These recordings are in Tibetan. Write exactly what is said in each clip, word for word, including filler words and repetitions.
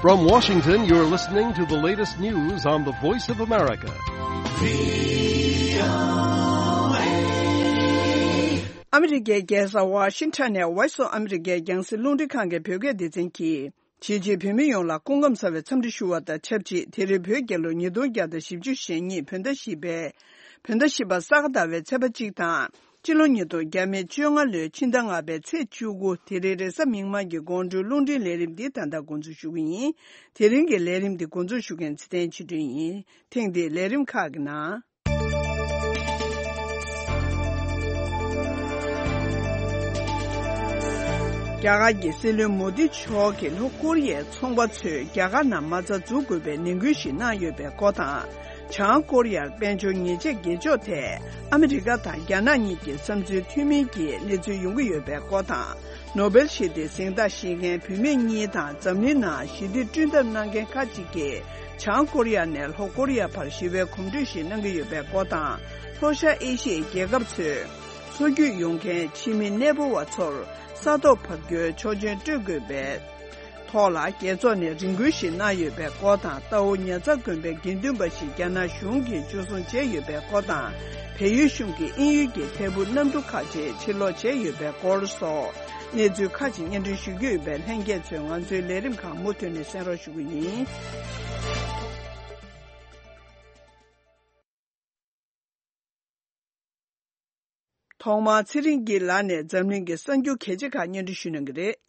From Washington, you're listening to the latest news on the Voice of America. ཨ་མི་རི་ཀའི་རྒྱལ་ས་ཝ་ཤིང་ཊོན་ནས་Voice of America་རྒྱང་སྲིང་རླུང་འཕྲིན་ཁང་གི་བོད་སྐད་སྡེ་ཚན་གྱིས། གཞིས་བྱེས་བོད་མི་ཡོངས་ལ་སྐུ་ཁམས་བཟང་བའི་འཚམས་འདྲི་ཞུ་བ་དང་ཆབས་ཅིག་དེ་རིང་བོད་རྒྱལ་ལོ་ཉིས་སྟོང་བརྒྱ་དང་བཞི་བཅུ་ཞེ་གཉིས་བོད་ཟླ་བཞི་པའི། བོད་ཟླ་བཞི་པ་ས་ག་ཟླ་བའི་ཚེས་པ་གཅིག་དང་། སྤྱི་ལོ་ཉིས་སྟོང་བརྒྱ་མེད་བཅོ་ལྔ་ལོའི་ཕྱི་ཟླ་ལྔ་པའི་ཚེས་བཅུ་དགུ་དེ་རིང་རེས་གཟའ་མིག་དམར་གྱི་དགོང་དྲོའི་རླུང་འཕྲིན་ལས་རིམ་འདི་ད་ལྟ་འགོ་འཛུགས་ཞུ་གི་ཡིན། དེ་རིང་གི་ལས་རིམ་འདི་འགོ་འཛུགས་ཞུ་མཁན་ཚེ་བརྟན་ཆོས་སྒྲོན་ཡིན། ཐེངས་འདིའི་ལས་རིམ་ཁག་གི་ནང་། རྒྱ་གར་གྱི་སྲིད་བློན་མོ་དི་མཆོག་གིས་ལྷོ་ཀོ་རི་ཡའི་ཚོང་པ་ཚོས་རྒྱ་གར་ནང་མ་རྩ་འཛུགས་དགོས་པའི་ནན་སྐུལ་ཞིག་གནང་ཡོད་པའི་སྐོར་དང་། བྱང་ཀོ་རི་ཡར་དཔལ་འབྱོར་ཉེས་ཆད་གྱེས་འཇོག་ཐད་ཨ་མི་རི་ཀ་དང་རྒྱ་ནག་གཉིས་ཀྱི་བསམ་ཚུལ་མཐུན་མིན་གྱི་གནས་ཚུལ་ཡོང་གི་ཡོད་པའི་སྐོར་དང་། ནོ་སྦེལ་ཞི་བདེའི་གཟེངས་རྟགས་བཞེས་མཁན་བུད་མེད་གཉིས་དང་འཛམ་གླིང་ནང་ཞི་བདེ་བསྐྲུན་ཐབས་གནང་མཁན་ཁག་ཅིག་གིས། བྱང་ཀོ་རི་ཡ་ནས་ལྷོ་ཀོ་རི་ཡ་བར་ཞི་བའི་གོམ་བགྲོད་ཞིག་གནང་གི་ཡོད་པའི་སྐོར་དང་། ལྷོ་ཤར་ཨེ་ཤི་ཡའི་རྒྱལ་ཁབ་ཚོས་མཚོ་རྒྱུད་ཡོང་མཁན་ཕྱི་མི་གནས་སྤོ་བ་ཚོར་ས་ཐོག་བབས་རྒྱུའི་ཆོག་མཆན་སྤྲོད་དགོས་པའི་ཐོག་ལ་རྒྱལ་ཚོགས་ནས་རེ་སྐུལ་ཞིག་གནང་ཡོད་པའི་སྐོར་དང་། རྟའུ་ཉ་ཚ་དགོན་པའི་དགེ་འདུན་པ་ཞིག་རྒྱ་ནག་གཞུང་གིས་འཇུ་བཟུང་བྱས་ཡོད་པའི་སྐོར་དང་། བལ་ཡུལ་གཞུང་གིས་དབྱིན་ཡུལ་གྱི་ཐད་འཕུར་གནམ་གྲུ་ཁག་ཅིག་ཕྱིར་སློག་བྱས་ཡོད་པའི་སྐོར་སོགས་གནས་ཚུལ་ཁག་ཅིག་སྙན་སྒྲོན་ཞུ་རྒྱུ་ཡོད་པས། ལྷན་རྒྱས་ཚོས་ང་ཚོའི་ལས་རིམ་ཁག་མུ་མཐུད་ནས་གསན་རོགས་ཞུ་གི་ཡིན། ཐོག་མར་ཚེ་རིང་སྐྱིད་ལགས་ནས་འཛམ་གླིང་གི་གསར་འགྱུར་གལ་ཆེ་ཁག་སྙན་སྒྲོན་ཞུ་གནང་གི་རེད།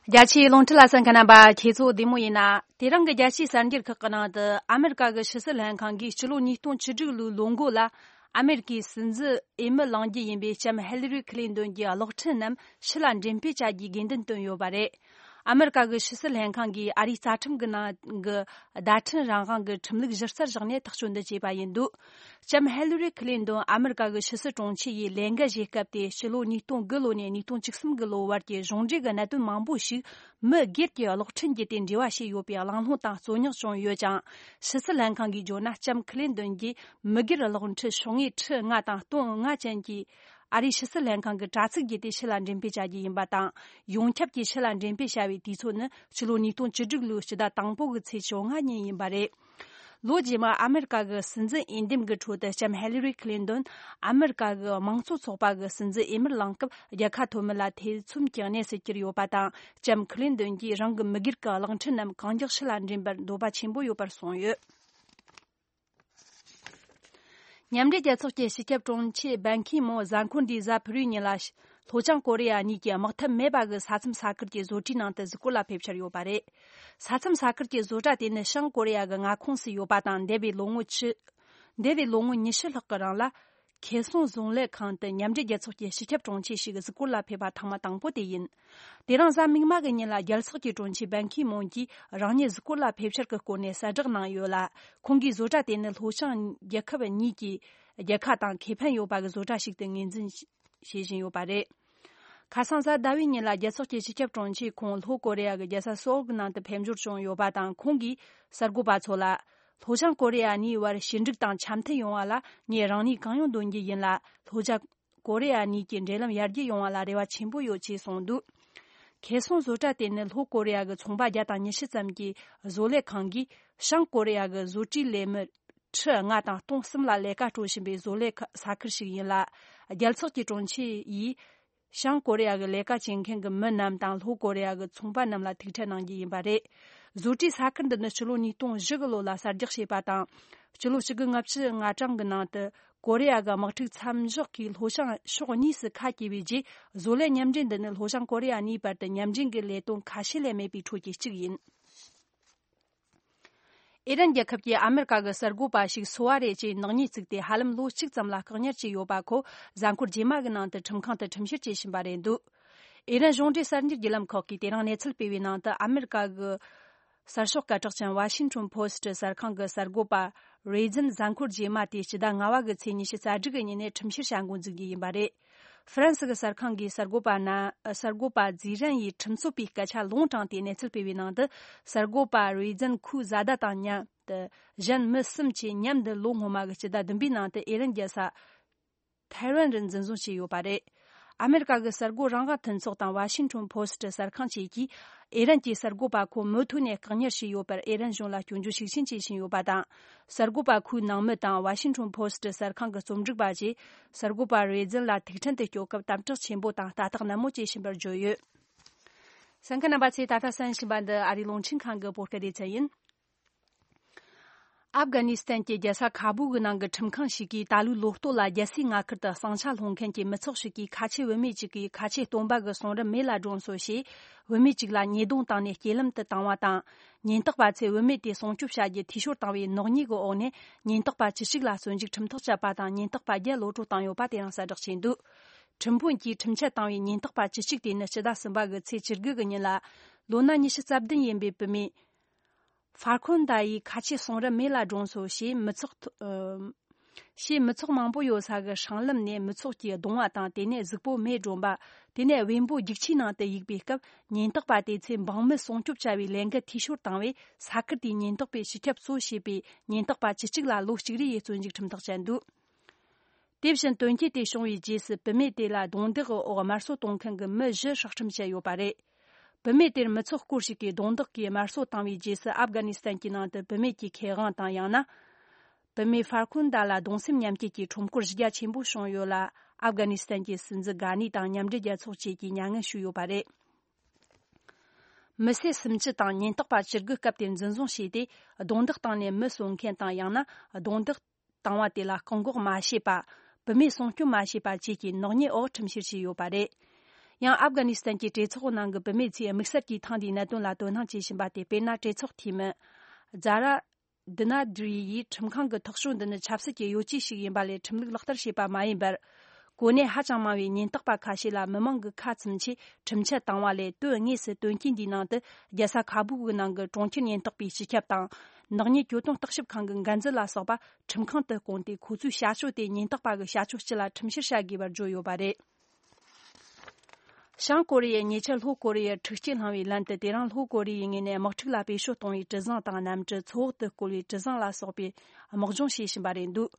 རྒྱ་ཆེའི་རླུང་འཕྲིན་ལ་གསན་མཁན་རྣམ་པ་ཁྱེད་ཚོ་བདེ་མོ་ཡིན་ན། དེ་རིང་གི་རྒྱལ་སྤྱིའི་གསར་འགྱུར་ཁག་གི་ནང་དུ། ཨ་མེ་རི་ཀ་གི་ཕྱི་སྲིད་ལྷན་ཁང་གིས་སྤྱི་ལོ་ཉིས་སྟོང་བཅུ་དྲུག་ལོའི་ལོ་འགོ་ལ། ཨ་མེ་རི་ཀའི་སྲིད་འཛིན་འོས་མི་གླེང་རྒྱུ་ཡིན་པའི་ལྕམ་ཧེ་ལི་རི་ཁི་ལིན་ཏོན་གྱི་གློག་འཕྲིན་རྣམས་ཕྱི་ལ་འགྲེམས་སྤེལ་བྱ་རྒྱུའི་དགོས་འདུན་བཏོན་ཡོད་པ་རེད། ཨ་མེ་རི་ཀ་གི་ཕྱི་སྲིད་ལྷན་ཁང་གིས་ཨ་རིའི་རྩ་ཁྲིམས་ཀྱི་ནང་གི་བརྡ་འཕྲིན་རང་དབང་གི་ཁྲིམས་ལུགས་གཞི་རྩར་བཞག་ནས་ཐག་གཅོད་འདི་བྱས་པ་ཡིན་འདུག་ལྕམ་ཧེ་ལི་རི་ཁི་ལིན་ཏོན་ཨ་མེ་རི་ཀ་གི་ཕྱི་སྲིད་དྲུང་ཆེ་ཡི་ལས་འགན་བཞེས་སྐབས་ཏེ། ཕྱི་ལོ་ཉིས་སྟོང་དགུ་ལོ་ནས་ཉིས་སྟོང་བཅུ་གསུམ་གི་ལོ་བར་གྱི་གཞུང་འབྲེལ་གྱི་གནད་དོན་མང་པོ་ཞིག་མི་སྒེར་གྱི་གློག་འཕྲིན་བརྒྱུད་དེ་འབྲེལ་བ་བྱས་ཡོད་པའི་གླེང་སློང་དང་རྩོད་རྙོག་བྱུང་ཡོད་ཀྱང་། ཕྱི་སྲིད་ལྷན་ཁང་གིས་བརྗོད་ན། ལྕམ་ཁི་ལིན་ཏོན་གྱིས་མི་སྒེར་གློག་འཕྲིན་ཤོག་ངོས་ཁྲི་ལྔ་དང་སྟོང་ལྔ་ཅན་གྱི་ཨ་རིའི་ཕྱི་སྲིད་ལྷན་ཁང་གི་དྲ་ཚིགས་བརྒྱུད་དེ་ཕྱི་ལ་འགྲེམས་སྤེལ་བྱ་རྒྱུ་ཡིན་པ་དང་། ཡོངས་ཁྱབ་ཀྱིས་ཕྱི་ལ་འགྲེམས་སྤེལ་བྱ་བའི་དུས་ཚོད་ནི་ཕྱི་ལོ་ཉིས་སྟོང་བཅུ་དྲུག་ལོའི་སྤྱི་ཟླ་དང་པོ་གི་ཚེས་བཅོ་ལྔ་ཉིན་ཡིན་པ་རེད། ལོ་རྗེས་མ་ཨ་མེ་རི་ཀ་གི་སྲིད་འཛིན་འོས་འདེམས་ཀྱི་ཁྲོད་དུ་ལྕམ་ཧེ་ལི་རི་ཁི་ལིན་ཏོན་ཨ་མེ་རི་ཀ་གི་དམངས་གཙོ་ཚོགས་པ་གི་སྲིད་འཛིན་འོས་མིར་ལངས་སྐབས། རྒྱལ་ཁ་ཐོབ་མིན་ལ་ཐེ་ཚོམ་གྱི་གནས་སུ་གྱུར་ཡོད་པ་དང་། ལྕམ་ཁི་ལིན་ཏོན་གྱིས་རང་གི་མི་སྒེར་གྱི་གློག་འཕྲིན་རྣམས་གང་མགྱོགས་ཕྱི་ལ་འགྲེམས་པར་འདོད་པ་ཆེན་པོ་ཡོད་པར་གསུངས་ཡོད། མཉམ་འབྲེལ་རྒྱལ་ཚོགས་ཀྱི་སྤྱི་ཁྱབ་དྲུང་ཆེ་བན་ཁི་མོང་གཟའ་འཁོར་འདིའི་གཟའ་ཕུར་བུའི་ཉིན་ལ། ལྷོ་བྱང་ཀོ་རི་ཡ་གཉིས་ཀྱིས་དམག་འཐབ་མེད་པ་གི་ས་མཚམས་ས་ཁུལ་གྱི་བཟོ་གྲྭའི་ནང་དུ་གཟིགས་སྐོར་ལ་ཕེབས་འཆར་ཡོད་པ་རེད། ས་མཚམས་ས་ཁུལ་གྱི་བཟོ་གྲྭ་དེ་ནི་བྱང་ཀོ་རི་ཡ་གི་མངའ་ཁོངས་སུ་ཡོད་པ་དང་། འདས་པའི་ལོ་ངོ་ཆུ། འདས་པའི་ལོ་ངོ་ཉི་ཤུ་ལྷག་གི་རིང་ལ། ཁེ་སོང་བཟོ་ལས་ཁང་དུ་མཉམ་འབྲེལ་རྒྱལ་ཚོགས་ཀྱི་སྤྱི་ཁྱབ་དྲུང་ཆེ་ཞིག་གཟིགས་སྐོར་ལ་ཕེབས་པ་ཐེངས་མ་དང་པོ་དེ་ཡིན། དེ་རིང་གཟའ་མིག་དམར་གྱི་ཉིན་ལ་རྒྱལ་ཚོགས་ཀྱི་དྲུང་ཆེ་བན་ཁི་མོང་གིས་རང་ཉིད་གཟིགས་སྐོར་ལ་ཕེབས་འཆར་གྱི་སྐོར་ནས་གསལ་བསྒྲགས་གནང་ཡོད་ལ། ཁོང་གིས་བཟོ་གྲྭ་དེ་ནི་ལྷོ་བྱང་རྒྱལ་ཁབ་གཉིས་ཀྱི་རྒྱལ་ཁ་དང་ཁེ་ཕན་ཡོད་པ་གི་བཟོ་གྲྭ་ཞིག་ཏུ་ངོས་འཛིན་བྱེད་བཞིན་ཡོད་པ་རེད། ཁ་སང་གཟའ་ཟླ་བའི་ཉིན་ལ་རྒྱལ་ཚོགས་ཀྱི་སྤྱི་ཁྱབ་དྲུང་ཆེས་ཁོང་ལྷོ་ཀོ་རི་ཡ་གི་རྒྱལ་ས་སོའོལ་གྱི་ནང་དུ་ཕེབས་འབྱོར་བྱུང་ཡོད་པ་དང་། ཁོང་གིས་གསར་འགོད་པ་ཚོ་ལ། ལྷོ་བྱང་ཀོ་རི་ཡ་གཉིས་བར་ཞི་འགྲིག་དང་འཆམ་མཐུན་ཡོང་བ་ལ་ངས་རང་ནུས་གང་ཡོང་འདོན་རྒྱུ་ཡིན་ལ། ལྷོ་བྱང་ཀོ་རི་ཡ་གཉིས་ཀྱི་འབྲེལ་ལམ་ཡར་རྒྱས་ཡོང་བ་ལ་རེ་བ་ཆེན་པོ་ཡོད་ཅེས་གསུངས་འདུག་ཁེ་སོང་བཟོ་གྲྭ་དེ་ནི་ལྷོ་ཀོ་རི་ཡ་གི་ཚོང་པ་བརྒྱ་དང་ཉི་ཤུ་ཙམ་གྱི་བཟོ་ལས་ཁང་གིས་བྱང་ཀོ་རི་ཡ་གི་བཟོ་གྲྭའི་ལས་མི་ཁྲི་ལྔ་དང་སྟོང་གསུམ་ལ་ལས་ཀ་སྤྲོད་བཞིན་པའི་བཟོ་ལས་ས་ཁུལ་ཞིག་ཡིན་ལ། རྒྱལ་ཚོགས་ཀྱི་དྲུང་ཆེ་ཡིས། བྱང་ཀོ་རི་ཡ་གི་ལས་ཀ་བྱེད་མཁན་གྱི་མི་རྣམས་དང་ལྷོ་ཀོ་རི་ཡ་གི་ཚོང་པ་རྣམས་ལ་ཐུག་འཕྲད་གནང་རྒྱུ་ཡིན་པ་རེད། བཟོ་གྲྭའི་ས་ཁུལ་འདི་ནི་ཕྱི་ལོ་ཉིས་སྟོང་བཞི་གི་ལོ་ལ་གསར་རྒྱག་བྱས་པ་དང་། ཕྱི་ལོ་ཆིག་སྟོང་དགུ་བརྒྱ་ལྔ་བཅུ་ང་གྲངས་ཀྱི་ནང་དུ་ཀོ་རི་ཡ་གི་དམག་འཁྲུག་མཚམས་འཇོག་གིས་ལྷོ་བྱང་ཕྱོགས་གཉིས་སུ་ཁ་གྱེས་པའི་རྗེས། བཟོ་ལས་མཉམ་འབྲེལ་འདི་ནི་ལྷོ་བྱང་ཀོ་རི་ཡ་གཉིས་བར་དུ་མཉམ་འབྲེལ་གྱི་ལས་དོན་ཁ་ཤས་ལས་མེད་པའི་ཁྲོད་ཀྱི་གཅིག་ཡིན། ཨི་རན་རྒྱལ་ཁབ་ཀྱིས་ཨ་མེ་རི་ཀ་གི་གསར་འགོད་པ་ཞིག་སོ་བ་རེད་ཅེས་ནག་ཉེས་བཙུགས་ཏེ། ཧ་ལམ་ལོ་གཅིག་ཙམ་ལ་བཀག་ཉར་བྱས་ཡོད་པ་ཁོ་གཟའ་འཁོར་རྗེས་མ་གི་ནང་དུ་ཁྲིམས་ཁང་དུ་ཁྲིམས་བཤེར་བྱེད་བཞིན་པ་རེད་འདུག་ཨི་རན་གཞུང་འབྲེལ་གསར་འགྱུར་བརྒྱུད་ལམ་ཁག་གིས་དེ་རིང་གནས་ཚུལ་སྤེལ་བའི་ནང་དུ། ཨ་མེ་རི་ཀ་གི་གསར་ཤོག་སྐད་གྲགས་ཅན་Washington Post་གསར་ཁང་གི་གསར་འགོད་པ་རེ་ཛན་གཟའ་འཁོར་རྗེས་མ་དེ་སྤྱི་ཟླ་ལྔ་བ་གི་ཚེས་ཉི་ཤུ་རྩ་དྲུག་གི་ཉིན་ནས་ཁྲིམས་བཤེར་བྱ་འགོ་འཛུགས་རྒྱུ་ཡིན་པ་རེད། ཧྥ་རན་སི་གི་གསར་ཁང་གིས་གསར་འགོད་པ་ན། གསར་འགོད་པ་ཛི་རན་ཡིས་ཁྲིམས་རྩོད་པའི་སྐད་ཆ་ལུང་དྲངས་ཏེ་གནས་ཚུལ་སྤེལ་བའི་ནང་དུ། གསར་འགོད་པ་རེ་ཛན་ཁོའི་བཟའ་ཟླ་དང་མཉམ་དུ་གཞན་མི་གསུམ་བཅས་མཉམ་དུ་ལོ་སྔོན་མ་གི་སྤྱི་ཟླ་བདུན་པའི་ནང་དུ་ཨི་རན་རྒྱལ་ས་ཐེ་ཝན་རུ་འཛིན་བཟུང་བྱས་ཡོད་པ་རེད། ཨ་མེ་རི་ཀ་གི་གསར་འགོད་རང་དབང་མཐུན་ཚོགས་དང་ཝ་ཤིང་ཊོན་ཕོ་སི་ཊི་གསར་ཁང་བཅས་ཀྱིས་ཨེ་རན་གྱི་གསར་འགོད་པ་ཁོ་མུ་མཐུད་ནས་བཀག་ཉར་བྱས་ཡོད་པར་ཨེ་རན་གཞུང་ལ་སྐྱོན་བརྗོད་ཤུགས་ཆེན་བྱེད་བཞིན་ཡོད་པ་དང་། གསར་འགོད་པ་ཁོའི་ནང་མི་དང་ཝ་ཤིང་ཊོན་ཕོ་སི་ཊི་གསར་ཁང་གི་རྩོམ་སྒྲིག་པ་བཅས་གསར་འགོད་པ་རེ་ཛིན་ལ་ཐུག་འཕྲད་དུ་སྐྱོད་སྐབས་དམ་དྲག་ཆེན་པོ་དང་ལྟ་རྟོག་ནན་མོ་བཅས་བཞིན་པར་བརྗོད་ཡོད། གསན་མཁན་རྣམ་པ་ཚོས་ད་ལྟ་གསན་བཞིན་པ་འདི་ཨ་རིའི་རླུང་འཕྲིན་ཁང་གི་བོད་སྐད་སྡེ་ཚན་ཡིན། ཨབ་གྷ་ནི་སི་ཐན་གྱི་རྒྱལ་ས་ཁ་བུ་གི་ནང་གི་ཁྲིམས་ཁང་ཞིག་གིས་ད་ལོའི་ལོ་སྟོད་ལ་རྒྱལ་སའི་མངའ་ཁུལ་དུ་ཟིང་ཆ་སློང་མཁན་གྱི་མི་ཚོགས་ཤིག་གིས་ཁ་ཆེ་བུད་མེད་ཅིག་གིས་ཁ་ཆེ་སྟོན་པ་གི་གསུང་རབ་མེ་ལ་སྒྲོན་སོང་ཞེས། བུད་མེད་ཅིག་ལ་ཉེས་རྡུང་བཏང་ནས་རྐྱེན་ལམ་དུ་བཏང་བ་དང་། ཉེན་རྟོག་པ་ཚོས་བུད་མེད་དེ་སྲུང་སྐྱོབ་བྱ་རྒྱུ་འཐུས་ཤོར་བཏང་བའི་ནག་ཉེས་ཀྱི་འོག་ནས་ཉེན་རྟོག་པ་བཅུ་གཅིག་ལ་བཙོན་འཇུག་ཁྲིམས་ཐག་བཅད་པ་དང་། ཉེན་རྟོག་པ་བརྒྱད་གློད་བཀྲོལ་བཏང་ཡོད་པ་དེ་ཡང་གསལ་བསྒྲགས་བྱས་འདུག་ཁྲིམས་དཔོན་གྱིས་ཁྲིམས་ཆད་བཏང་བའི་ཉེན་རྟོག་པ་བཅུ་གཅིག་དེ་ནི་ཕྱི་ཟླ་གསུམ་པ་གི་ཚེས་བཅུ་དགུ་གི་ཉིན་ལ། ལོ་ན་ཉི་ཤུ་རྩ་བདུན་ཡིན་པའི་བུད་མེད། ཧྥར་ཁོན་ད་ཡིས་ཁ་ཆེ་གསུང་རབ་མེ་ལ་སྒྲོན་སོང་ཞེས་མི་ཚོགས་ཐོ་ཨ་ཞེས་མི་ཚོགས་མང་པོ་ཡོད་ས་གི་སྲང་ལམ་ནས་མི་ཚོགས་ཀྱིས་རྡུང་བ་དང་། དེ་ནས་གཟུགས་པོ་མེ་སྒྲོན་པ། དེ་ནས་བེམ་པོ་རྒྱུག་ཆས་ནང་དུ་གཡུགས་པའི་སྐབས། ཉེན་རྟོག་པ་དེ་ཚོས་འབངས་མི་སྲུང་སྐྱོབ་བྱ་བའི་ལས་འགུལ་འཐུས་ཤོར་བཏང་བས། ས་ཁུལ་དེའི་ཉེན་རྟོག་པས་སྤྱི་ཁྱབ་གཙོ་བྱས་པའི་ཉེན་རྟོག་པ་བཅུ་གཅིག་ལ་ལོ་གཅིག་རེ་ཡི་བཙོན་འཇུག་ཁྲིམས་ཐག་བཅད་འདུག་དེ་བཞིན་དོན་རྐྱེན་དེ་བྱུང་བའི་རྗེས་སུ་བུད་མེད་དེ་ལ་རྡུང་རྡེག་གི་འོག་དམར་གསོད་གཏོང་མཁན་གྱི་མི་བཞི་སྲོག་ཁྲིམས་བཅད་ཡོད་པ་རེད། བུད་མེད་དེར་མི་ཚོགས་སྐོར་ཞིག་གིས་རྡུང་རྡེག་གིས་དམར་གསོད་བཏང་བའི་རྗེས་སུ། ཨབ་གྷ་ནི་སི་ཐན་གྱི་ནང་དུ་བུད་མེད་ཀྱི་ཁེ་དབང་དང་། ཡང་ན། བུད་མེད་ཧྥར་ཁུན་ད་ལ་གདུང་སེམས་མཉམ་སྐྱེད་ཀྱི་ཁྲོམ་སྐོར་གཞི་རྒྱ་ཆེན་པོ་བྱུང་ཡོད་ལ། ཨབ་གྷ་ནི་སི་ཐན་གྱི་སྲིད་འཛིན་གྷ་ནི་དང་མཉམ་འབྲེལ་རྒྱལ་ཚོགས་བཅས་ཀྱིས་མྱ་ངན་ཞུས་ཡོད་པ་རེད། མི་སེར་སུམ་ཅུ་དང་ཉེན་རྟོག་པ་བཅུ་དགུ་སྐབས་དེར་འཛིན་བཟུང་བྱས་ཏེ། རྡུང་རྡེག་བཏང་ནས་མི་གསོད་མཁན་དང་། ཡང་ན་རྡུང་རྡེག་བཏང་བ་དེ་ལ་བཀག་འགོག་མ་བྱས་པ། བུད་མེད་སྲུང་སྐྱོབ་མ་བྱས་པ་བཅས་ཀྱི་ནག་ཉེས་འོག་ཁྲིམས་བཤེར་བྱས་ཡོད་པ་རེད། ཡང་ཨབ་གྷ་ནི་སི་ཐན་གྱི་གྲོས་ཚོགས་ནང་གི་བུད་མེད་ཚོས་དམིགས་བསལ་གྱིས་ཐེངས་འདིའི་གནད་དོན་ལ་དོ་སྣང་བྱེད་བཞིན་པ་སྟེ། དཔེར་ན། གྲོས་ཚོགས་འཐུས་མི་ཛ་ར་དི་ན་དི་རི་ཡིས་ཁྲིམས་ཁང་གི་ཐག་གཅོད་འདི་ནི་ཆབ་སྲིད་ཀྱི་གཡོ་ཇུས་ཤིག་ཡིན་པ་ལས་ཁྲིམས་ལུགས་ལག་བསྟར་བྱས་པ་མ་ཡིན་པར། གོ་གནས་ཧ་ཅང་དམའ་བའི་ཉེན་རྟོག་པ་ཁ་ཤས་ལ་མི་མང་གི་ཁ་ཚིམ་ཆེད་ཁྲིམས་ཆད་བཏང་བ་ལས། དོན་དངོས་སུ་དོན་རྐྱེན་འདིའི་ནང་དུ་རྒྱལ་ས་ཁ་བུ་གི་ནང་གི་གྲོང་ཁྱེར་ཉེན་རྟོག་པའི་སྤྱི་ཁྱབ་དང་། ནག་ཉེས་གྱོད་དོན་བརྟག་ཞིབ་ཁང་གི་འགན་འཛིན་ལ་སོགས་པ་ཁྲིམས་ཁང་དུ་བསྐོངས་ཏེ། ཁོ་ཚོའི་བྱ་སྤྱོད་དེ་ཉེན་རྟོག་པ་གི་བྱ་སྤྱོད་སྤྱི་ལ་ཁྲིམས་བཤེར་བྱ་དགོས་པར་བརྗོད་ཡོད་པ་རེད། བྱང་ཀོ་རི་ཡས་ཉེ་ཆར་ལྷོ་ཀོ་རི་ཡར་འཁྲུག་རྐྱེན་བསླངས་པའི་ལན་དུ། དེ་རིང་ལྷོ་ཀོ་རི་ཡའི་ངོས་ནས་དམག་འཁྲུག་ལ་བེད་སྤྱོད་གཏོང་བའི་གྲུ་གཟིངས་དང་གནམ་གྲུ། མཚོ་འོག་ཏུ་བསྐོར་བའི་གྲུ་གཟིངས་ལ་སོགས་པའི་དམག་སྦྱོང་བྱེད་བཞིན་པ་རེད་འདུག་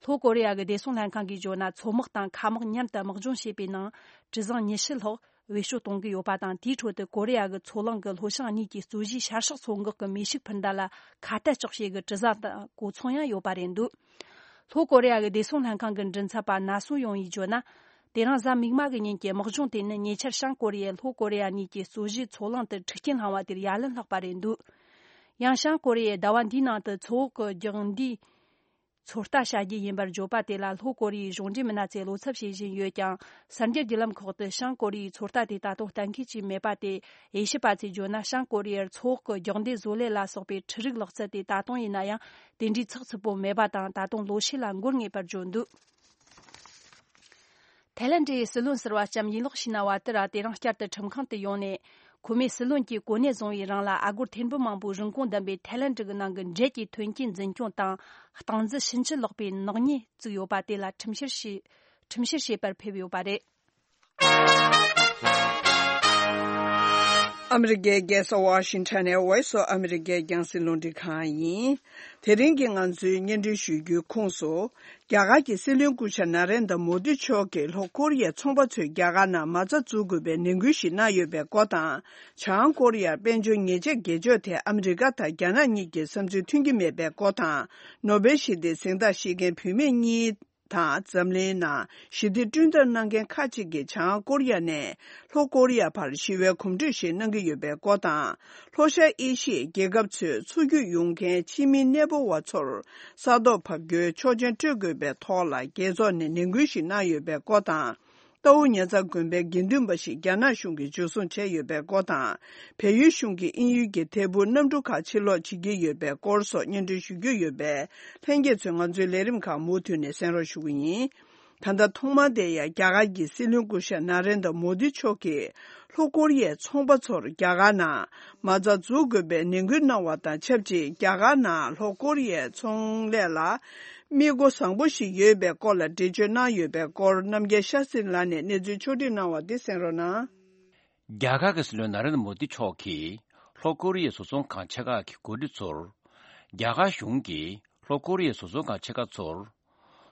ལྷོ་ཀོ་རི་ཡ་གི་བདེ་སྲུང་ལྷན་ཁང་གིས་བརྗོད་ན། མཚོ་དམག་དང་མཁའ་དམག་མཉམ་དུ་དམག་སྦྱོང་བྱས་པའི་ནང་། གྲུ་གཟིངས་ཉི་ཤུ་ལྷག་བེད་སྤྱོད་གཏོང་གི་ཡོད་པ་དང་། དེའི་ཁྲོད་དུ་ཀོ་རི་ཡ་གི་མཚོ་གླིང་གི་ལྷོ་བྱང་གཉིས་ཀྱི་རྩོད་གཞིས་ཤར་ཕྱོགས་མཚོ་འགག་གི་མེ་ཤུགས་འཕུར་མདའ་ལ་ཁ་གཏད་གཅོག་བྱེད་ཀྱི་གྲུ་གཟིངས་དང་གོ་མཚོན་ཡང་ཡོད་པ་རེད་འདུག་ལྷོ་ཀོ་རི་ཡ་གི་བདེ་སྲུང་ལྷན་ཁང་གི་མགྲིན་ཚབ་པ་ན་སུ་ཡོང་ཡིས་བརྗོད་ན། དེ་རིང་གཟའ་མིག་དམར་གྱི་ཉིན་གྱི་དམག་སྦྱོང་དེ་ནི་ཉེ་ཆར་བྱང་ཀོ་རི་ཡས་ལྷོ་ཀོ་རི་ཡ་གཉིས་ཀྱི་རྩོད་གཞིས་མཚོ་གླིང་དུ་འཁྲུག་རྐྱེན་བསླངས་པ་དེར་ཡ་ལན་ལྷག་པ་རེད་འདུག་ཡང་བྱང་ཀོ་རི་ཡས་ཟླ་བ་འདིའི་ནང་དུ་མཚོ་འོག་གི་རྒྱང་མདའི་ཚོད་ལྟ་བྱ་རྒྱུ་ཡིན་པར་བརྗོད་པ་དེ་ལ་ལྷོ་ཀོ་རི་ཡའི་གཞུང་འབྲེལ་མི་སྣ་ཚོས་བློ་འཚབ་བྱེད་བཞིན་ཡོད་ཀྱང་། གསར་འགྱུར་བརྒྱུད་ལམ་ཁག་ཏུ་བྱང་ཀོ་རི་ཡའི་ཚོད་ལྟ་དེ་ད་དུང་གཏན་འཁེལ་བྱས་མེད་པ་སྟེ། དབྱེ་ཞིབ་པ་ཚོས་བརྗོད་ན། བྱང་ཀོ་རི་ཡར་མཚོ་འོག་གི་རྒྱང་མདའི་བཟོ་ལས་ལ་སོགས་པའི་འཕྲུལ་རིག་ལག་རྩལ་དེ་ད་དུང་ཡིན་ན་ཡང་དེ་འདྲའི་ཚགས་ཚུད་པོ་མེད་པ་དང་། ད་དུང་ལོ་ཤས་ལ་འགོར་ངེས་པར་བརྗོད་འདུག་ཐའི་ལེན་ཌི་ཡི་སྲིད་བློན་ཟུར་པ་ལྕམ་ཡིན་ལོག་ཤི་ན་བ་ཏི་ར་དེ་རིང་བསྐྱར་དུ་ཁྲིམས་ཁང་དུ་ཡོང་ནས། ཁོ་མོས་སྲིད་བློན་གྱི་གོ་གནས་བཟུང་བའི་རིང་ལ། ཨ་སྒོར་ཐེར་འབུམ་མང་པོའི་རིན་གོང་ལྡན་པའི་ཐའི་ལེན་ཌི་གི་ནང་གི་འབྲེལ་གྱི་ཐོན་སྐྱེད་འཛིན་སྐྱོང་དང་སྟངས་འཛིན་ཕྱིན་ཅི་ལོག་པའི་ནག་ཉེས་བཙུགས་ཡོད་པ་དེ་ལ་ཁྲིམས་བཤེར་བྱས། ཁྲིམས་བཤེར་བྱེད་པར་ཕེབས་ཡོད་པ་རེད། ཨ་མི་རི་ཀའི་རྒྱལ་ས་ཝ་ཤིང་ཊོན་ནས་Voice of America རྒྱང་སྲིང་རླུང་འཕྲིན་ཁང་ཡིན། དེ་རིང་གི་ང་ཚོའི་སྙན་སྒྲོན་ཞུ་རྒྱུའི་ཁོངས་སུ། རྒྱ་གར་གྱི་སྲིད་བློན་སྐུ་ཞབས་ན་རེན་དྲ་མོ་དི་མཆོག་གིས་ལྷོ་ཀོ་རི་ཡའི་ཚོང་པ་ཚོས་རྒྱ་གར་ནང་མ་རྩ་འཛུགས་དགོས་པའི་ནན་སྐུལ་ཞིག་གནང་ཡོད་པའི་སྐོར་དང་། བྱང་ཀོ་རི་ཡར་དཔལ་འབྱོར་ཉེས་ཆད་འགེལ་ཕྱོགས་ཐད་ཨ་མི་རི་ཀ་དང་རྒྱ་ནག་གཉིས་ཀྱི་བསམ་ཚུལ་མཐུན་གྱི་མེད་པའི་སྐོར་དང་། ནོ་བེལ་ཞི་བདེའི་གཟེངས་རྟགས་བཞེས་མཁན་བུད་མེད་གཉིས་དང་། འཛམ་གླིང་ནང་ཞི་བདེ་བསྐྲུན་ཐབས་གནང་མཁན་ཁག་ཅིག་གིས་བྱང་ཀོ་རི་ཡ་ནས་ལྷོ་ཀོ་རི་ཡ་བར་ཞི་བའི་གོམ་བགྲོད་ཞིག་གནང་གི་ཡོད་པའི་སྐོར་དང་། ལྷོ་ཤར་ཨེ་ཤི་ཡའི་རྒྱལ་ཁབ་ཚོའི་མཚོ་རྒྱུད་ཡོང་མཁན་ཕྱི་མི་གནས་སྤོ་བ་ཚོར་ས་ཐོག་བབས་རྒྱུའི་ཆོག་མཆན་སྤྲོད་དགོས་པའི་ཐོག་ལ་རྒྱལ་ཚོགས་ནས་ནན་སྐུལ་ཞིག་གནང་ཡོད་པའི་སྐོར་དང་། རྟའུ་ཉེ་ཚང་དགོན་པའི་དགེ་འདུན་པ་ཞིག་རྒྱ་ནག་གཞུང་གིས་འཇུ་བཟུང་བྱས་ཡོད་པའི་སྐོར་དང་། བལ་ཡུལ་གཞུང་གིས་དབྱིན་ཡུལ་གྱི་ཐད་འཕུར་གནམ་གྲུ་ཁག་ཕྱིར་ལོག་བྱེད་ཀྱི་ཡོད་པའི་སྐོར་སོགས་སྙན་སྒྲོན་ཞུ་རྒྱུ་ཡོད་པས། ལྷན་རྒྱས་ཚོས་ང་ཚོའི་ལས་རིམ་ཁག་མུ་མཐུད་ནས་གསན་རོགས་ཞུ་གི་ཡིན། ད་ལྟ་ཐོག་མར་དེ་ཡང་རྒྱ་གར་གྱི་སྲིད་བློན་སྐུ་ཞབས་ན་རེན་དྲ་མོ་དི་མཆོག་གིས་ལྷོ་ཀོ་རི་ཡའི་ཚོང་པ་ཚོར་རྒྱ་གར་ནང་མ་རྩ་འཛུགས་དགོས་པའི་ནན་སྐུལ་གནང་བ་དང་ཆབས་ཅིག་རྒྱ་གར་ནང་ལྷོ་ཀོ་རི་ཡའི་ཚོང་ལས་ལ་དམིགས་སྒོ་བཟང་པོ་ཞིག་ཡོད་པའི་སྐོར་ལ་འགྲེལ་བརྗོད་གནང་ཡོད་པའི་སྐོར། རྣམ་རྒྱལ་ཤཱ་སྟྲི་ལགས་ནས་གནས་ཚུལ་ཕྱོགས་སྒྲིག་གནང་བ་དེ་གསན་རོགས་གནང་། རྒྱ་གར་གྱི་སྲིད་བློན་ན་རེན་དྲ་མོ་དི་མཆོག་གིས་ལྷོ་ཀོ་རི་ཡའི་བཟོ་ཚོང་ཁང་ཆེ་ཁག་གི་འགོ་ཁྲིད་ཚོར། རྒྱ་གར་གཞུང་གིས་ལྷོ་ཀོ་རི་ཡའི་བཟོ་ཚོང་ཁང་ཆེ་ཁག་ཚོར།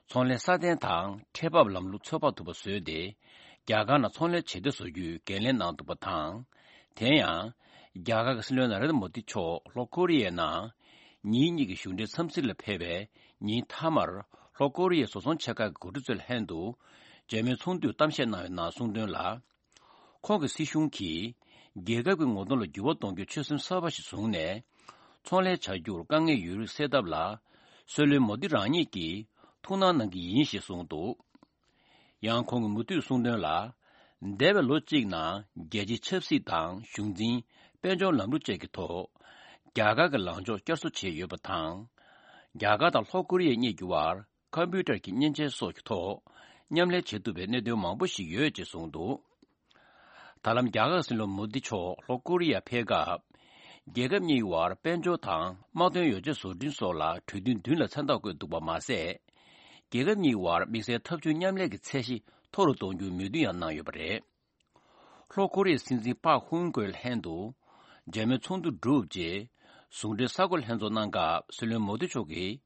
ཚོང་ལས་སྲ་བརྟན་དང་ཁྲལ་འབབ་ལམ་ལུགས་ཚོད་དཔག་ཐུབ་པ་བཟོས་ཏེ། རྒྱ་གར་ནང་ཚོང་ལས་བྱེད་བདེ་བཟོ་རྒྱུའི་འགན་ལེན་གནང་འདུག་པ་དང་། དེ་ཡང་། རྒྱ་གར་གྱི་སྲིད་བློན་ན་རེན་དྲ་མོ་དི་མཆོག་ལྷོ་ཀོ་རི་ཡའི་ནང་ཉིན་གཉིས་ཀྱི་གཞུང་འབྲེལ་འཚམས་གཟིགས་ལ་ཕེབས་པའི་ཉིན་མཐའ་མར། ལྷོ་ཀོ་རི་ཡའི་བཟོ་ཚོང་ཆེ་ཁག་གི་འགོ་ཁྲིད་ཚོ་ལྷན་དུ་མཇལ་མོལ་ཚོགས་འདུའི་གཏམ་བཤད་གནང་བའི་ནང་གསུངས་དོན་ལ། ཁོང་གི་སྲིད་གཞུང་གིས་རྒྱལ་ཁབ་ཀྱི་ངོ་གདོང་ལ་འགྱུར་བ་གཏོང་རྒྱུའི་ཆོད་སེམས་གསར་པ་ཞིག་བཟུང་ནས། ཚོང་ལས་བྱ་རྒྱུར་དཀའ་ངལ་ཡོད་རིགས་སེལ་ཐབས་ལ། སྲིད་བློན་མོ་དི་རང་ཉིད་ཀྱིས་ཐུགས་སྣང་གནང་གི་ཡིན་ཞེས་གསུངས་འདུག། ཡང་ཁོང་གིས་མུ་མཐུད་གསུངས་དོན་ལ། འདས་པའི་ལོ་གཅིག་ནང་རྒྱལ་སྤྱིའི་ཆབ་སྲིད་དང་གཞུང་འཛིན། དཔལ་འབྱོར་ལམ་ལུགས་བཅས་ཀྱི་ཐོག་རྒྱ་གར་གྱི་ལངས་ཕྱོགས་བསྐྱར་གསོ་བྱས་ཡོད་པ་དང་། རྒྱ་གར་དང་ལྷོ་ཀོ་རི་ཡ་གཉིས་ཀྱི་དབར་ཁམ་པུ་ཊར་གྱི་མཉེན་ཆས་སོགས་ཀྱི་ཐོག་མཉམ་ལས་བྱེད་ཐུབ་པའི་གནད་དོན་མང་པོ་ཞིག་ཡོད་ཅེས་གསུངས་འདུག། ད་ལམ་རྒྱ་གར་སྲིད་བློན་མོ་དི་མཆོག་ལྷོ་ཀོ་རི་ཡར་ཕེབས་སྐབས། རྒྱལ་ཁབ་གཉིས་བར་དཔལ་འབྱོར་དང་དམག་དོན་ཡོ་བྱད་བཟོ་སྐྲུན་སོགས་ལ་གྲོས་མཐུན་བདུན་ལ་མཚན་རྟགས་བཀོད་འདུག་པ་མ་ཟད། རྒྱལ་ཁབ་གཉིས་བར་དམིགས་བསལ་འཐབ་ཇུས་མཉམ་ལས་ཀྱི་ཚད་གཞི་མཐོ་རུ་གཏོང་རྒྱུའི་མོས་མཐུན་ཡང་གནང་ཡོད་པ་རེད། ལྷོ་ཀོ་རི་ཡའི་སྲིད་འཛིན་པག་ཧུན་ཀོས་ལྷན་དུ་མཇལ་མོལ་ཚོགས་འདུ་གྲུབ་རྗེས། ཟུང་འབྲེལ་གསར་འགོད་ལྷན་ཚོགས་གནང་སྐབས་སྲིད་བློན་མོ་དི་མཆོག་གིས།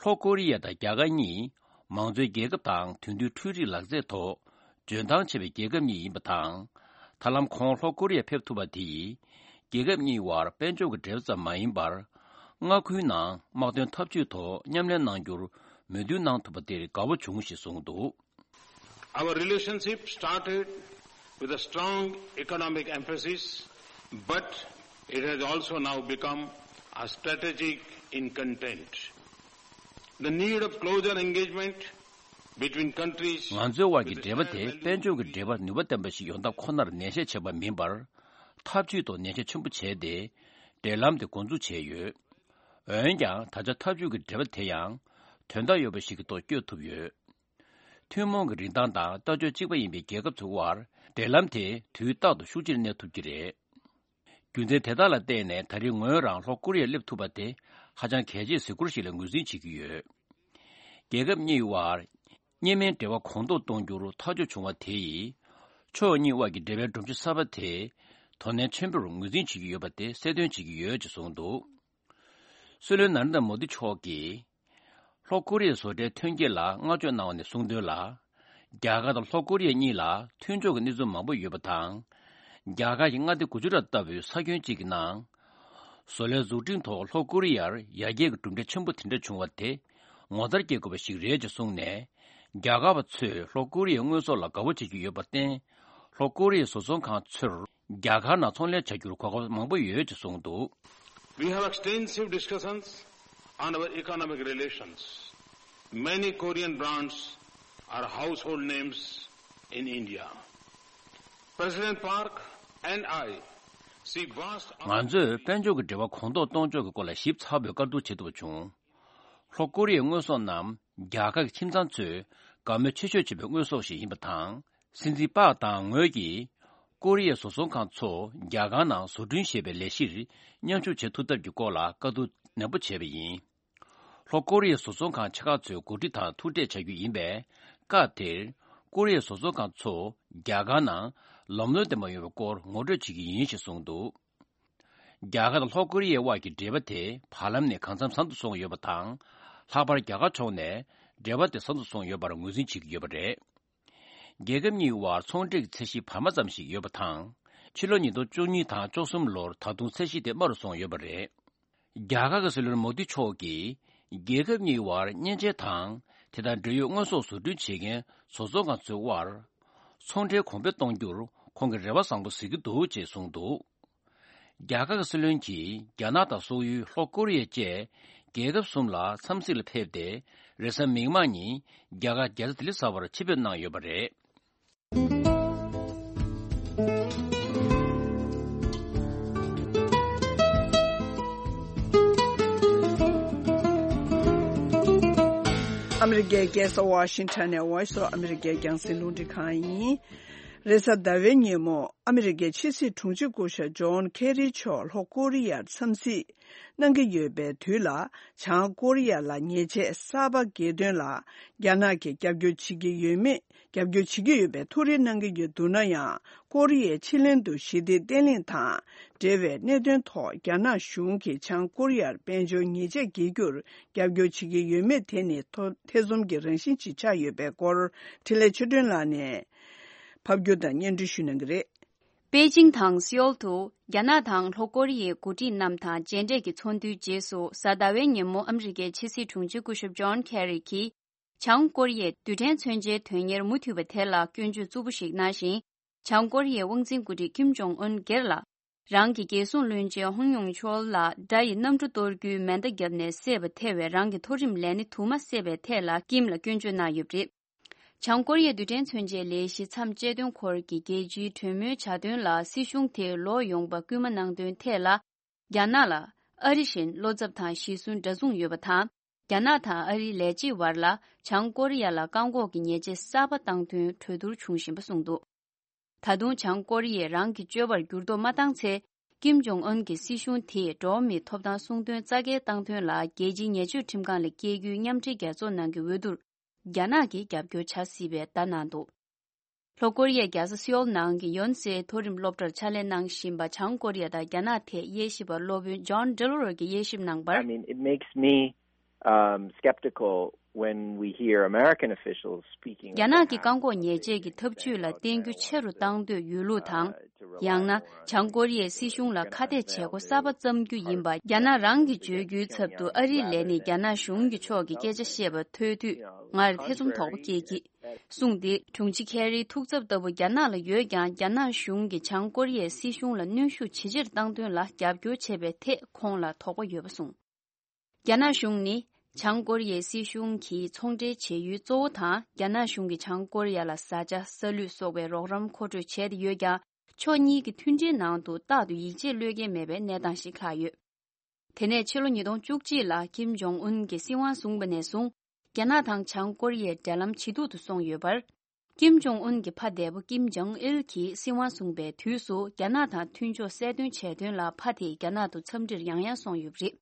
ལྷོ་ཀོ་རི་ཡ་དང་རྒྱ་གར་གཉིས་མང་གཙོའི་རྒྱལ་ཁབ་དང་དེང་དུས་འཕྲུལ་རིག་ལག་རྩལ་ཐོག་འཇོན་ཐང་ཆེ་བའི་རྒྱལ་ཁབ་གཉིས་ཡིན་པ་དང་། ད་ལམ་ཁོང་ལྷོ་ཀོ་རི་ཡར་ཕེབས་ཐུབ་པ་དེ་ཡིས་རྒྱལ་ཁབ་གཉིས་བར་དཔལ་འབྱོར་གྱི་འབྲེལ་བ་ཙམ་མ་ཡིན་པར། མངའ་ཁུལ་ནང་དམག་དོན་འཐབ་ཇུས་ཐོག་མཉམ་ལས་གནང་རྒྱུར་མོས་མཐུན་གནང་ཐུབ་པ་དེར་དགའ་བོ་བྱུང་ཞེས་གསུངས་འདུག། Our relationship started with a strong economic emphasis, but it has also now become a strategic in content. The need of closer engagement between countries ང་ཚོའི་དབར་གྱི་འབྲེལ་བ་དེ་དཔལ་འབྱོར་གྱི་འབྲེལ་བ་ནུས་པ་ལྡན་པ་ཞིག་ཡོང་ཐབས་ཁོ་ནར་ནན་བཤད་བྱས་པ་མིན་པར། འཐབ་ཇུས་ཐོག་ནན་བཤད་ཆེན་པོ་བྱས་ཏེ། འབྲེལ་ལམ་དེ་འགོ་འཛུགས་བྱས་ཡོད། འོན་ཀྱང་ད་ཆ་འཐབ་ཇུས་ཀྱི་འབྲེལ་བ་དེ་ཡང་དོན་དག་ཡོད་པ་ཞིག་གི་ཐོག་བསྐྱོད་ཐུབ་ཡོད། ཐུན་མོང་གི་རིན་ཐང་དང་ལྟ་སྤྱོད་གཅིག་པ་ཡིན་པའི་རྒྱལ་ཁབ་ཚོའི་དབར་འབྲེལ་ལམ་དེ་དུས་རྟག་ཏུ་ཤུགས་ཆེར་གནས་ཐུབ་ཀྱི་རེད། རྒྱུ་མཚན་དེ་དག་ལ་བརྟེན་ནས་ད་རེས་ངོས་རང་ལྷོ་ཀོ་རི་ཡར་སླེབས་ཐུབ་པ་དེ་ཧ་ཅང་གལ་ཆེའི་གཟིགས་སྐོར་ཞིག་ལ་ངོས་འཛིན་བྱེད་ཀྱི་ཡོད། རྒྱལ་ཁབ་གཉིས་བར་གཉིས་སྨན་འབྲེལ་བ་གོང་མཐོར་གཏོང་རྒྱུར་ཐག་གཅོད་བྱུང་བ་དེ་ཡིས། ཕྱོགས་གཉིས་དབར་གྱི་འབྲེལ་བའི་སྒྲོམ་གཞི་གསར་པ་དེ་དོ་ནན་ཆེན་པོར་ངོས་འཛིན་བྱེད་ཀྱི་ཡོད་པ་དེ་གསལ་སྟོན་བྱེད་ཀྱི་ཡོད་ཅེས་གསུངས་འདུག། སྲིད་བློན་ན་རེན་དྲ་མོ་དི་མཆོག་གིས། ལྷོ་ཀོ་རི་ཡའི་བཟོ་གྲྭའི་ཐོན་སྐྱེད་ལ་བསྔགས་བརྗོད་གནང་བ་ནས་གསུངས་དོན་ལ། རྒྱ་གར་དང་ལྷོ་ཀོ་རི་ཡ་གཉིས་ལ་མཐུན་ཕྱོགས་ཀྱི་གནས་ཚུལ་མང་པོ་ཡོད་པ་དང་། རྒྱ་གར་གྱི་མངའ་སྡེ་གུ་ཇུ་རཱཏ་ལྟ་བུའི་ས་ཁྱོན་གཅིག་གི་ནང་། བཟོ་ལས་འཛུགས་སྐྲུན་ཐོག་ལྷོ་ཀོ་རི་ཡར་ཡར་རྒྱས་ཀྱི་གྲུབ་འབྲས་ཆེན་པོ་དེ་འདྲ་བྱུང་བ་དེ། ངོ་མཚར་སྐྱེ་དགོས་པ་ཞིག་རེད་ཅེས་གསུངས་ནས། རྒྱ་གར་བ་ཚོས་ལྷོ་ཀོ་རི་ཡའི་དངོས་ཟོག་ལ་དགའ་པོ་བྱེད་ཀྱི་ཡོད་པར་བརྟེན། ལྷོ་ཀོ་རི་ཡའི་བཟོ་ཚོང་ཁང་ཚོར། རྒྱ་གར་ནང་ཚོང་ལས་བྱ་རྒྱུར་གོ་སྐབས་མང་པོ་ཡོད་ཅེས་གསུངས་འདུག། We have extensive discussions on our economic relations. Many Korean brands are household names in India. President Park and I see vast ང་ཚོས་དཔལ་འབྱོར་གྱི་འབྲེལ་བ་གོང་མཐོར་གཏོང་ཕྱོགས་ཀྱི་སྐོར་ལ་ཞིབ་ཚགས་པོའི་བཀའ་བསྡུར་བྱེད་ཐུབ་པ་བྱུང་། ལྷོ་ཀོ་རི་ཡའི་དངོས་ཟོག་རྣམས་རྒྱ་གར་གྱི་ཁྱིམ་ཚང་ཚོས་དགའ་མོས་ཆེ་ཤོས་བྱེད་པའི་དངོས་ཟོག་ཞིག་ཡིན་པ་དང་། སྲིད་འཛིན་པག་དང་ངོས་ཀྱིས་ཀོ་རི་ཡའི་བཟོ་ཚོང་ཁང་ཚོ་རྒྱ་གར་ནང་བཟོ་སྐྲུན་ཞེས་པའི་ལས་གཞིར་མཉམ་ཞུགས་བྱེད་ཐུབ་ཐབས་ཀྱི་སྐོར་ལ་བཀའ་བསྡུར་ནན་པོ་བྱས་པ་ཡིན། ལྷོ་ཀོ་རི་ཡའི་བཟོ་ཚོང་ཁང་ཆེ་ཁག་ཚོའི་འགོ་ཁྲིད་དང་ཐུག་འཕྲད་བྱ་རྒྱུ་ཡིན་པས། སྐབས་དེར་ཀོ་རི་ཡའི་བཟོ་ཚོང་ཁང་ཚོ་རྒྱ་གར་ནང་ལམ་ལྷོང་ལྡན་པ་ཡོང་བའི་སྐོར་ངོ་སྤྲོད་བྱེད་ཀྱི་ཡིན་ཞེས་གསུངས་འདུག། རྒྱ་གར་དང་ལྷོ་ཀོ་རི་ཡའི་དབར་གྱི་འབྲེལ་བ་དེ་བར་ལམ་ནས་གང་འཚམ་བཟང་དུ་སོང་ཡོད་པ་དང་། ལྷག་པར་རྒྱ་གར་ཕྱོགས་ནས་འབྲེལ་བ་དེ་བཟང་དུ་སོང་ཡོད་པར་ངོས་འཛིན་བྱེད་ཀྱི་ཡོད་པ་རེད། རྒྱལ་ཁབ་གཉིས་དབར་ཚོང་འབྲེལ་གྱི་ཚད་གཞི་བར་མ་ཙམ་ཞིག་ཡོད་པ་དང་། ཕྱི་ལོ་ཉིས་སྟོང་བཅུ་གཉིས་དང་བཅུ་གསུམ་ལོར་ད་དུང་ཚད་གཞི་དེ་དམའ་རུ་སོང་ཡོད་པ་རེད། རྒྱ་གར་གྱི་སྲིད་བློན་མོ་དི་མཆོག་གིས་རྒྱལ་ཁབ་གཉིས་དབར་མཉེན་ཆས་དང་དེ་དང་འབྲེལ་ཡོད་དངོས་ཟོག་བཟོ་སྐྲུན་བྱེད་མཁན་བཟོ་ཚོང་ཁང་ཚོའི་དབར་ཚོང་འབྲེལ་གོང་འཕེལ་གཏོང་རྒྱུར་ཁོང་གིས་རེ་བ་བཟང་པོ་གཟིགས་ཀྱི་འདུག་ཅེས་གསུངས་འདུག། རྒྱ་གར་གྱི་སྲིད་བློན་གྱིས་རྒྱ་ནག་དང་སོག་ཡུལ་ལྷོ་ཀོ་རི་ཡ་བཅས་རྒྱལ་ཁབ་གསུམ་ལ་འཚམས་གཟིགས་ལ་ཕེབས་ཏེ། རེས་གཟའ་མིག་དམར་ཉིན་རྒྱ་གར་རྒྱལ་ས་ལྡི་ལི་གསར་པར་ཆེད་ཕེབས་གནང་ཡོད་པ་རེད། ཨ་མི་རི་ཀའི་རྒྱལ་ས་ཝ་ཤིང་ཊོན་ནས་Voice of America རྒྱང་སྲིང་རླུང་འཕྲིན་ཁང་ཡིན། རེས་གཟའ་ཟླ་བའི་ཉིན་མོ་ཨ་མི་རི་ཀའི་ཕྱི་སྲིད་དྲུང་ཆེ་སྐུ་ཞབས་ཇོན་ཁེ་རི་མཆོག་ལྷོ་ཀོ་རི་ཡར་འཚམས་གཟིགས་གནང་གི་ཡོད་པའི་དུས་ལ། བྱང་ཀོ་རི་ཡ་ལ་ཉེས་ཆད་གསར་པ་འགེལ་དོན་ལ་རྒྱ་ནག་གིས་རྒྱབ་སྐྱོར་བྱེད་ཀྱི་ཡོད་མེད། རྒྱབ་སྐྱོར་བྱེད་ཀྱི་ཡོད་པའི་ཐུགས་རེ་གནང་གི་ཡོད་འདུག་ན་ཡང་། ཀོ་རི་ཡའི་ཕྱེད་གླིང་དུ་ཞི་བདེ་བརྟན་ལྷིང་དང་འབྲེལ་བའི་གནད་དོན་ཐོག་རྒྱ་ནག་གཞུང་གིས་བྱང་ཀོ་རི་ཡར་དཔལ་འབྱོར་ཉེས་ཆད་འགེལ་རྒྱུར་རྒྱབ་སྐྱོར་བྱེད་ཀྱི་ཡོད་མེད་དེ་ནི་ཐོ་ཐེ་ཚོམ་གྱི་རང་བཞིན་ཅིག་ཆགས་ཡོད་པའི་སྐོར། འཕྲིན་ལས་ཆོས་སྒྲོན་ལགས་ནས། ཕབ་སྒྱུར་དང་སྙན་སྒྲོན་ཞུ་གནང་གི་རེད། པེ་ཅིང་དང་སེའོལ་དུ་རྒྱ་ནག་དང་ལྷོ་ཀོ་རི་ཡའི་འགོ་ཁྲིད་རྣམས་དང་མཇལ་འཕྲད་ཀྱི་ཚོགས་འདུའི་རྗེས་སུ། གཟའ་ཟླ་བའི་ཉིན་མོ་ཨ་མི་རི་ཀའི་ཕྱི་སྲིད་དྲུང་ཆེ་སྐུ་ཞབས་ཇོན་ཁེ་རི་གྱིས། བྱང་ཀོ་རི་ཡའི་རྡུལ་ཕྲན་མཚོན་ཆའི་དོན་གཉེར་མུ་མཐུད་པ་དེ་ལ་སྐྱོན་བརྗོད་རྩུབ་པོ་ཞིག་གནང་ཞིང་། བྱང་ཀོ་རི་ཡའི་དབང་འཛིན་འགོ་ཁྲིད་ཀིམ་ཇོང་ཨུན་སྒེར་ལ། རང་གི་རྒྱལ་སྲུང་བློན་ཆེན་ཧུང་ཡུང་ཆོལ་ལ་དགྲ་ཡི་གནམ་གྲུ་གཏོར་རྒྱུའི་མེ་མདའ་བརྒྱབ་ནས་བསད་པ་ཐེ་བའི་རང་གི་མཐོ་རིམ་ལས་སྣེ་དུ་མ་བསད་པའི་ཐད་ལ་ཀིམ་ལ་སྐྱོན་བརྗོད་གནང་ཡོད་པ་རེད། བྱང་ཀོ་རི་ཡའི་རྡུལ་ཕྲན་མཚོན་ཆའི་ལས་གཞི་མཚམས་བཅད་དོན་སྐོར་གྱི་རྒྱལ་སྤྱིའི་གྲོས་མོལ་བྱ་དོན་ལ་སྲིད་གཞུང་དེས་ལོག་ཡོང་པར་སྐུལ་མ་གནང་དོན་ཐད་ལ། རྒྱ་ནག་ལ་ཨ་རི་བཞིན་བློ་འཚབ་དང་གཞི་བསུན་འདྲ་མཚུངས་ཡོད་པ་དང་། རྒྱ་ནག་དང་ཨ་རིའི་ལས་བྱེད་བར་ལ་བྱང་ཀོ་རི་ཡ་ལ་བཀག་འགོག་གི་ཉེས་ཆད་གསར་པ་བཏང་དོན་གྲོས་བསྡུར་བྱུང་བཞིན་པ་གསུངས་འདུག། ད་དུང་བྱང་ཀོ་རི་ཡས་རང་གི་སྤྱོད་པར་འགྱུར་ལྡོག་མ་བཏང་ཚེ། ཀིམ་ཇོང་ཨུན་གྱི་སྲིད་གཞུང་དེས་འགྲོ་བ་མིའི་ཐོབ་ཐང་སྲུང་དོན་རྩ་འགལ་བཏང་དོན་ལ་རྒྱལ་སྤྱིའི་ཉེས་སྤྱོད་ཁྲིམས་ཁང་ལ་སྐྱེལ་རྒྱུའི་མཉམ་འབྲེལ་རྒྱལ་ཚོགས་ནང་གི་འོས་བསྡུར། རྒྱ་ནག་གིས་རྒྱབ་སྐྱོར་བྱ་སྲིད་པའི་བརྡ་གནང་འདུག། ལྷོ་ཀོ་རི་ཡའི་རྒྱལ་ས་སེའོལ་ནང་གི་ཡོན་སེ་མཐོ་རིམ་སློབ་གྲྭར་ཕྱག་ལས་གནང་བཞིན་པ་བྱང་ཀོ་རི་ཡ་དང་རྒྱ་ནག་ཐད་དབྱེ་ཞིབ་པ་སློབ་དཔོན་ཇོན་ཌེ་ལོ་རོ་གིས་དབྱེ་ཞིབ་གནང་བར། I mean, it makes me, um, skeptical when we hear American officials speaking of རྒྱ་ནག་གི་བཀག་འགོག་ཉེས་ཆད་ཀྱི་ཐབས་ཇུས་ལ་བརྟེན་རྒྱུ་ཆེ་རུ་བཏང་འདོད་ཡོད་ལུགས་དང་། ཡང་ན་བྱང་ཀོ་རི་ཡའི་སྲིད་གཞུང་ལ་ཁ་གཏད་བྱེད་སྒོ་གསར་པ་བརྩམ་རྒྱུ་ཡིན་པ་རྒྱ་ནག་རང་གིས་བརྗོད་རྒྱུའི་ཚབ་ཏུ་ཨ་རིའི་ལས་སྣེས་རྒྱ་ནག་གཞུང་གི་ཕྱོགས་ཀྱི་སྐད་ཆ་བཤད་པ་ཐོས་དུས་ངར་ཐེ་ཚོམ་དོག་པོ་སྐྱེས་ཀྱི། གསུངས་ཏེ། དྲུང་ཆེ་ཁེ་རིའི་ཐུགས་འཚབ་ལྟ་བུ་རྒྱ་ནག་ལ་ཡོད་ཀྱང་། རྒྱ་ནག་གཞུང་གིས་བྱང་ཀོ་རི་ཡའི་སྲིད་གཞུང་ལ་གནོན་ཤུགས་ཇེ་ཆེར་བཏང་དོན་ལ་རྒྱབ་སྐྱོར་བྱེད་པའི་ཐད་ཁོང་ལ་དོགས་པ་ཡོད་པ་གསུངས། རྒྱ་ནག་གཞུང་ནི་བྱང་ཀོ་རི་ཡའི་སྲིད་གཞུང་གིས་ཚོང་འབྲེལ་བྱེད་ཡུལ་གཙོ་བོ་དང་། རྒྱ་ནག་གཞུང་གིས་བྱང་ཀོ་རི་ཡ་ལ་བཟའ་བཅའ་ས་ལུད་སོགས་པའི་རོགས་རམ་མཁོ་སྤྲོད་བྱས་ཏེ་ཡོད་ཀྱང་། ཕྱོགས་གཉིས་ཀྱི་མཐུན་འབྲེལ་ནང་དུ་རྟག་ཏུ་ཡིད་ཆེས་བློས་འགེལ་མེད་པའི་གནས་སྟངས་ཤིག་ལྷག་ཡོད། དེ་ནས་ཕྱི་ལོ་ཉིས་སྟོང་བཅུ་གཅིག་ལ་ཀིམ་ཇོང་ཨུན་གྱིས་སྲིད་དབང་བཟུང་བ་ནས་བཟུང་། རྒྱ་ནག་དང་བྱང་ཀོ་རི་ཡའི་འབྲེལ་ལམ་ཇེ་སྡུག་ཏུ་སོང་ཡོད་པར། ཀིམ་ཇོང་ཨུན་གྱི་ཕ་འདས་པོ་ཀིམ་ཇོང་ཨིལ་གྱིས་སྲིད་དབང་བཟུང་པའི་དུས་སུ། རྒྱ་ནག་དང་མཐུན་ཕྱོགས་གསལ་སྟོན་བྱས་དོན་ལ་ཕ་དེས་རྒྱ་ནག་ཏུ་འཚམས་འདྲིར་ཡང་ཡང་སོང་ཡོད་པ་རེད།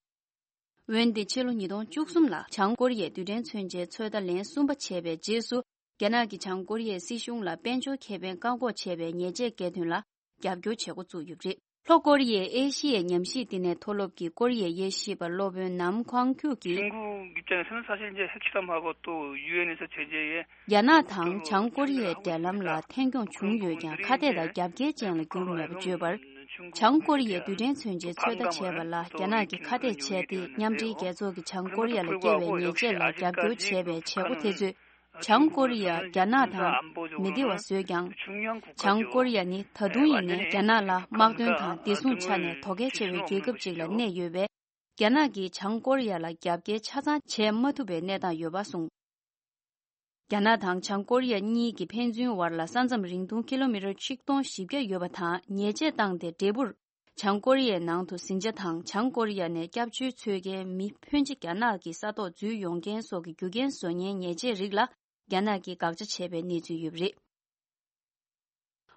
འོན་ཏེ་ཕྱི་ལོ་ཉིས་སྟོང་བཅུ་གསུམ་ལ་བྱང་ཀོ་རི་ཡས་རྡུལ་ཕྲན་མཚོན་ཆའི་ཚོད་ལྟ་ལན་གསུམ་པ་བྱས་པའི་རྗེས་སུ། རྒྱ་ནག་གིས་བྱང་ཀོ་རི་ཡའི་སྲིད་གཞུང་ལ་དཔལ་འབྱོར་ཁེ་ཕན་བཀག་འགོག་བྱས་པའི་ཉེས་ཆད་བཀལ་དོན་ལ་རྒྱབ་སྐྱོར་བྱེད་འགོ་བཙུགས་ཡོད་པ་རེད། ལྷོ་ཀོ་རི་ཡས་ཨེ་ཤི་ཡའི་ཉམས་ཞིབ་བསྟི་གནས་མཐོ་སློབ་ཀྱི་ཀོ་རི་ཡའི་དབྱེ་ཞིབ་པ་སློབ་དཔོན་ནམ་ཁོང་ཁྱུ་གིས། 중국 입장에서는 사실 이제 핵실험하고 또 유엔 에서 제재에 རྒྱ་ནག་དང་བྱང་ཀོ་རི་ཡའི་འབྲེལ་ལམ་ལ་ཐད་གྱོང་བྱུང་ཡོད་ཀྱང་། ཁ་གཏད་དང་རྒྱབ་འགལ་ཅན་ལ་གྱུར་མེད་པ་བརྗོད་པར། བྱང་ཀོ་རི་ཡས་རྡུལ་ཕྲན་མཚོན་ཆའི་ཚོད་ལྟ་བྱས་པ་ལ་རྒྱ་ནག་གིས་ཁ་གཏད་བྱས་ཏེ། མཉམ་འབྲེལ་རྒྱལ་ཚོགས་ཀྱིས་བྱང་ཀོ་རི་ཡ་ལ་བཀལ་བའི་ཉེས་ཆད་ལ་རྒྱབ་སྐྱོར་བྱས་པའི་བྱེད་སྒོ་དེ་ཚོས། བྱང་ཀོ་རི་ཡ་རྒྱ་ནག་དང་མི་བདེ་བ་བཟོས་ཀྱང་། བྱང་ཀོ་རི་ཡ་ནི་ད་དུང་ཡིན་ནའི་རྒྱ་ནག་ལ་དམག་དོན་དང་བདེ་སྲུང་ཆ་ནས་དོ་གལ་ཆེ་བའི་རྒྱལ་ཁབ་ཅིག་ལ་གནས་ཡོད་པས། རྒྱ་ནག་གིས་བྱང་ཀོ་རི་ཡ་ལ་རྒྱབ་འགལ་ཆ་ཚང་བྱེད་མ་ཐུབ་པའི་གནས་སྟངས་ཡོད་པ་གསུངས། རྒྱ་ནག་དང་བྱང་ཀོ་རི་ཡ་གཉིས་ཀྱི་ཕན་ཚུན་བར་ལ་ས་མཚམས་རིང་ཐུང་ཀི་ལོ་མི་ཊར་ཆིག་སྟོང་བཞི་བརྒྱ་ཡོད་པ་དང་། ཉེས་ཆད་བཏང་སྟེ་འབྲས་བུར། བྱང་ཀོ་རི་ཡའི་ནང་དུ་ཟིང་ཆ་དང་། བྱང་ཀོ་རི་ཡ་ནས་སྐྱབས་བཅོལ་འཚོལ་མཁན་མི་ཕོན་ཆེ་རྒྱ་ནག་གི་ས་ཐོག་འཛུལ་ཡོང་མཁན་སོགས་ཀྱི་རྒྱུ་རྐྱེན་བཟོ་མཁན་ཉེས་ཆད་རིགས་ལ་རྒྱ་ནག་གིས་དགག་བྱ་བྱས་པའི་གནས་ཚུལ་ཡོད་པ་རེད།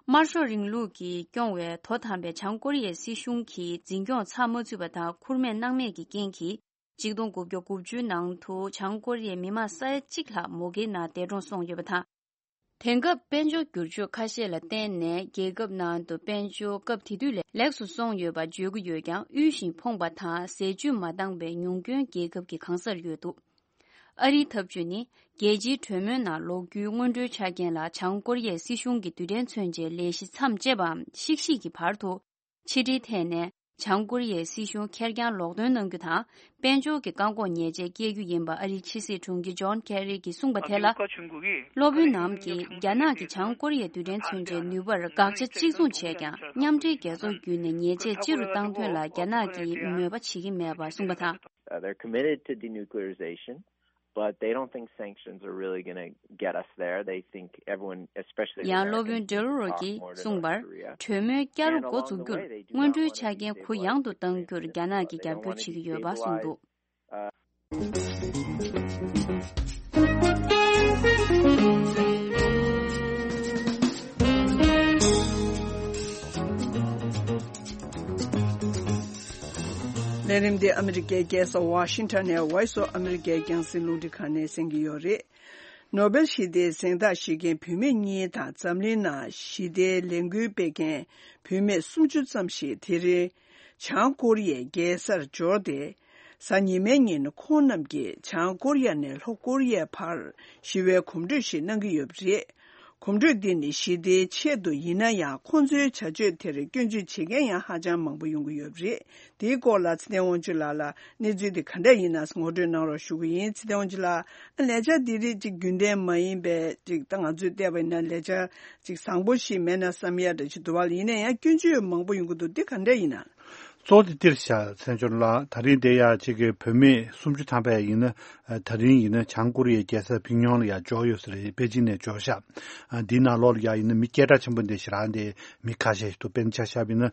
དམར་ཤོག་རིང་ལུགས་ཀྱིས་སྐྱོང་བའི་དོ་དམ་པའི་བྱང་ཀོ་རི་ཡའི་སྲིད་གཞུང་གིས་འཛིན་སྐྱོང་ཚགས་མ་ཚུད་པ་དང་། ཁུར་མེད་སྣང་མེད་ཀྱི་རྐྱེན་གྱིས། ཆིག་སྟོང་དགུ་བརྒྱ་དགུ་བཅུའི་ནང་དུ་བྱང་ཀོ་རི་ཡའི་མི་མང་ས་ཡ་གཅིག་ལྷག་མུ་གེའི་ནང་འདས་གྲོངས་སོང་ཡོད་པ་དང་། དེང་སྐབས་དཔལ་འབྱོར་འགྱུར་ཕྱོགས་ཁ་ཤས་ལ་བརྟེན་ནས་རྒྱལ་ཁབ་ནང་དུ་དཔལ་འབྱོར་སྐབས་དེ་དུས་ལས་ལེགས་སུ་སོང་ཡོད་པ་བརྗོད་ཀྱི་ཡོད་ཀྱང་། དབུལ་ཞིང་ཕོངས་པ་དང་ཟས་བཅུད་མ་འདང་བའི་ཉུང་སྐྱོན་རྒྱལ་ཁབ་ཀྱི་གང་སར་ཡོད་འདུག། ཨ་རིའི་འཐབ་ཇུས་ནི། རྒྱལ་སྤྱིའི་གྲོས་མོལ་ནང་ལོག་རྒྱུའི་སྔོན་འགྲོའི་ཆ་རྐྱེན་ལ། བྱང་ཀོ་རི་ཡའི་སྲིད་གཞུང་གིས་རྡུལ་ཕྲན་མཚོན་ཆའི་ལས་གཞི་མཚམས་བཅད་པའམ་བཤིག་གཞིག་གི་བར་དུ། ཕྱི་འབྲེལ་ཐད་ནས་བྱང་ཀོ་རི་ཡའི་སྲིད་གཞུང་ཁེར་རྐྱང་ལོག་སྟོན་གནང་རྒྱུ་དང་། དཔལ་འབྱོར་གྱི་བཀག་འགོག་ཉེས་ཆད་བཀལ་རྒྱུ་ཡིན་པ་ཨ་རིའི་ཕྱི་སྲིད་དྲུང་ཆེ་ཇོན་ཁེ་རི་གིས་གསུངས་པ་དེ་ལ། སློབ་དཔོན་ནམ་གྱིས་རྒྱ་ནག་གིས་བྱང་ཀོ་རི་ཡའི་རྡུལ་ཕྲན་མཚོན་ཆའི་ནུས་པར་དགག་བྱ་གཅིག་མཚུངས་བྱས་ཀྱང་། མཉམ་འབྲེལ་རྒྱལ་ཚོགས་བརྒྱུད་ནས་ཉེས་ཆད་ཆེ་རུ་བཏང་དོན་ལ་རྒྱ་ནག་གིས་མོས་པ་བྱེད་ཀྱི་མེད་པ་གསུངས་པ་དང་། Uh, they're committed to denuclearization, but they don't think sanctions are really going to get us there. They think everyone, especially the Americans, talk more to North Korea. ཡང་སློབ་དཔོན་ཌེ་ལོ་རོ་གིས་གསུངས་པར། གྲོས་མོལ་བསྐྱར་དུ་འགོ་འཛུགས་རྒྱུར་སྔོན་འགྲོའི་ཆ་རྐྱེན་གུ་ཡངས་དུ་གཏང་རྒྱུར་རྒྱ་ནག་གིས་རྒྱབ་སྐྱོར་བྱེད་ཀྱི་ཡོད་པ་གསུངས་འདུག། ལས་རིམ་འདི་ཨ་མི་རི་ཀའི་རྒྱལ་ས་ཝ་ཤིང་ཊོན་ནས་Voice of America རྒྱང་སྲིང་རླུང་འཕྲིན་ཁང་ནས་གསན་གྱི་ཡོད་རེད། ནོ་བེལ་ཞི་བདེའི་གཟེངས་རྟགས་བཞེས་མཁན་བུད་མེད་གཉིས་དང་། འཛམ་གླིང་ནང་ཞི་བདེའི་ལས་འགུལ་སྤེལ་མཁན་བུད་མེད་སུམ་ཅུ་ཙམ་ཞིག་དེ་རིང་བྱང་ཀོ་རི་ཡའི་རྒྱལ་སར་འབྱོར་ཏེ། གཟའ་ཉི་མའི་ཉིན་ཁོང་རྣམས་ཀྱིས་བྱང་ཀོ་རི་ཡ་ནས་ལྷོ་ཀོ་རི་ཡའི་བར་ཞི་བའི་གོམ་བགྲོད་ཞིག་གནང་གི་ཡོད་པ་རེད། གོམ་བགྲོད་འདི་ནི་ཞི་བདེའི་ཆེད་དུ་ཡིན་ན་ཡང་། ཁོང་ཚོའི་བྱ་སྤྱོད་དེར་སྐྱོན་བརྗོད་བྱེད་མཁན་ཡང་ཧ་ཅང་མང་པོ་ཡོང་གི་ཡོད་པ་རེད། དེའི་སྐོར་ལ་ཚེ་བརྟན་དབང་ཕྱུག་ལགས་ལ་གནས་ཚུལ་འདི་ག་འདྲ་ཡིན་ན་ངོ་སྤྲོད་གནང་རོགས་ཞུ་གི་ཡིན། ཚེ་བརྟན་དབང་ཕྱུག་ལགས། ལས་འཆར་འདི་རིགས་ཅིག་རྒྱུན་ལྡན་མ་ཡིན་པའི་ཅིག་ད་ང་ཚོས་བལྟས་པ་ཡིན་ན་ལས་འཆར་ཅིག་བཟང་པོ་ཞིག་མེད་ན་བསམ་ཡ་འདྲ་ཞིག་འདུག་པ་ལ། ཡིན་ན་ཡང་སྐྱོན་བརྗོད་མང་པོ་ཡོང་གི་འདུག་འདི་ག་འདྲ་ཡིན་ན། གཙོ་བོ་དེ་འདིར་བཞག་ཚན་ཆུང་ལགས། ད་རིང་དེ་ཡ་གཅིག་གི་བུད་མེད་སུམ་ཅུ་ཐམ་པ་ཡིན་ན། ད་རིང་ཡིན་ན་བྱང་ཀོ་རི་ཡའི་རྒྱལ་ས་ཕིང་ཡོང་ལ་ཡ་འབྱོར་ཡོད་ས་རེད། པེ་ཅིང་ནས་འབྱོར་ཤག་འདིའི་ནང་ལོགས་ལ་ཡ་ཡིན་ན་མི་སྐད་གྲགས་ཆེན་པོ་འདི་ཞེ་དྲག་འདི་མི་ཁ་ཤས་ཤིག་འདུག་དཔེར་ན་ཆ་བཞག་པ་ཡིན་ན།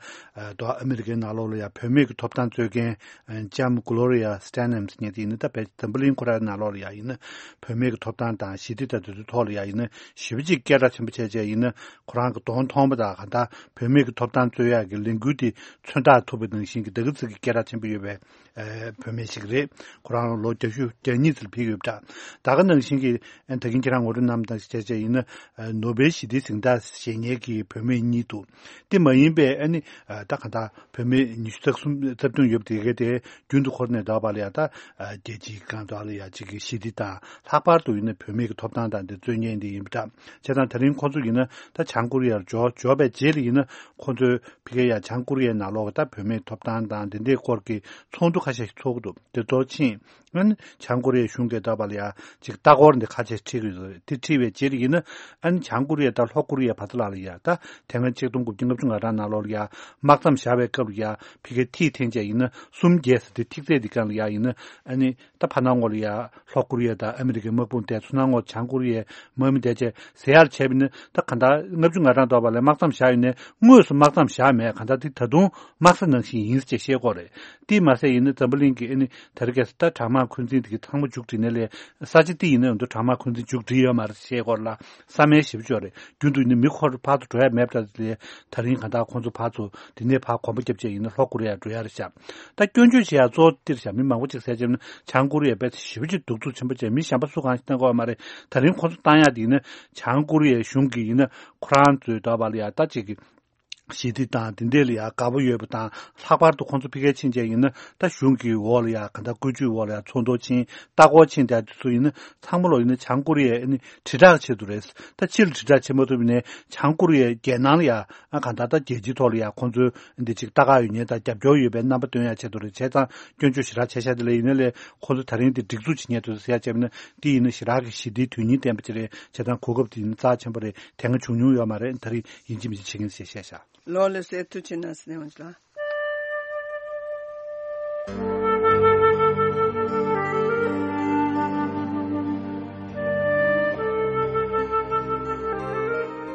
ད་ཨ་མི་རི་ཀའི་ནང་ལོགས་ལ་ཡ་བུད་མེད་ཀྱི་ཐོབ་ཐང་རྩོད་མཁན་ལྕམ་གྷོ་ལོ་རི་ཡ་སི་ཏེ་ནམ་ཟེར་མཁན་དེ་ཡིན་ན། ད་བལ་འཛམ་བུ་གླིང་ཁོ་རའི་ནང་ལོགས་ལ་ཡ་ཡིན་ན་བུད་མེད་ཀྱི་ཐོབ་ཐང་དང་ཞི་བདེ་དང་དེ་ཚོའི་ཐོག་ལ་ཡ་ཡིན་ན་ཞེ་པོ་ཅིག་སྐད་གྲགས་ཆེན་པོ་བྱས་བྱས་ཡིན་ན། ཁོ་རང་གི་གདོང་མཐོང་པ་དང་གང་ལྟར་བུད་མེད་ཀྱི་ཐོབ་ཐང་རྩོད་ཡག་གི་ལས་འགུལ་དེ་མཚོན་རྟགས་ཐུབ་པ་ནང་བཞིན་གྱི་ད་ག་ཚོད་ཀྱི་སྐད་གྲགས་ཆེན་པོ་ཡོད་པའི་ཨ་བུད་མེད་ཞིག་རེད། ཁོ་རང་ལོ་བརྒྱད་ཅུ་གྱ་གཉིས་ཙམ་ཕེབས་ཡོད་པ་འདྲ། ད་ག་ནང་བཞིན་གྱི་ཨ་ད་གིན་ཁྱེད་རང་ངོ་སྤྲོད་གནང་བ་དང་བྱས་བྱས་ཡིན་ན། ཨ་ནོ་བེལ་ཞི་བདེའི་གཟེངས་རྟགས་བཞེས་མཁན་གྱི་བུད་མེད་གཉིས་འདུག་དེ་མ་ཡིན་པའི་ཨ་ནི་ཨ་ད་གང་ལྟར་བུད་མེད་ཉི་ཤུ་རྩ་གསུམ་རྩ་བདུན་ཡོད་པ་དེ་ག་དེ་རྒྱུན་དུ་འཁོར་ནས་བསྡད་པ་ལ་ཡ། ད་ཨ་རྒྱལ་སྤྱིའི་སྒང་དུ་ལ་ཡ་གཅིག་གི་ཞི་བདེ་དང་། ལྷག་པར་དུ་ཡིན་ན་བུད་མེད་ཀྱི་ཐོབ་ཐང་དང་དེ་རྩོད་མཁན་དེ་ཡིན་པ་འདྲ། བྱས་ཙང་ད་རིང་ཁོང་ཚོ་ཡིན་ན་ད་བྱང་ཀོ་རི་ཡར་འབྱོར་འབྱོར་བའི་རྗེས་ལ་ཡིན་ན། ཁོང་ཚོའི་ཕ་གིར་ཡ་བྱང་ཀོ་རི་ཡའི་ནང་ལོགས་ད་བུད་མེད་ཐོབ་ཐང་དང་དེ་འདྲའི་སྐོར་གྱི་ཚོགས་འདུ་ཁ་ཤས་ཤིག་ཚོགས་ཀྱི་འདུག་དེ་ཚོ་ཕྱིན། ཨ་ནི་བྱང་ཀོ་རི་ཡའི་གཞུང་གིས་ད་བར་ལ་ཡ་ཅིག་ལྟ་སྐོར་འདི་ཁ་ཤས་ཁྲིད་ཀྱི་ཡོད་རེད། དེ་ཁྲིད་པའི་རྗེས་ལ་ཡིན་ན། ཨ་ནི་བྱང་ཀོ་རི་ཡ་དང་ལྷོ་ཀོ་རི་ཡ་བར་དུ་ལ་ལ་ཡ། ད་དེ་སྔ་ཆིག་སྟོང་དགུ་བརྒྱ་ལྔ་བཅུ་ང་གྲངས་ནང་ལོགས་ལ་ཡ་དམག་མཚམས་བཞག་པའི་སྐབས་ལ་ཡ་ཕ་གིའི་ཐིག་འཐེན་བྱས་ཡིན་ན། གསུམ་བརྒྱད་ཟེར་དེ་ཐིག་ཚད་འདི་སྒང་ལ་ཡ་ཡིན་ན། ཨ་ནི་ད་ཕར་ནང་ངོ་ལ་ཡ་ལྷོ་ཀོ་རི་ཡ་དང་ཨ་མི་རི་ཀའི་དམག་དཔུང་བསྡད། ཚུར་ནང་ངོ་བྱང་ཀོ་རི་ཡའི་དམག་མི་བསྡད་བྱས་ཟེར་ཡག་བྱས་པ་ཡིན་ན། ད་གང་ལྟར་ལྔ་བཅུ་ང་གྲངས་ཐོག་པ་ལ་དམག་མཚམས་བཞག་ཡོད་ནའི་དངོས་སུ་དམག་མཚམས་བཞག་མེད། གང་ལྟར་དེ་ད་དུང་དམག་ས་ནང་བཞིན་ཡིན་ཟེར་བཤད་ཀྱི་ཡོད་རེད། དེས་མ་ཟད་ཡིན་ན་འཛམ་བུ་གླིང་གི་ཨ་ནི་ད་རེས་ཀྱི་ད་དྲག་དམག་འཁོན་འཛིན་དེ་གི་ཚང་མ་མཇུག་སྒྲིལ་ནས་ལས། ས་ཆ་དེ་ཡིན་ན་འདུག་དྲག་དམག་འཁོན་འཛིན་མཇུག་སྒྲིལ་ཡོད་མ་རེད་ཞེས་སྐོར་ལ་བསམ་ཡས་ཞེ་པོ་ཅིག་ཡོད་རེད། རྒྱུན་དུ་ཡིན་ན་མི་ཁོ་རང་ཕར་ཚུར་འགྲོ་ཡ་མེད་པ་འདྲ་ལས། ད་རིང་གང་ལྟར་ཁོང་ཚོ་ཕར་ཚུར་དེ་ནས་ཕར་གོམ་པ་བརྒྱབ་བྱས་ཡིན་ན་ལྷོ་ཀོ་རི་ཡར་འགྲོ་ཡ་རེད་ཤག་ད་སྐྱོན་བརྗོད་བྱེད་ཡ་གཙོ་བོ་འདིར་ཤག་མི་མང་པོ་ཅིག་ཟེར་བྱས་ན་བྱང་ཀོ་རི་ཡ་དཔེ་ཞེ་པོ་ཅིག་གདུག་རྩུབ་ཆེན་པོ་བྱས། མི་གཞན་པ་སུ་གང་ཞིག་བཏང་གི་ཡོད་མ་རེད། ད་རིང་ཁོང་ཚོ་བཏང་ཡ་དེ་ཡིན་ན་བྱང་ཀོ་རི་ཡའི་གཞུང་གིས་ཡིན་ན་ཁོ་རང་ཚོའི་ད་བར་ལ་ཡ་ད་ཅིག་གི་ཞི་བདེ་དང་དེ་འདྲས་ལ་ཡ་དགའ་པོ་ཡོད་པ་དང་། ལྷག་པར་དུ་ཁོང་ཚོ་ཕ་གིར་ཕྱིན་བྱས་ཡིན་ན་ད་གཞུང་གི་འོག་ལ་ཡ་གང་ལྟར་བཀོད་ཇུས་འོག་ལ་ཡ་ཚོགས་འདུ་ཕྱིན། ལྟ་སྐོར་ཕྱིན། དེ་ཚོ་ཡིན་ན་ཚང་མ་ལོ་ཡིན་ན་བྱང་ཀོ་རི་ཡའི་ཨ་ནི་དྲིལ་བསྒྲགས་ཆེད་དུ་རེད། ད་ཕྱི་ལ་དྲིལ་བསྒྲགས་བྱེད་མ་ཐུབ་ནའི་བྱང་ཀོ་རི་ཡའི་རྒྱལ་ནང་ལ་ཡ་ཨ་གང་ལྟར་ད་རྒྱལ་སྤྱིའི་ཐོག་ལ་ཡ་ཁོང་ཚོའི་འདི་ཅིག་ལྟ་ག་ཡོད་མཁན་དང་རྒྱབ་སྐྱོར་ཡོད་པའི་རྣམ་པ་སྟོན་ཡ་ཆེད་དུ་རེད། བྱས་ཙང་སྐྱོན་བརྗོད་ཞེ་དྲག་བྱས་ཤག་དེ་ལས་ཡིན་ན་ལས་ཁོང་ཚོ་ད་རིང་འདི་སྒྲིག་འཛུགས་བྱེད་མཁན་དེ་ཚོ་ཟེར་ཡ་བྱས་པ་ན་འདི་ཡིན་ན་ཞེ་དྲག་གི་ཞི་བདེའི་དོན་སྙིང་ལྡན་པ་ཅིག་རེད། བྱས་ཙང་གོ་སྐབས་དེ་ཡིན་ན་རྩ་ཆེན་པོ་རེད། དེ་སྔ་བྱུང་མྱོང་ཡོད་མ་རེད། ད་རེས་ཡིན་གཅིག་མིན་གཅིག་བྱེད་མཁན་ཟེར་བཤད་ཤག་ལོ་ལ་སེ་ཐུ་ཆེ་ན་སེ་ནེ་ཝང་ཅི་ལ།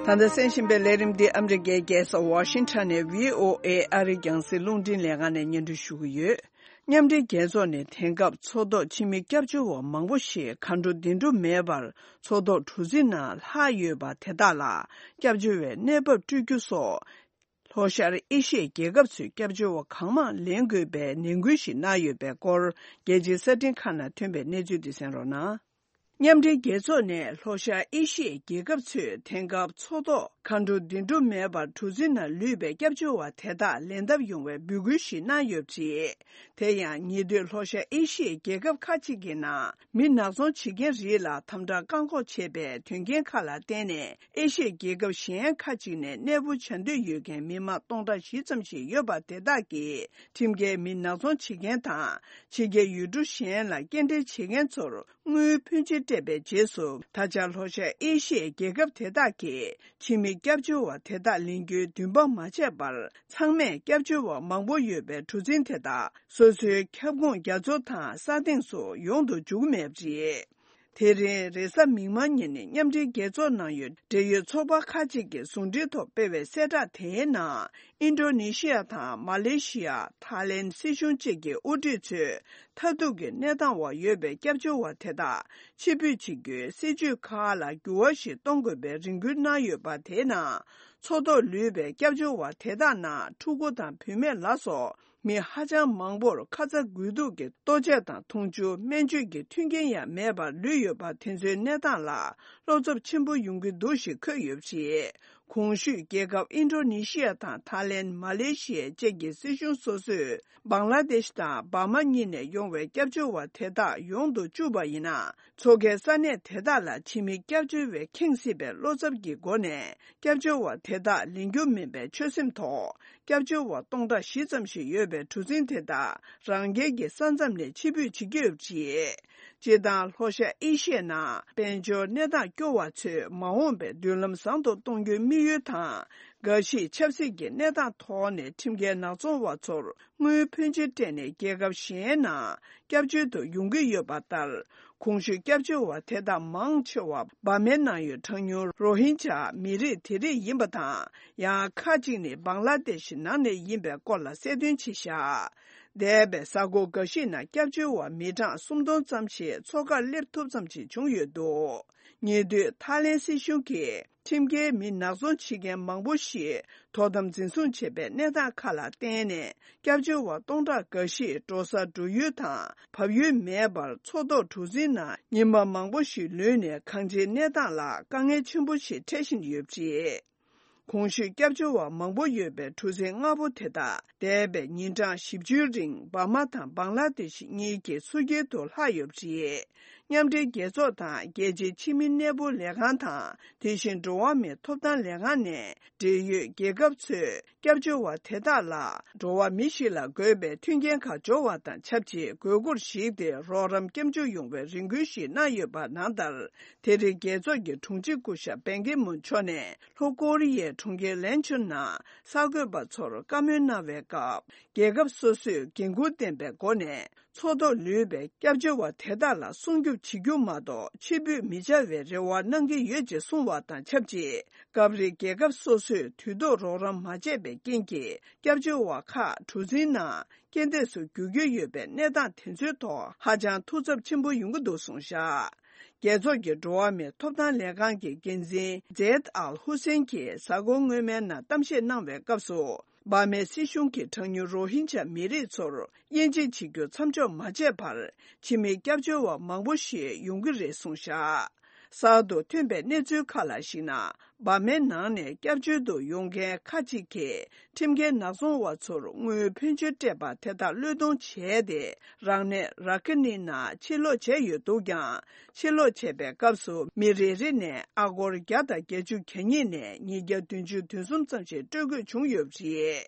ད་ལྟ་གསན་བཞིན་པའི་ལས་རིམ་འདི་ཨ་མི་རི་ཀའི་རྒྱལ་ས་ཝ་ཤིང་ཊོན་ནས་བྷི་ཨོ་ཨེ་ཨ་རིའི་རྒྱང་སྲིང་རླུང་འཕྲིན་ལས་ཁང་ནས་སྙན་སྒྲོན་ཞུ་གི་ཡོད། མཉམ་འབྲེལ་རྒྱལ་ཚོགས་ནས་དེང་སྐབས་མཚོ་ཐོག་ཕྱི་མི་སྐྱབས་བཅོལ་བ་མང་པོ་ཞིག་མཁའ་འགྲོ་བདེ་འགྲོ་མེད་པར་མཚོ་ཐོག་གྲུ་གཟིངས་ནང་ལྷག་ཡོད་པ་དེ་དག་ལ་སྐྱབས་བཅོལ་བའི་གནས་བབ་སྤྲོད་རྒྱུ་སོགས། ལྷོ་ཤར་ཨེ་ཤི་ཡའི་རྒྱལ་ཁབ་ཚོས་སྐྱབས་བཅོལ་བ་གང་མང་ལེན་དགོས་པའི་ནན་སྐུལ་ཞིག་གནང་ཡོད་པའི་སྐོར། རྒྱལ་སྤྱིའི་གསར་འཕྲིན་ཁག་ནང་ཐོན་པའི་གནས་ཚུལ་འདི་གསན་རོགས་གནང་། མཉམ་འབྲེལ་རྒྱལ་ཚོགས་ནས་ལྷོ་ཤར་ཨེ་ཤི་ཡའི་རྒྱལ་ཁབ་ཚོས་དེང་སྐབས་མཚོ་ཐོག་མཁའ་འགྲོ་བདེ་འགྲོ་མེད་པར་གྲུ་གཟིངས་ནང་ལུས་པའི་སྐྱབས་བཅོལ་བ་དེ་དག་ལེན་ཐབས་ཡོང་བའི་འབོད་སྐུལ་ཞིག་གནང་ཡོད་པ་རེད། དེ་ཡང་ཉེ་དུས་ལྷོ་ཤར་ཨེ་ཤི་ཡའི་རྒྱལ་ཁབ་ཁག་ཅིག་གི་ནང་མི་ནག་ཚོང་བྱེད་མཁན་རིགས་ལ་དམ་དྲག་བཀག་འགོག་བྱས་པའི་དོན་རྐྱེན་ཁག་ལ་བརྟེན་ནས། ཨེ་ཤི་ཡའི་རྒྱལ་ཁབ་གཞན་ཁག་ཅིག་ནས་གནས་སྤོ་བྱ་འདོད་ཡོད་མཁན་མི་མང་སྟོང་ཕྲག་བཞི་ཙམ་ཞིག་ཡོད་པ་དེ་དག་གིས་ཁྲིམས་འགལ་མི་ནག་ཚོང་བྱེད་མཁན་དང་། ཕྱི་རྒྱལ་ཡུལ་གྲུ་གཞན་ལ་སྐྱེལ་འདྲེན་བྱེད་མཁན་ཚོར་དངུལ་ཕོན་ཆེ་སྤྲད་པའི་རྗེས་སུ། ད་ཆ་ལྷོ་ཤར་ཨེ་ཤི་ཡའི་རྒྱལ་ཁབ་དེ་དག་གིས་ཕྱི་མི་སྐྱབས་བཅོལ་བ་དེ་དག་ལེན་རྒྱུའི་འདུན་པ་མ་བྱས་པར། ཚང་མས་སྐྱབས་བཅོལ་བ་མང་པོ་ཡོད་པའི་གྲུ་གཟིངས་དེ་དག་སོ་སོའི་ཁྱབ་ཁོངས་རྒྱ་མཚོ་དང་ས་སྟེང་སུ་ཡོང་དུ་འཇུག་མེད་པ་རེད། དེ་རིང་རེས་གཟའ་མིག་དམར་ཉིན་ནི་མཉམ་འབྲེལ་རྒྱལ་ཚོགས་ནང་ཡོད་འབྲེལ་ཡོད་ཚོགས་པ་ཁག་ཅིག་གི་ཟུང་འབྲེལ་ཐོག་སྤེལ་བའི་གསལ་བསྒྲགས་དེའི་ནང་། ཨིན་ཌོ་ནེ་ཤི་ཡ་དང་མ་ལེ་ཤི་ཡ། ཐའི་ལེན་སྲིད་གཞུང་བཅས་ཀྱི་དབུ་ཁྲིད་ཚོས་མཐར་ཐུག་གི་གནས་སྟངས་འོག་ཡོད་པའི་སྐྱབས་བཅོལ་བ་དེ་དག་ཕྱིར་འབུད་བྱེད་རྒྱུའི་སྲིད་བྱུས་ཁག་ལ་འགྱུར་བ་ཞིག་གཏོང་དགོས་པའི་རེ་སྐུལ་གནང་ཡོད་པ་དེའི་ནང་། མཚོ་ཐོག་ལུས་པའི་སྐྱབས་བཅོལ་བ་དེ་དག་ནང་ཕྲུ་གུ་དང་བུད་མེད་ལ་སོགས། མི་ཧ་ཅང་མང་པོར་ཁ་ཚ་དགོས་གཏུགས་ཀྱི་ལྟོ་ཆས་དང་འཐུང་ཆུ། སྨན་བཅོས་ཀྱི་མཐུན་རྐྱེན་ཡང་མེད་པར་ལུས་ཡོད་པ་དེ་ཚོའི་གནས་སྟངས་ལ་བློ་འཚབ་ཆེན་པོ་ཡོང་གི་འདུག་ཞེས་འཁོད་ཡོད་པ་རེད། གོང་ཞུས་རྒྱལ་ཁབ་ཨིན་ཌོ་ནེ་ཤི་ཡ་དང་ཐའི་ལེན། མ་ལེ་ཤི་ཡ་བཅས་ཀྱི་སྲིད་གཞུང་སོ་སོས་བང་ལ་དེཤ་དང་འབར་མ་གཉིས་ནས་ཡོང་བའི་སྐྱབས་བཅོལ་བ་དེ་དག་ཡོང་དུ་བཅུག་པ་ཡིན་ན། མཚོ་ཁའི་ས་གནས་དེ་དག་ལ་ཕྱི་མི་སྐྱབས་བཅོལ་བས་ཁེངས་སྲིད་པའི་བློ་འཚབ་ཀྱི་སྒོ་ནས། སྐྱབས་བཅོལ་བ་དེ་དག་ལེན་རྒྱུ་མིན་པའི་ཆོད་སེམས་ཐོག་སྐྱབས་བཅོལ་བ་སྟོང་ཕྲག་བཞི་ཙམ་ཞིག་ཡོད་པའི་གྲུ་གཟིངས་དེ་དག་རང་རྒྱལ་གྱི་ས་མཚམས་ནས་ཕྱིར་འབུད་བྱེད་ཀྱི་ཡོད་པ་རེད། སྤྱིར་བཏང་ལྷོ་ཤར་ཨེ་ཤི་ཡའི་ནང་དཔལ་འབྱོར་གནས་སྟངས་སྐྱོ་བ་ཚོས་མ་འོངས་པའི་མདུན་ལམ་བཟང་དུ་གཏོང་རྒྱུའི་དམིགས་ཡུལ་དང་། འགའ་ཞིག་ཆབ་སྲིད་ཀྱི་གནས་སྟངས་ཐོག་ནས་ཁྲིམས་འགལ་ནག་ཚོང་བ་ཚོར་དངུལ་ཕོན་ཆེ་སྤྲད་ནས་རྒྱལ་ཁབ་གཞན་ནང་སྐྱབས་བཅོལ་དུ་ཡོང་གི་ཡོད་པ་ལྟར། གོང་ཞུས་སྐྱབས་བཅོལ་བ་དེ་དག་མང་ཆེ་བ་འབར་མའི་ནང་ཡོད་གྲངས་ཉུང་རོ་ཧིན་ཇཱ་མི་རིགས་དེ་རིགས་ཡིན་པ་དང་། ཡང་ཁག་ཅིག་ནི་བང་ལ་དེཤ་ནང་ནས་ཡིན་པའི་སྐོར་ལ་གསལ་སྟོན་བྱས་བཞག་འདས་པའི་གཟའ་འཁོར་འགའ་ཞིག་ནང་སྐྱབས་བཅོལ་བ་མི་གྲངས་སུམ་སྟོང་ཙམ་ཞིག་མཚོ་ཁར་སླེབས་ཐུབ་ཙམ་ཞིག་བྱུང་ཡོད་འདུག་ཉེ་དུས་ཐའི་ལེན་སྲིད་གཞུང་གིས་ཁྲིམས་འགལ་མི་ནག་ཚོང་བྱེད་མཁན་མང་པོ་ཞིག་དོ་དམ་འཛིན་བཟུང་བྱས་པའི་གནས་སྟངས་ཁག་ལ་བརྟེན་ནས། སྐྱབས་བཅོལ་བ་སྟོང་ཕྲག་འགའ་ཞིག་འགྲོ་ས་འགྲོ་ཡུལ་དང་བབས་ཡུལ་མེད་པར་མཚོ་ཐོག་གྲུ་གཟིངས་ནང་ཉི་མ་མང་པོ་ཞིག་ལུས་ནས་གང་ཅིའི་གནས་སྟངས་ལ་དཀའ་ངལ་ཆེན་པོ་ཞིག་འཕྲད་བཞིན་ཡོད་པ་རེད། གོང་ཞུས་སྐྱབས་བཅོལ་བ་མང་པོ་ཡོད་པའི་གྲུ་གཟིངས་ལྔ་པོ་དེ་དག་འདས་པའི་ཉིན་གྲངས་བཞི་བཅུའི་རིང་འབར་མ་དང་བང་ལ་དེཤ་གཉིས་ཀྱི་ཚུར་རྒྱལ་དུ་ལྷག་ཡོད་པ་རེད། མཉམ་འབྲེལ་རྒྱལ་ཚོགས་དང་རྒྱལ་སྤྱིའི་ཕྱི་མི་གནས་སྤོ་ལས་ཁང་དང་། དེ་བཞིན་འགྲོ་བ་མིའི་ཐོབ་ཐང་ལས་ཁང་ནས་འབྲེལ་ཡོད་རྒྱལ་ཁབ་ཚོས་སྐྱབས་བཅོལ་བ་དེ་དག་ལ་འགྲོ་བ་མི་ཞིག་ལ་དགོས་པའི་མཐུན་རྐྱེན་ཁག་སྦྱོར་བ་དང་ཆབས་ཅིག་དགོས་མཁོར་གཞིགས་ཏེ་རོགས་རམ་སྐྱབས་འཇུག་ཡོང་བའི་རེ་སྐུལ་ཞིག་གནང་ཡོད་པ་ནང་ལྟར། དེ་རིང་རྒྱལ་ཚོགས་ཀྱི་དྲུང་ཆེ་སྐུ་ཞབས་པན་ཀི་མུན་མཆོག་ནས་ལྷོ་ཀོ་རི་ཡའི་གྲོང་ཁྱེར་ལན་ཆུན་ནང་གསར་འགོད་པ་ཚོར་བཀའ་མོལ་གནང་བའི་སྐབས། རྒྱལ་ཁབ་སོ་སོས་འགན་འཁུར་ལྡན་པའི་སྒོ་ནས་མཚོ་ཐོག་ལུས་པའི་སྐྱབས་བཅོལ་བ་དེ་དག་ལ་སྲུང་སྐྱོབ་བྱེད་རྒྱུ་མ་གཏོགས་ཕྱིར་འབུད་མི་བྱ་བའི་རེ་བ་གནང་གི་ཡོད་ཅེས་གསུངས་བ་དང་ཆབས་ཅིག་སྐབས་རེ་རྒྱལ་ཁབ་སོ་སོས་དུས་ཐོག་རོགས་རམ་མ་བྱས་པའི་རྐྱེན་གྱིས་སྐྱབས་བཅོལ་བ་ཁག་གྲུ་གཟིངས་ནང་རྐྱེན་འདས་སུ་འགྱུར་གྱི་ཡོད་པའི་གནས་སྟངས་དེ་ཚོའི་ཐོག་ཧ་ཅང་ཐུགས་འཚབ་ཆེན་པོ་ཡོང་གི་འདུག་གསུངས་བཞག་རྒྱལ་ཚོགས་ཀྱི་འགྲོ་བ་མིའི་ཐོབ་ཐང་ལས་ཁང་གི་འགན་འཛིན་ཛེད་ཨལ་ཧུ་སེན་གྱིས་གཟའ་འཁོར་སྔོན་མའི་ནང་གཏམ་བཤད་གནང་བའི་སྐབས་སུ། འབར་མའི་སྲིད་གཞུང་གིས་གྲངས་ཉུང་རོ་ཧིན་ཇཱ་མི་རིགས་ཚོར་དབྱེ་འབྱེད་བྱེད་རྒྱུ་མཚམས་འཇོག་མ་བྱས་བར། ཕྱི་མི་སྐྱབས་བཅོལ་བ་མང་པོ་ཞིག་ཡོང་གི་རེད་གསུངས་བཞག་གསར་དུ་ཐོན་པའི་གནས་ཚུལ་ཁག་ལ་གཞིགས་ན། འབར་མའི་ནང་ནས་སྐྱབས་བཅོལ་དུ་ཡོང་མཁན་ཁག་ཅིག་གིས་ཁྲིམས་འགལ་ནག་ཚོང་བ་ཚོར་དངུལ་ཕོན་ཆེ་སྤྲད་པ་དེ་དག་བློས་གཏོང་བྱས་ཏེ། རང་གནས་ར་ཁི་ནི་ནང་ཕྱིར་ལོག་བྱས་ཡོད་འདུག་ཀྱང་། ཕྱིར་ལོག་བྱས་པའི་སྐབས་སུ་མི་རེ་རེ་ནས་ཨ་སྒོར་བརྒྱ་དང་བརྒྱད་ཅུ་གྱ་གཉིས་ནས་ཉིས་བརྒྱ་བདུན་ཅུ་དོན་གསུམ་ཙམ་ཞིག་སྤྲོད་དགོས་བྱུང་ཡོད་པ་རེད།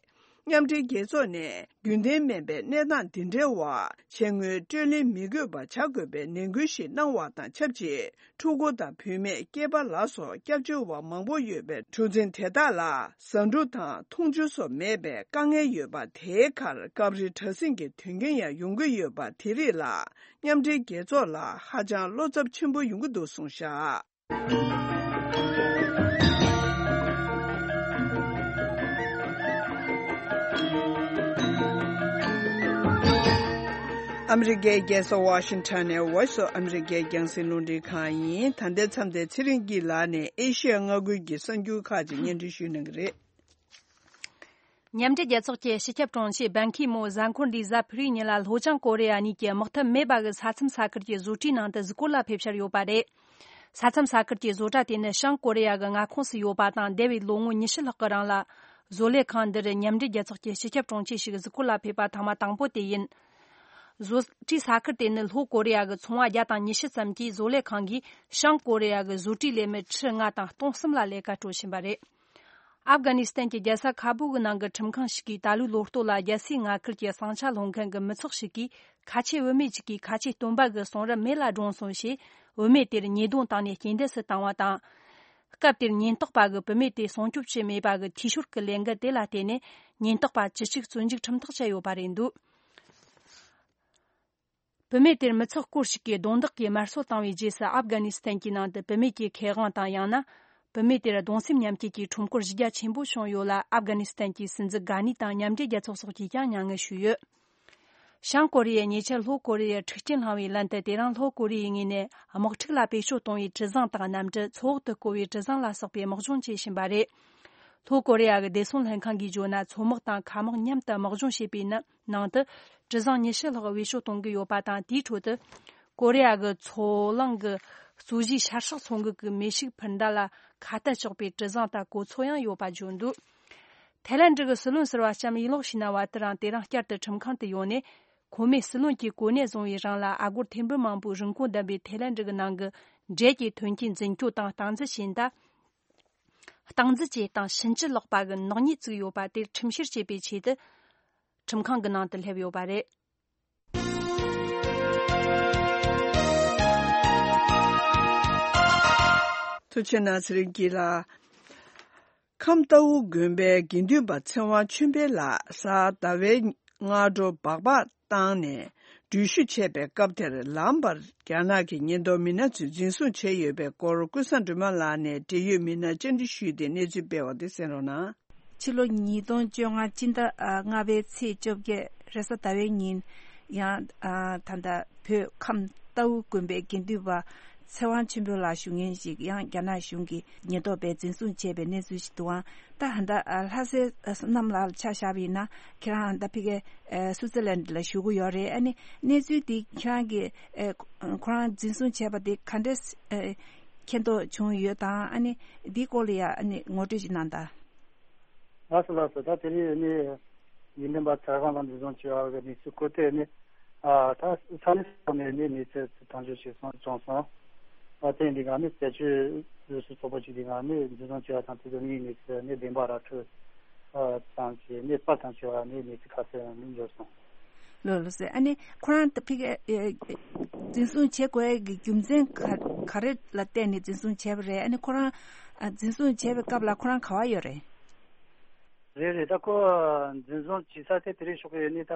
མཉམ་འབྲེལ་རྒྱལ་ཚོགས་ནས་རྒྱུན་ལྡན་མིན་པའི་གནས་སྟངས་འདི་འདྲའི་འོག་ཕྱིར་དངུལ་སྤྲོད་ལེན་མི་དགོས་པ་བྱ་དགོས་པའི་ནན་སྐུལ་ཞིག་གནང་བ་དང་ཆབས་ཅིག་ཕྲུ་གུ་དང་བུད་མེད་སྐྱེས་པ་ལ་སོགས་སྐྱབས་བཅོལ་བ་མང་པོ་ཡོད་པའི་གྲུ་གཟིངས་དེ་དག་ལ་ཟ་འབྲུ་དང་འཐུང་ཆུ་སོགས་མེད་པའི་དཀའ་ངལ་ཡོད་པ། དེའི་ཁར་སྐབས་རེ་དྲག་ཟིང་གི་དོན་རྐྱེན་ཡང་ཡོང་གི་ཡོད་པ་དེ་རིགས་ལ། མཉམ་འབྲེལ་རྒྱལ་ཚོགས་ལ་ཧ་ཅང་བློ་འཚབ་ཆེན་པོ་ཡོང་གི་འདུག་གསུངས་བཞག་ཨ་མི་རི་ཀའི་རྒྱལ་ས་ཝ་ཤིང་ཊོན་ནས་Voice of America རྒྱང་སྲིང་རླུང་འཕྲིན་ཁང་ཡིན། ད་ལྟའི་མཚམས་དེར་ཚེ་རིང་སྐྱིད་ལགས་ནས་ཨེ་ཤི་ཡ་མངའ་ཁུལ་གྱི་གསར་འགྱུར་ཁག་ཅིག་སྙན་སྒྲོན་ཞུས་གནང་གི་རེད། མཉམ་འབྲེལ་རྒྱལ་ཚོགས་ཀྱི་སྤྱི་ཁྱབ་དྲུང་ཆེ་བན་ཁི་མོ་གཟའ་འཁོར་འདིའི་གཟའ་ཕུར་བུའི་ཉིན་ལ་ལྷོ་བྱང་ཀོ་རི་ཡ་གཉིས་ཀྱི་དམག་འཐབ་མེད་པ་གི་ས་མཚམས་ས་ཁུལ་གྱི་བཟོ་གྲྭའི་ནང་དུ་གཟིགས་སྐོར་ལ་ཕེབས་འཆར་ཡོད་པ་རེད། ས་མཚམས་ས་ཁུལ་གྱི་བཟོ་གྲྭ་དེ་ནི་བྱང་ཀོ་རི་ཡ་གི་མངའ་ཁོངས་སུ་ཡོད་པ་དང་། འདས་པའི་ལོ་ངོ་ཉི་ཤུ་ལྷག་གི་རིང་ལ་བཟོ་ལས་ཁང་འདིར་མཉམ་འབྲེལ་རྒྱལ་ཚོགས་ཀྱི་སྤྱི་ཁྱབ་དྲུང་ཆེ་ཞིག་གཟིགས་སྐོར་ལ་ཕེབས་པ་ཐེངས་མ་དང་པོ་དེ་ཡིན། བཟོ་གྲྭའི་ས་ཁུལ་དེ་ནི་ལྷོ་ཀོ་རི་ཡ་གི་ཚོང་བ་བརྒྱ་དང་ཉི་ཤུ་ཙམ་གྱིས་བཟོ་ལས་ཁང་གིས་བྱང་ཀོ་རི་ཡ་གི་བཟོ་གྲྭའི་ལས་མི་ཁྲི་ལྔ་དང་སྟོང་གསུམ་ལ་ལས་ཀ་སྤྲོད་བཞིན་པ་རེད། ཨབ་གྷ་ནི་སི་ཐན་གྱི་རྒྱལ་ས་ཁ་བུ་གི་ནང་གི་ཁྲིམས་ཁང་ཞིག་གིས་ད་ལོའི་ལོ་སྟོད་ལ་རྒྱལ་སའི་མངའ་ཁུལ་གྱི་ཟིང་ཆ་སློང་མཁན་གྱི་མི་ཚོགས་ཤིག་གིས་ཁ་ཆེ་བུད་མེད་ཅིག་གིས་ཁ་ཆེ་སྟོན་པ་གི་གསུང་རབ་མེ་ལ་བསྒྲོན་སོང་ཞེས། བུད་མེད་དེར་ཉེས་རྡུང་བཏང་ནས་རྐྱེན་འདས་སུ་བཏང་བ་དང་། སྐབས་དེར་ཉེན་རྟོག་པ་གིས་བུད་མེད་དེ་སྲུང་སྐྱོབ་བྱས་མེད་པ་གི་འཐུས་ཤོར་གྱི་ལས་འགུལ་དེ་ལ་བརྟེན་ནས། ཉེན་རྟོག་པ་བཅུ་གཅིག་བཙོན་འཇུག་ཁྲིམས་ཐག་བཅད་ཡོད་པ་རེད་འདུག་བུད་མེད་དེར་མི་ཚོགས་སྐོར་ཞིག་གིས་རྡུང་རྡེག་གིས་དམར་གསོད་བཏང་བའི་རྗེས་སུ། ཨབ་གྷ་ནི་སི་ཐན་གྱི་ནང་དུ་བུད་མེད་ཀྱི་ཁེ་དབང་དང་། ཡང་ན་བུད་མེད་དེར་གདུང་སེམས་མཉམ་སྐྱེད་ཀྱི་ཁྲོམ་སྐོར་གཞི་རྒྱ་ཆེན་པོ་བྱུང་ཡོད་ལ། ཨབ་གྷ་ནི་སི་ཐན་གྱི་སྲིད་འཛིན་གྷ་ནི་དང་མཉམ་འབྲེལ་རྒྱལ་ཚོགས་སོགས་ཀྱིས་ཀྱང་མྱ་ངན་ཞུས་ཡོད། བྱང་ཀོ་རི་ཡས་ཉེ་ཆར་ལྷོ་ཀོ་རི་ཡར་འཁྲུག་རྐྱེན་བསླངས་པའི་ལན་དུ། དེ་རིང་ལྷོ་ཀོ་རི་ཡའི་ངོས་ནས་དམག་འཁྲུག་ལ་བེད་སྤྱོད་གཏོང་བའི་གྲུ་གཟིངས་དང་། གནམ་གྲུ། མཚོ་འོག་ཏུ་བསྐོར་བའི་གྲུ་གཟིངས་ལ་སོགས་པའི་དམག་སྦྱོང་བྱེད་བཞིན་པ་རེད། ལྷོ་ཀོ་རི་ཡ་གི་བདེ་སྲུང་ལྷན་ཁང་གིས་བརྗོད་ན། མཚོ་དམག་དང་མཁའ་དམག་མཉམ་དུ་དམག་སྦྱོང་བྱས་པའི་ནི་ནང་དུ། གྲུ་གཟིངས་ཉི་ཤུ་ལྷག་བེད་སྤྱོད་གཏོང་གི་ཡོད་པ་དང་། དེའི་ཁྲོད་དུ་ཀོ་རི་ཡ་གི་མཚོ་གླང་གི་ གཙོ་གཞིའི་ཤར་ཕྱོགས་ཚོང་འགུག་གི་མི་ཤུགས་འཕུར་མདའ་ལ་ཁ་གཏད་གཅོག་པའི་གྲུ་གཟིངས་དང་གོ་མཚོན་ཡང་ཡོད་པ་བརྗོད་འདུག་ཐའི་ལན་ཌི་གི་སྲིད་བློན་ཟུར་པ་ལྕམ་ཡིན་ལོག་ཤི་ན་བ་དེ་རིང་དེ་རིང་བསྐྱར་དུ་ཁྲིམས་ཁང་དུ་ཡོང་ནས། ཁོ་མོས་སྲིད་བློན་གྱི་གོ་གནས་བཟུང་བའི་རིང་ལ་ཨ་སྒོར་ཐེར་འབུམ་མང་པོའི་རིན་གོང་ལྡན་པའི་ཐའི་ལན་ཌི་གི་ནང་གི་འབྲས་ཀྱི་ཐོན་སྐྱེད་འཛིན་སྐྱོང་དང་སྟངས་འཛིན་བྱས་ད། སྟངས་འཛིན་བྱས་སྟངས་ཕྱིན་ཅི་ལོག་པ་གི་ནག་ཉེས་བཙུགས་ཡོད་པ་དེར་ཁྲིམས་བཤེར་བྱེད་པའི་ཆེད་དུ། ཁྲིམས་ཁང་གི་ནང་དུ་སླེབས་ཡོད་པ་རེད། ཐུགས་རྗེ་གནང་ཚེ་རིང་སྐྱིད་ལགས། ཁམས་རྟའུ་དགོན་པའི་དགེ་འདུན་པ་ཚེ་དབང་ཆོས་འཕེལ་ལགས་གཟའ་ཟླ་བའི་སྔ་དྲོ་སྦག་སྦག་བཏང་ནས་འགྲུལ་བཞུད་བྱས་པའི་སྐབས་དེར་ལམ་བར་རྒྱ་ནག་གི་ཉེན་རྟོག་མི་སྣ་ཚོས་འཛིན་བཟུང་བྱས་ཡོད་པའི་སྐོར་ཀུན་བཟང་སྒྲོལ་མ་ལགས་ནས་འབྲེལ་ཡོད་མི་སྣར་བཅར་འདྲི་ཞུས་ཏེ་གནས་ཚུལ་སྤེལ་བ་དེ་གསན་རོགས་གནང་། ཕྱི་ལོ་ཉིས་སྟོང་བཅོ་ལྔ་སྤྱི་ཟླ་ལྔ་པའི་ཚེས་བཅོ་བརྒྱད་རེས་གཟའ་ཟླ་བའི་ཉིན། ཡང་ད་ལྟ་བོད་ཁམས་རྟའུ་དགོན་པའི་དགེ་འདུན་པ་ཚེ་དབང་ཆོས་འཕེལ་ལགས་ཞུ་མཁན་ཞིག་ཡང་རྒྱ་ནག་གཞུང་གི་ཉེན་རྟོག་པས་འཛིན་བཟུང་བྱས་པའི་གནས་ཚུལ་ཞིག་འདུག་ཨང་། ད་ད་ལྟ་ལྷ་སའི་བསོད་ནམས་ལགས་ལ་ཆ་བཞག་པ་ཡིན་ན་ཁྱེད་རང་ད་ཕ་གི་སུའུ་ཙི་ལན་ལ་བཞུགས་ཀྱི་ཡོད་རེད། ཨ་ནི་གནས་ཚུལ་འདི་ཁྱེད་རང་གིས་ཁོ་རང་འཛིན་བཟུང་བྱས་པ་དེ་ག་འདྲས་མཁྱེན་རྟོགས་བྱུང་ཡོད་དང་། ཨ་ནི་འདིའི་སྐོར་ལ་ཡང་ཨ་ནི་ངོ་སྤྲོད་ཅིག་གནང་དང་། ལགས་སོ་ལགས་སོ། ད་དེ་རིང་ནི་དགེ་འདུན་པ་ཚེ་དབང་ལགས་འཛིན་བཟུང་བྱས་པ་གི་གནས་ཚུལ་སྐོར་དེ་ནི་ཨ་ད་ས་གནས་སོགས་ནས་ནི་གནས་ཚུལ་དང་འབྱོར་ཞིག་སོང་བྱུང་སོང་། ཨ་དེ་འདི་ག་ནི་རྩད་གཅོད་རུ་སུ་ཚོགས་པ་ཅིག་འདི་ག་ནི་འཛིན་བཟུང་བྱས་པ་དང་དེ་ཚོ་གཉིས་གནས་ཚུལ་ནི་བདེན་པ་ར་འཕྲོད་ཙམ་གྱི་ནི་པར་དང་བྱས་པ་ནི་གནས་ཚུལ་ཁ་གསལ་ནི་འབྱོར་སོང་། ལགས་ལགས་སོ། ཨ་ནི་ཁོ་རང་ད་ཕ་གི་འཛིན་བཟུང་བྱེད་དགོས་ཀྱི་རྒྱུ་མཚན་ག་ག་རེ་ལ་བརྟེན་ནས་འཛིན་བཟུང་བྱས་པ་རེད། ཨ་ནི་ཁོ་རང་འཛིན་བཟུང་བྱས་པའི་སྐབས་ལ་ཁོ་རང་ག་པར་ཡོད་རེད། རེད་རེད། ད་ཁོ་འཛིན་བཟུང་བྱེད་ས་དེ་དེ་རིང་ཞོགས་ཀས་ནི་ད་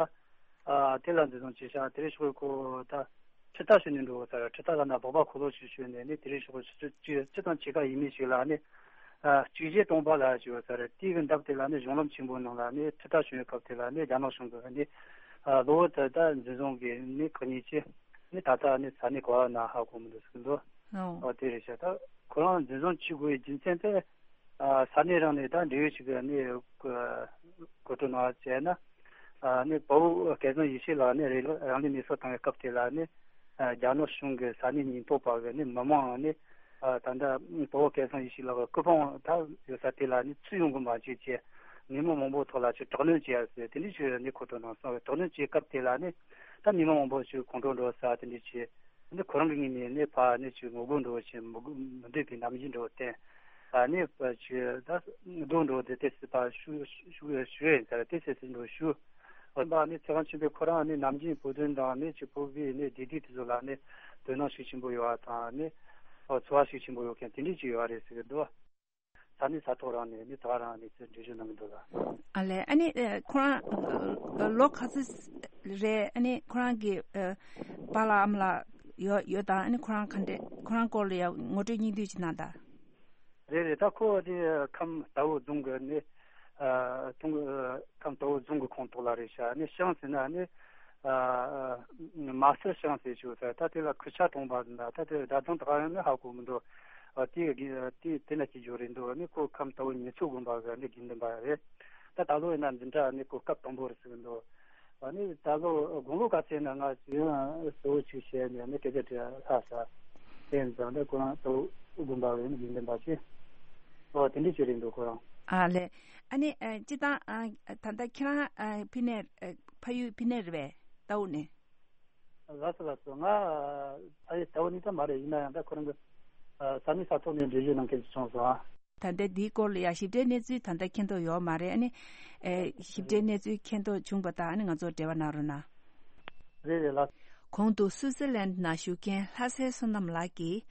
དེ་ལ་འཛིན་བཟུང་བྱས་ཤག་དེ་རིང་ཞོགས་ཀས་ཁོ་ད་ཁྲིད་ཐག་ཞུ་ནས་འགྲོ་ས་རེད། ཁྲིད་ཐག་ལ་ན་སྦག་སྦག་འཁོར་ལོ་ཞིག་ཞུས་ནས་ནི་དེ་རིང་ཞོགས་ཀས་ཆུ་ཚོད་བཅུ་དང་ཕྱེད་ཀ་ཡས་མས་ཤིག་ལ་ནི། ཨ་གཅིག་བརྒྱད་སྟོང་པ་ལ་ཞུ་བ་ས་རེད། དེའི་གི་འདབས་དེ་ལ་ནི་གཞུང་ལམ་ཆེན་པོའི་ནང་ལ་ནི་ཁྲིད་ཐག་ཞུ་བའི་སྐབས་དེ་ལ་ནི་རྒྱ་ནག་གཞུང་གི་ནི་ཨ་གློ་བུར་དུ་ད་འཛིན་བཟུང་གི་ནི་ག་ཉེས་ཆེ་ནི་ད་ལྟ་ནི་ས་གནས་ག་བ་ན་ཧ་གོ་མི་འདུག་ཟེར་གི་འདུག་ཨོ། ཨ་དེ་རེད་ཤག་ད་ཁོ་རང་འཛིན་བཟུང་བྱེད་དགོས་པའི་རྒྱུ་མཚན་དེ་ཨ་ས་གནས་རང་ནས་ད་འབྲེལ་ཡོད་ཅིག་གི་ནི་གོ་སྒྲིག་གནང་བ་བྱས་ན། ཨ་ནི་དཔའ་བོ་སྐལ་བཟང་ཡེ་ཤེས་ལགས་ནི་རང་ལུས་མེར་སྲེག་བཏང་བའི་སྐབས་དེ་ལ་ནི་ཨ་རྒྱ་ནག་གཞུང་གི་ས་གནས་ཉེན་རྟོག་པ་གི་ནི་མི་མང་ནི་ཨ་ད་ལྟ་དཔའ་བོ་སྐལ་བཟང་ཡེ་ཤེས་ལགས་ཀྱི་སྐུ་ཕུང་ད་ཡོད་ས་དེ་ལ་ནི་ཚུར་ཡོང་གི་མ་བྱེད་ཅེས་ཉིན་མོ་མང་པོ་ཐོག་ལ་ཅིག་དྲག་གནོན་བྱས་ཟེར་དེ་འདྲ་ཞིག་ནི་གོ་སྒྲིག་གནང་སོང་། དྲག་གནོན་བྱས་སྐབས་དེ་ལ་ནི་ད་ཉིན་མོ་མང་པོ་ཞིག་ཁོང་ཁྲོ་འགྲོ་ས་དེ་འདྲ་བྱས། འདི་ཁོ་རང་གི་ངོས་ནས་ནི་ཕ་ནི་ཅིག་ངོ་རྒོལ་འགྲོ་བཞིན་མི་དགོས་མི་འདོད་པའི་ནམ་རྒྱུན་འགྲོ་བསྟན། ཨ་ནི་ཅིག་ད་རྡོ་འགྲོ་དེ་ཏོག་ཙམ་ཕར་ཞུ་ཞུ་ཞུ་ཡིན་ཟེར་ཏོག་ཙམ་ཞིག་འགྲོ་ཞུ། འོན་པ་ནི་ཚེ་དབང་ཆོས་འཕེལ་ཁོ་རང་ནི་ནམ་རྒྱུན་བོད་དོན་དང་ནི་ཅིག་བོད་པའི་ནི་བདེ་སྡུག་དེ་ཚོ་ལ་ནི་དོ་སྣང་ཤུགས་ཆེན་པོ་ཡོད་པ་དང་ནི་ཚོར་བ་ཤུགས་ཆེན་པོ་ཡོད་མཁན་དེ་འདྲ་ཅིག་ཡོད་རེད་ཟེར་གི་འདུག་ས་གནས་ས་ཐོག་རང་ནས་ནི་ད་རང་ནས་ཚུར་འགྲེལ་བརྗོད་གནང་གི་འདུག་ལ། ཨ་ལས། ཨ་ནི་ཨ་ཁོ་རང་ཨ་ལོ་ག་ཚོད་རེད། ཨ་ནི་ཁོ་རང་གི་ཨ་པཱ་ལགས་ཨ་མ་ལགས་ཡོད་ཡོད་དང་། ཨ་ནི་ཁོ་རང་ག་འདྲས་ཁོ་རང་སྐོར་ལ་ཡང་ངོ་སྤྲོད་སྙིང་བསྡུས་ཅིག་གནང་དང་། རེད་རེད། ད་ཁོ་དེ་ཁམས་རྟའུ་རྫོང་གི་ནི་ཨ་ཐོང་ཨ་ཁམས་རྟའུ་རྫོང་གི་ཁོངས་གཏོགས་ལ་རེད་ཤག་ནི་ཤང་ཟེར་ན་ནི། ཨ་མ་སེར་ཤང་ཟེར་ཞུ་ས། ད་དེ་ལ་ཁུར་ཆ་གྲོང་པ་ཟེར་ན་ད་དེ་རྡ་རྫོང་ད་ག་ཡང་ནི་ཧ་གོ་མི་འདུག་ཨ་དེ་གི་དེ་དེ་ན་སྐྱེས་རྒྱུ་རེད་འདུག་ནི་ཁོ་ཁམས་རྟའུ་ཉི་ཚོ་དགོན་པ་གི་ནི་དགེ་འདུན་པ་རེད། ད་ད་ལོ་ཡིན་ན་འཛིན་གྲྭ་ནི་ཁོ་སྐབས་དང་པོ་རེད་ཟེར་གི་འདུག་ཨ་ནི་ད་ལོ་དགུང་ལོ་ག་ཚད་ན་ང་ཡང་གཙོ་བོ་ཅིག་བྱས་ནས་ནི་སྐད་ཆ་དྲི་ལྷག་ས་དེ་ཡིན་ཙང་ད་ཁོ་རང་རྟའུ་དགོན་པ་གི་ནི་དགེ་འདུན་པ་ཅིག་ཨོ་དེ་འདྲ་ཅིག་རེད་འདུག་ཁོ་རང་། ཨ་ལས། ཨ་ནི་ཨ་སྤྱིར་བཏང་ཨ་ད་ལྟ་ཁྱེད་རང་ཨ་ཕ་ནས་ཨ་ཕ་ཡུལ་ཕ་ནས་རེད་པས། རྟའུ་ནས། ལགས་སོ་ལགས་སོ། ང་ཨ་ཡེ་རྟའུ་ནས་ད་མ་རེད། ཡིན་ན་ཡང་ད་ཁོ་རང་གི་ཨ་ས་གནས་ས་ཐོག་ནས་འགྲེལ་བརྗོད་གནང་མཁན་ཞིག་བྱུང་སོང་ཨ། ད་ལྟ་འདིའི་སྐོར་ལ་ཡང་ཞིབ་ཕྲའི་གནས་ཚུལ་ད་ལྟ་མཁྱེན་རྟོགས་ཡོད་མ་རེད། ཨ་ནི་ཨེ་ཞིབ་ཕྲའི་གནས་ཚུལ་མཁྱེན་རྟོགས་བྱུང་བ་དང་ཨ་ནི་ང་ཚོར་འབྲེལ་བ་གནང་རོགས་གནང་། རེད་རེད་ལགས། གོང་དུ་སུའུ་ཙེར་ལན་ནང་བཞུགས་མཁན་ལྷ་སའི་བསོད་ནམས་ལགས་ཀྱིས།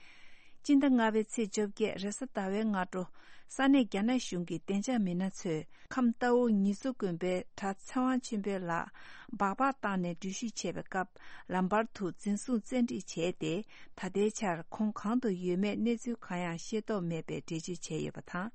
སྤྱི་ཟླ་ལྔ་པའི་ཚེས་བཅོ་བརྒྱད་རེས་གཟའ་ཟླ་བའི་སྔ་དྲོ། ས་གནས་རྒྱ་ནག་གཞུང་གི་བདེ་འཇགས་མི་སྣ་ཚོས་ཁམས་རྟའུ་ཉི་ཚོ་དགོན་པའི་གྲྭ་ཚེ་དབང་ཆོས་འཕེལ་ལགས་སྦག་སྦག་བཏང་ནས་འགྲུལ་བཞུད་བྱས་པའི་སྐབས་ལམ་བར་དུ་འཛིན་བཟུང་བཙན་ཁྲིད་བྱས་ཏེ། ད་ལྟའི་ཆར་ཁོང་གང་དུ་ཡོད་མེད་གནས་ཚུལ་གང་ཡང་ཤེས་རྟོགས་མེད་པའི་འགྲེལ་བརྗོད་བྱས་ཡོད་པ་དང་།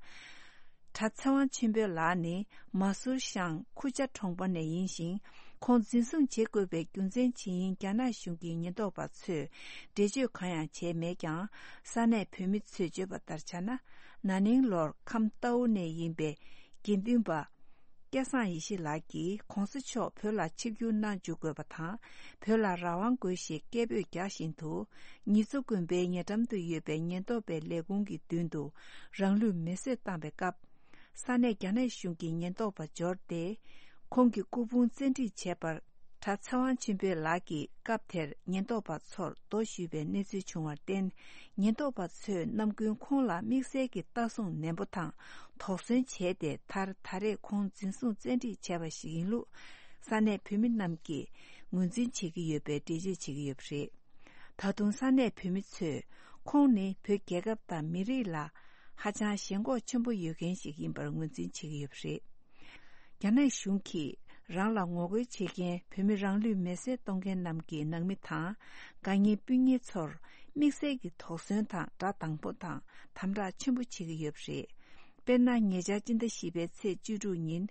གྲྭ་ཚེ་དབང་ཆོས་འཕེལ་ལགས་ནི་མ་སུར་ཤང་ཁུ་ཅ་གྲོང་པ་ནས་ཡིན་ཞིང་། ཁོང་འཛིན་བཟུང་བྱེད་དགོས་པའི་རྒྱུ་མཚན་ཇི་ཡིན་རྒྱ་ནག་གཞུང་གི་ཉེན་རྟོག་པ་ཚོས་འགྲེལ་བརྗོད་གང་ཡང་བྱས་མེད་ཀྱང་། ས་གནས་བོད་མི་ཚོས་བརྗོད་པ་ལྟར་ཆ་ན། ན་ནིང་ལོར་ཁམས་རྟའུ་ནས་ཡིན་པའི་དགེ་འདུན་པ་ སྐལ་བཟང་ཡེ་ཤེས་ལགས་ཀྱིས་༧གོང་ས་མཆོག་བོད་ལ་ཆིབས་བསྒྱུར་གནང་འཇུག་དགོས་པ་དང་། བོད་ལ་རང་དབང་དགོས་ཞེས་སྐད་འབོད་རྒྱག་བཞིན་དུ། ཉེས་འཛུགས་དགོན་པའི་ཉེ་འགྲམ་དུ་ཡོད་པའི་ཉེན་རྟོག་པའི་ལས་ཁུངས་ཀྱི་མདུན་དུ་རང་ལུས་མེར་སྲེག་བཏང་བའི་སྐབས། ས་གནས་རྒྱ་ནག་གཞུང་གི་ཉེན་རྟོག་པ་འབྱོར་ཏེ། ཁོང་གི་སྐུ་ཕུང་བཙན་ཁྲིད་བྱས་པར། གྲྭ་ཚེ་དབང་ཆོས་འཕེལ་ལགས་ཀྱིས་སྐབས་དེར་ཉེན་རྟོག་པ་ཚོར་རྡོ་གཞུས་པའི་གནས་ཚུལ་བྱུང་བར་བརྟེན། ཉེན་རྟོག་པ་ཚོས་ནམ་རྒྱུན་ཁོང་ལ་དམིགས་བསལ་གྱི་ལྟ་སྲུང་ནན་པོ་དང་དོགས་ཟོན་བྱས་ཏེ། མཐར་ད་རེས་ཁོང་འཛིན་བཟུང་བཙན་ཁྲིད་བྱས་པ་ཞིག་ཡིན་ལུགས། ས་གནས་བོད་མི་རྣམས་ཀྱིས་ངོས་འཛིན་བྱེད་ཀྱི་ཡོད་པའི་འགྲེལ་བརྗོད་བྱེད་ཀྱི་ཡོད་པ་རེད། ད་དུང་ས་གནས་བོད་མི་ཚོས། ཁོང་ནི་བོད་རྒྱལ་ཁབ་དང་མི་རིགས་ལ་ཧ་ཅང་ཞེན་ཁོག་ཆེན་པོ་ཡོད་མཁན་ཞིག་ཡིན་པར་ངོས་འཛིན་བྱེད་ཀྱི་ཡོད་པ་རེད། རྒྱ་ནག་གཞུང་གིས་རང་ལ་ངོ་རྒོལ་བྱེད་མཁན་བོད་མི་རང་ལུས་མེར་སྲེག་གཏོང་མཁན་རྣམས་ཀྱི་ནང་མི་དང་། དགའ་ཉེ་སྤུན་ཉེ་ཚོར་དམིགས་བསལ་གྱི་དོགས་ཟོན་དང་དགྲ་དང་པོ་དང་དམ་དྲག་ཆེན་པོ་བྱེད་ཀྱི་ཡོད་པ་རེད། དཔེར་ན། ཉེ་ཆར་སྤྱི་ཟླ་བཞི་པའི་ཚེས་བཅུ་དྲུག་ཉིན།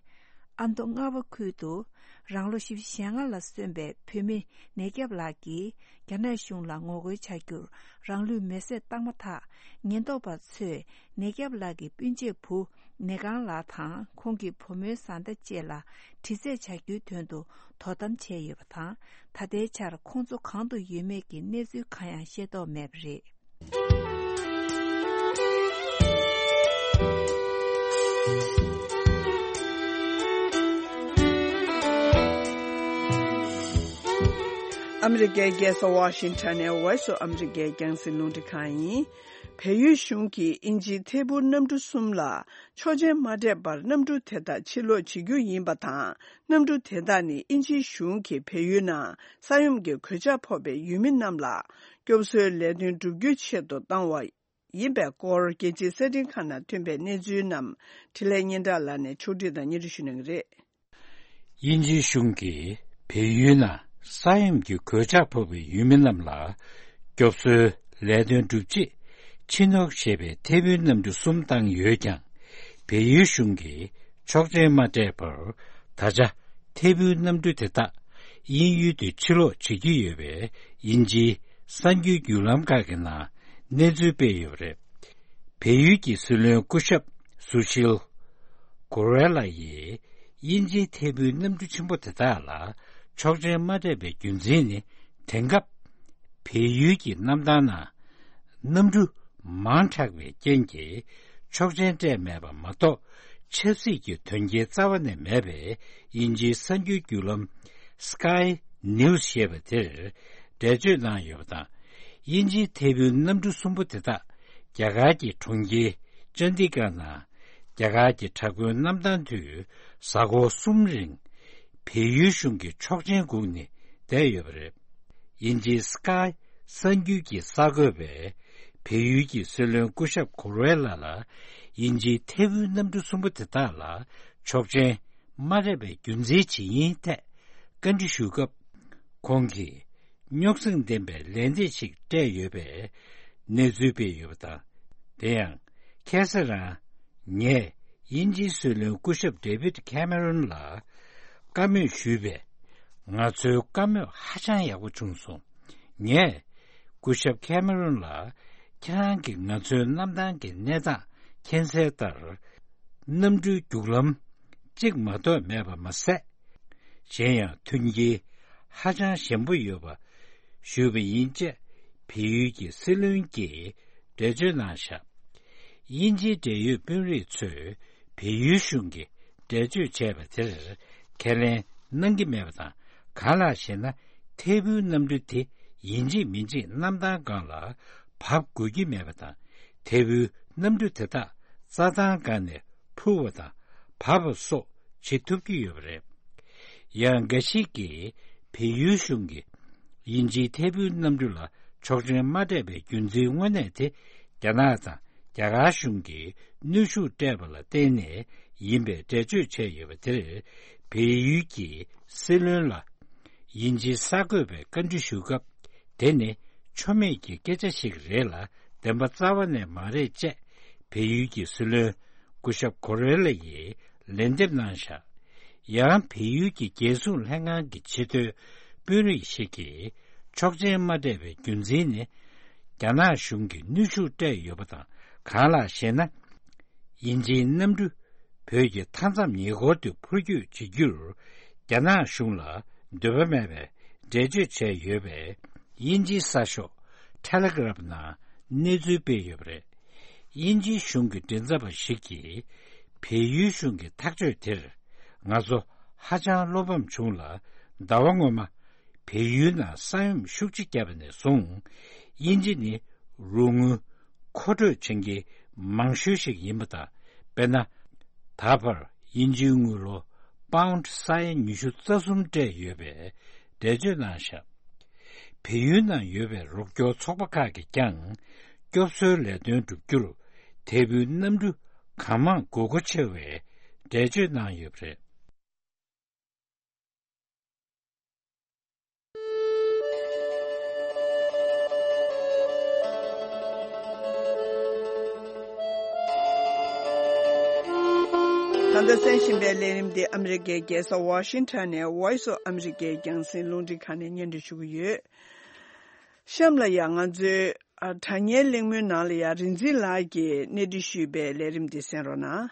ཨ་མདོ་རྔ་བ་ཁུལ་དུ། རང་ལོ་བཞི་བཅུ་ཞེ་ལྔ་ལ་སོན་པའི་བོད་མི་ནད་སྐྱབས་ལགས་ཀྱིས། རྒྱ་ནག་གཞུང་ལ་ངོ་རྒོལ་བྱ་རྒྱུར་རང་ལུས་མེར་སྲེག་བཏང་མ་ཐག་ཉེན་རྟོག་པ་ཚོས་ནད་སྐྱབས་ལགས་ཀྱི་སྤུན་མཆེད་བུ་ནེ་གང་ལགས་དང་ཁོང་གི་བུ་མོའི་བཟའ་ཟླ་བཅས་ལ་དྲི་རྩད་བྱ་རྒྱུའི་དོན་དུ་དོ་དམ་བྱས་ཡོད་པ་དང་། ད་ལྟའི་ཆར་ཁོང་ཚོ་གང་དུ་ཡོད་མེད་ཀྱི་གནས་ཚུལ་གང་ཡང་ཤེས་རྟོགས་མེད་པ་རེད། ཨ་མི་རི་ཀའི་རྒྱལ་ས་ཝ་ཤིང་ཊོན་ནས་Voice of America རྒྱང་སྲིང་རླུང་འཕྲིན་ཁང་ཡིན། བལ་ཡུལ་གཞུང་གིས་དབྱིན་ཇིའི་ཐད་འཕུར་གནམ་གྲུ་གསུམ་ལ་ཆོག་མཆན་མ་སྤྲད་པར་གནམ་གྲུ་དེ་དག་ཕྱིར་ལོག་བྱེད་རྒྱུ་ཡིན་པ་དང་། གནམ་གྲུ་དེ་དག་ནི་དབྱིན་ཇིའི་གཞུང་གིས་བལ་ཡུལ་ནང་ས་ཡོམ་གྱི་གོད་ཆག་ཕོག་པའི་ཡུལ་མི་རྣམས་ལ་སྐྱོབ་གསོའི་ལས་དོན་བསྒྲུབ་རྒྱུའི་ཆེད་དུ་བཏང་བ་ཡིན་པའི་སྐོར། རྒྱལ་སྤྱིའི་གསར་འཕྲིན་ཁང་ནང་ཐོན་པའི་གནས་ཚུལ་རྣམས་འཕྲིན་ལས་སྙན་གྲགས་ལགས་ནས་ཕྱོགས་སྒྲིག་དང་སྙན་སྒྲོན་ཞུ་གནང་གི་རེད། དབྱིན་ཇིའི་གཞུང་གིས་བལ་ཡུལ་ནང་ས་ཡོམ་གྱི་གོད་ཆག་ཕོག་པའི་ཡུལ་མི་རྣམས་ལ་སྐྱོབ་གསོའི་ལས་དོན་བསྒྲུབ་ཆེད། ཕྱི་ནོག་ཞེས་པའི་ཐད་འཕུར་གནམ་གྲུ་གསུམ་བཏང་ཡོད་ཀྱང་། བལ་ཡུལ་གཞུང་གིས་ཆོག་མཆན་མ་སྤྲད་པར། ད་ཆ་ཐད་འཕུར་གནམ་གྲུ་དེ་དག་དབྱིན་ཡུལ་དུ་ཕྱིར་ལོག་བྱེད་ཀྱི་ཡོད་པས། དབྱིན་ཇིའི་གསར་འགྱུར་བརྒྱུད་ལམ་ཁག་གི་ནང་གནས་ཚུལ་སྤེལ་ཡོད་པ་རེད། བལ་ཡུལ་གྱི་སྲིད་བློན་སྐུ་ཞབས་སུ་ཤིལ་གོ་རེ་ལ་ཡིས་དབྱིན་ཇིའི་ཐད་འཕུར་གནམ་གྲུ་ཆེན་པོ་དེ་དག་ལ་ཆོག་མཆན་མ་སྤྲད་པའི་རྒྱུ་མཚན་ནི། དེང་སྐབས་བལ་ཡུལ་གྱི་གནམ་ཐང་ནང་གནམ་གྲུ་མང་དྲགས་པའི་རྐྱེན་གྱིས་ཆོག་མཆན་སྤྲད་མེད་པ་མ་གཏོགས། ཆབ་སྲིད་ཀྱི་དོན་རྐྱེན་རྩ་བ་ནས་མེད་པའི་དབྱིན་ཇིའི་གསར་འགྱུར་བརྒྱུད་ལམ་Sky News ཞེས་པ་དེར་འགྲེལ་བརྗོད་གནང་ཡོད་པ་དང་། དབྱིན་ཇིའི་ཐད་འཕུར་གནམ་གྲུ་གསུམ་པོ་དེ་དག་རྒྱ་གར་གྱི་གྲོང་ཁྱེར་ཅན་ཌི་གྷར་ནང་རྒྱ་གར་གྱི་དྲག་པོའི་གནམ་ཐང་དུ་གཟའ་འཁོར་གསུམ་རིང་བལ་ཡུལ་གཞུང་གི་ཆོག་མཆན་སྒུག་ནས་བསྡད་ཡོད་པ་རེད། དབྱིན་ཇིའི་Sky གསར་འགྱུར་གྱིས་གསར་འགོད་པས། བལ་ཡུལ་གྱི་སྲིད་བློན་སྐུ་ཞབས་གོ་རེ་ལ་ལ་དབྱིན་ཇིའི་ཐད་འཕུར་གནམ་གྲུ་གསུམ་པོ་དེ་དག་ལ་ཆོག་མཆན་མ་སྤྲད་པའི་རྒྱུ་མཚན་ཇི་ཡིན་ཐད་བཀའ་འདྲི་ཞུས་སྐབས། ཁོང་གིས་རྙོག་ཟིང་ལྡན་པའི་ལན་འདེབས་ཤིག་སྤྲད་ཡོད་པའི་གནས་ཚུལ་སྤེལ་ཡོད་པ་དང་། དེ་ཡང་ཁ་སང་རང་ངས་དབྱིན་ཇིའི་སྲིད་བློན་སྐུ་ཞབས་ཌེ་བིད་ཁེ་མེ་རོན་ལ་བཀའ་མོལ་ཞུས་པས། ང་ཚོའི་བཀའ་མོལ་ཧ་ཅང་ཡག་པོ་བྱུང་སོང་། ངས་སྐུ་ཞབས་ཁེ་མེ་རོན་ལ། ཁྱེད་རང་གིས་ང་ཚོའི་གནམ་ཐང་གི་གནས་སྟངས་མཁྱེན་གསལ་ལྟར། གནམ་གྲུའི་རྒྱུག་ལམ་གཅིག་མ་གཏོགས་མེད་པ་མ་ཟད། གཞན་ཡང་མཐུན་རྐྱེན་ཧ་ཅང་ཞན་པོ་ཡོད་པ་ཞུས་པ་ཡིན་ཅེས་བལ་ཡུལ་གྱི་སྲིད་བློན་གྱིས་འགྲེལ་བརྗོད་གནང་བཞག་དབྱིན་ཇིའི་འབྲེལ་ཡོད་དཔོན་རིགས་ཚོས་བལ་ཡུལ་གཞུང་གིས་འགྲེལ་བརྗོད་བྱས་པ་དེར་ཁས་ལེན་གནང་གི་མེད་པ་དང་། གང་ལགས་ཤེ་ན། ཐད་འཕུར་གནམ་གྲུ་དེ་ཡིན་གཅིག་མིན་གཅིག་གནམ་ཐང་སྒང་ལ་བབས་དགོས་ཀྱི་མེད་པ་དང་། ཐད་འཕུར་གནམ་གྲུ་དེ་དག་རྩྭ་ཐང་སྒང་ནས་འཕུར་བ་དང་བབས་པ་སོགས་བྱེད་ཐུབ་ཀྱི་ཡོད་པ་རེད། ཡང་འགའ་ཞིག་གིས་བལ་ཡུལ་གཞུང་གིས་དབྱིན་ཇིའི་ཐད་འཕུར་གནམ་གྲུ་ལ་ཆོག་མཆན་མ་སྤྲད་པའི་རྒྱུ་མཚན་དངོས་གནས་དེ། རྒྱ་ནག་དང་རྒྱ་གར་གཞུང་གིས་གནོན་ཤུགས་སྤྲད་པ་ལ་བརྟེན་ནས་ཡིན་པའི་འགྲེལ་བརྗོད་བྱས་ཡོད་པ་དེར། བལ་ཡུལ་གྱི་སྲིད་བློན་ལ་དབྱིན་ཇིའི་གསར་འགོད་པས་བཀའ་འདྲི་ཞུ་སྐབས། དེ་ནི་ཆོ་མེད་ཀྱི་སྐད་ཆ་ཞིག་རེད་ལ། བདེན་པ་རྩ་བ་ནས་མ་རེད་ཅེས་བལ་ཡུལ་གྱི་སྲིད་བློན་སྐུ་ཞབས་གོ་རེ་ལ་ཡིས་ལན་འདེབས་གནང་བཞག་ཡང་། བལ་ཡུལ་གྱི་རྒྱལ་སྲུང་ལྷན་ཁང་གི་ཕྱི་སྡོད་དཔོན་རིགས་ཤིག་གིས་ཆོག་མཆན་མ་སྤྲད་པའི་རྒྱུ་མཚན་ནི། རྒྱ་ནག་གཞུང་གིས་གནོན་ཤུགས་སྤྲད་ཡོད་པ་དང་། གང་ལགས་ཤེ་ན། དབྱིན་ཇིའི་གནམ་གྲུ་ བོད་ཀྱི་མཐའ་མཚམས་ཉེ་འཁོར་དུ་འཕུར་སྐྱོད་བྱེད་རྒྱུར་རྒྱ་ནག་གཞུང་ལ་འདོད་པ་མེད་པའི་འགྲེལ་བརྗོད་བྱས་ཡོད་པའི་དབྱིན་ཇིའི་གསར་ཤོག་ཊེ་ལེ་གྷི་རབ་ནང་གནས་ཚུལ་སྤེལ་ཡོད་པ་རེད། དབྱིན་ཇིའི་གཞུང་གི་མགྲིན་ཚབ་པ་ཞིག་གིས་བལ་ཡུལ་གཞུང་གི་ཐག་གཅོད་དེར་ང་ཚོ་ཧ་ཅང་བློ་ཕམ་བྱུང་ལ། ཟླ་བ་སྔོན་མ་བལ་ཡུལ་ནང་ས་ཡོམ་ཤུགས་ཆེ་བརྒྱབ་པ་ནས་བཟུང་དབྱིན་ཇི་ནི་རོགས་དངུལ་མཁོ་སྤྲོད་བྱེད་མཁན་མང་ཤོས་ཤིག་ཡིན་པ་དང་། དཔེར་ན། ད་བར་དབྱིན་ཇིའི་དངུལ་ལོ་པའུནཌ་ས་ཡ་ཉི་ཤུ་རྩ་གསུམ་སྤྲད་ཡོད་པའི་འགྲེལ་བརྗོད་གནང་བཞག་བལ་ཡུལ་ནང་ཡོད་པའི་རོགས་སྐྱོར་ཚོགས་པ་ཁག་གིས་ཀྱང་སྐྱོབ་གསོའི་ལས་དོན་བསྒྲུབ་རྒྱུར་དེ་སྤུས་གནམ་གྲུ་གང་མང་དགོས་མཁོ་ཆེ་བའི་འགྲེལ་བརྗོད་གནང་ཡོད་པ་རེད། ད་ལྟ་གསན་བཞིན་པའི་ལས་རིམ་འདི་ཨ་མི་རི་ཀའི་རྒྱལ་ས་ཝ་ཤིང་ཊོན་ནས་Voice of America རྒྱང་སྲིང་རླུང་འཕྲིན་ཁང་ནས་སྙན་སྒྲོན་ཞུ་གི་ཡོད། གཤམ་ལ་ཡང་ང་ཚོའི་ཨ་དྲ་བརྙན་གླེང་མོལ་ནང་ལ་ཡང་རིག་འཛིན་ལགས་ཀྱིས་གནས་འདྲི་ཞུས་པའི་ལས་རིམ་འདི་གསན་རོགས་གནང་།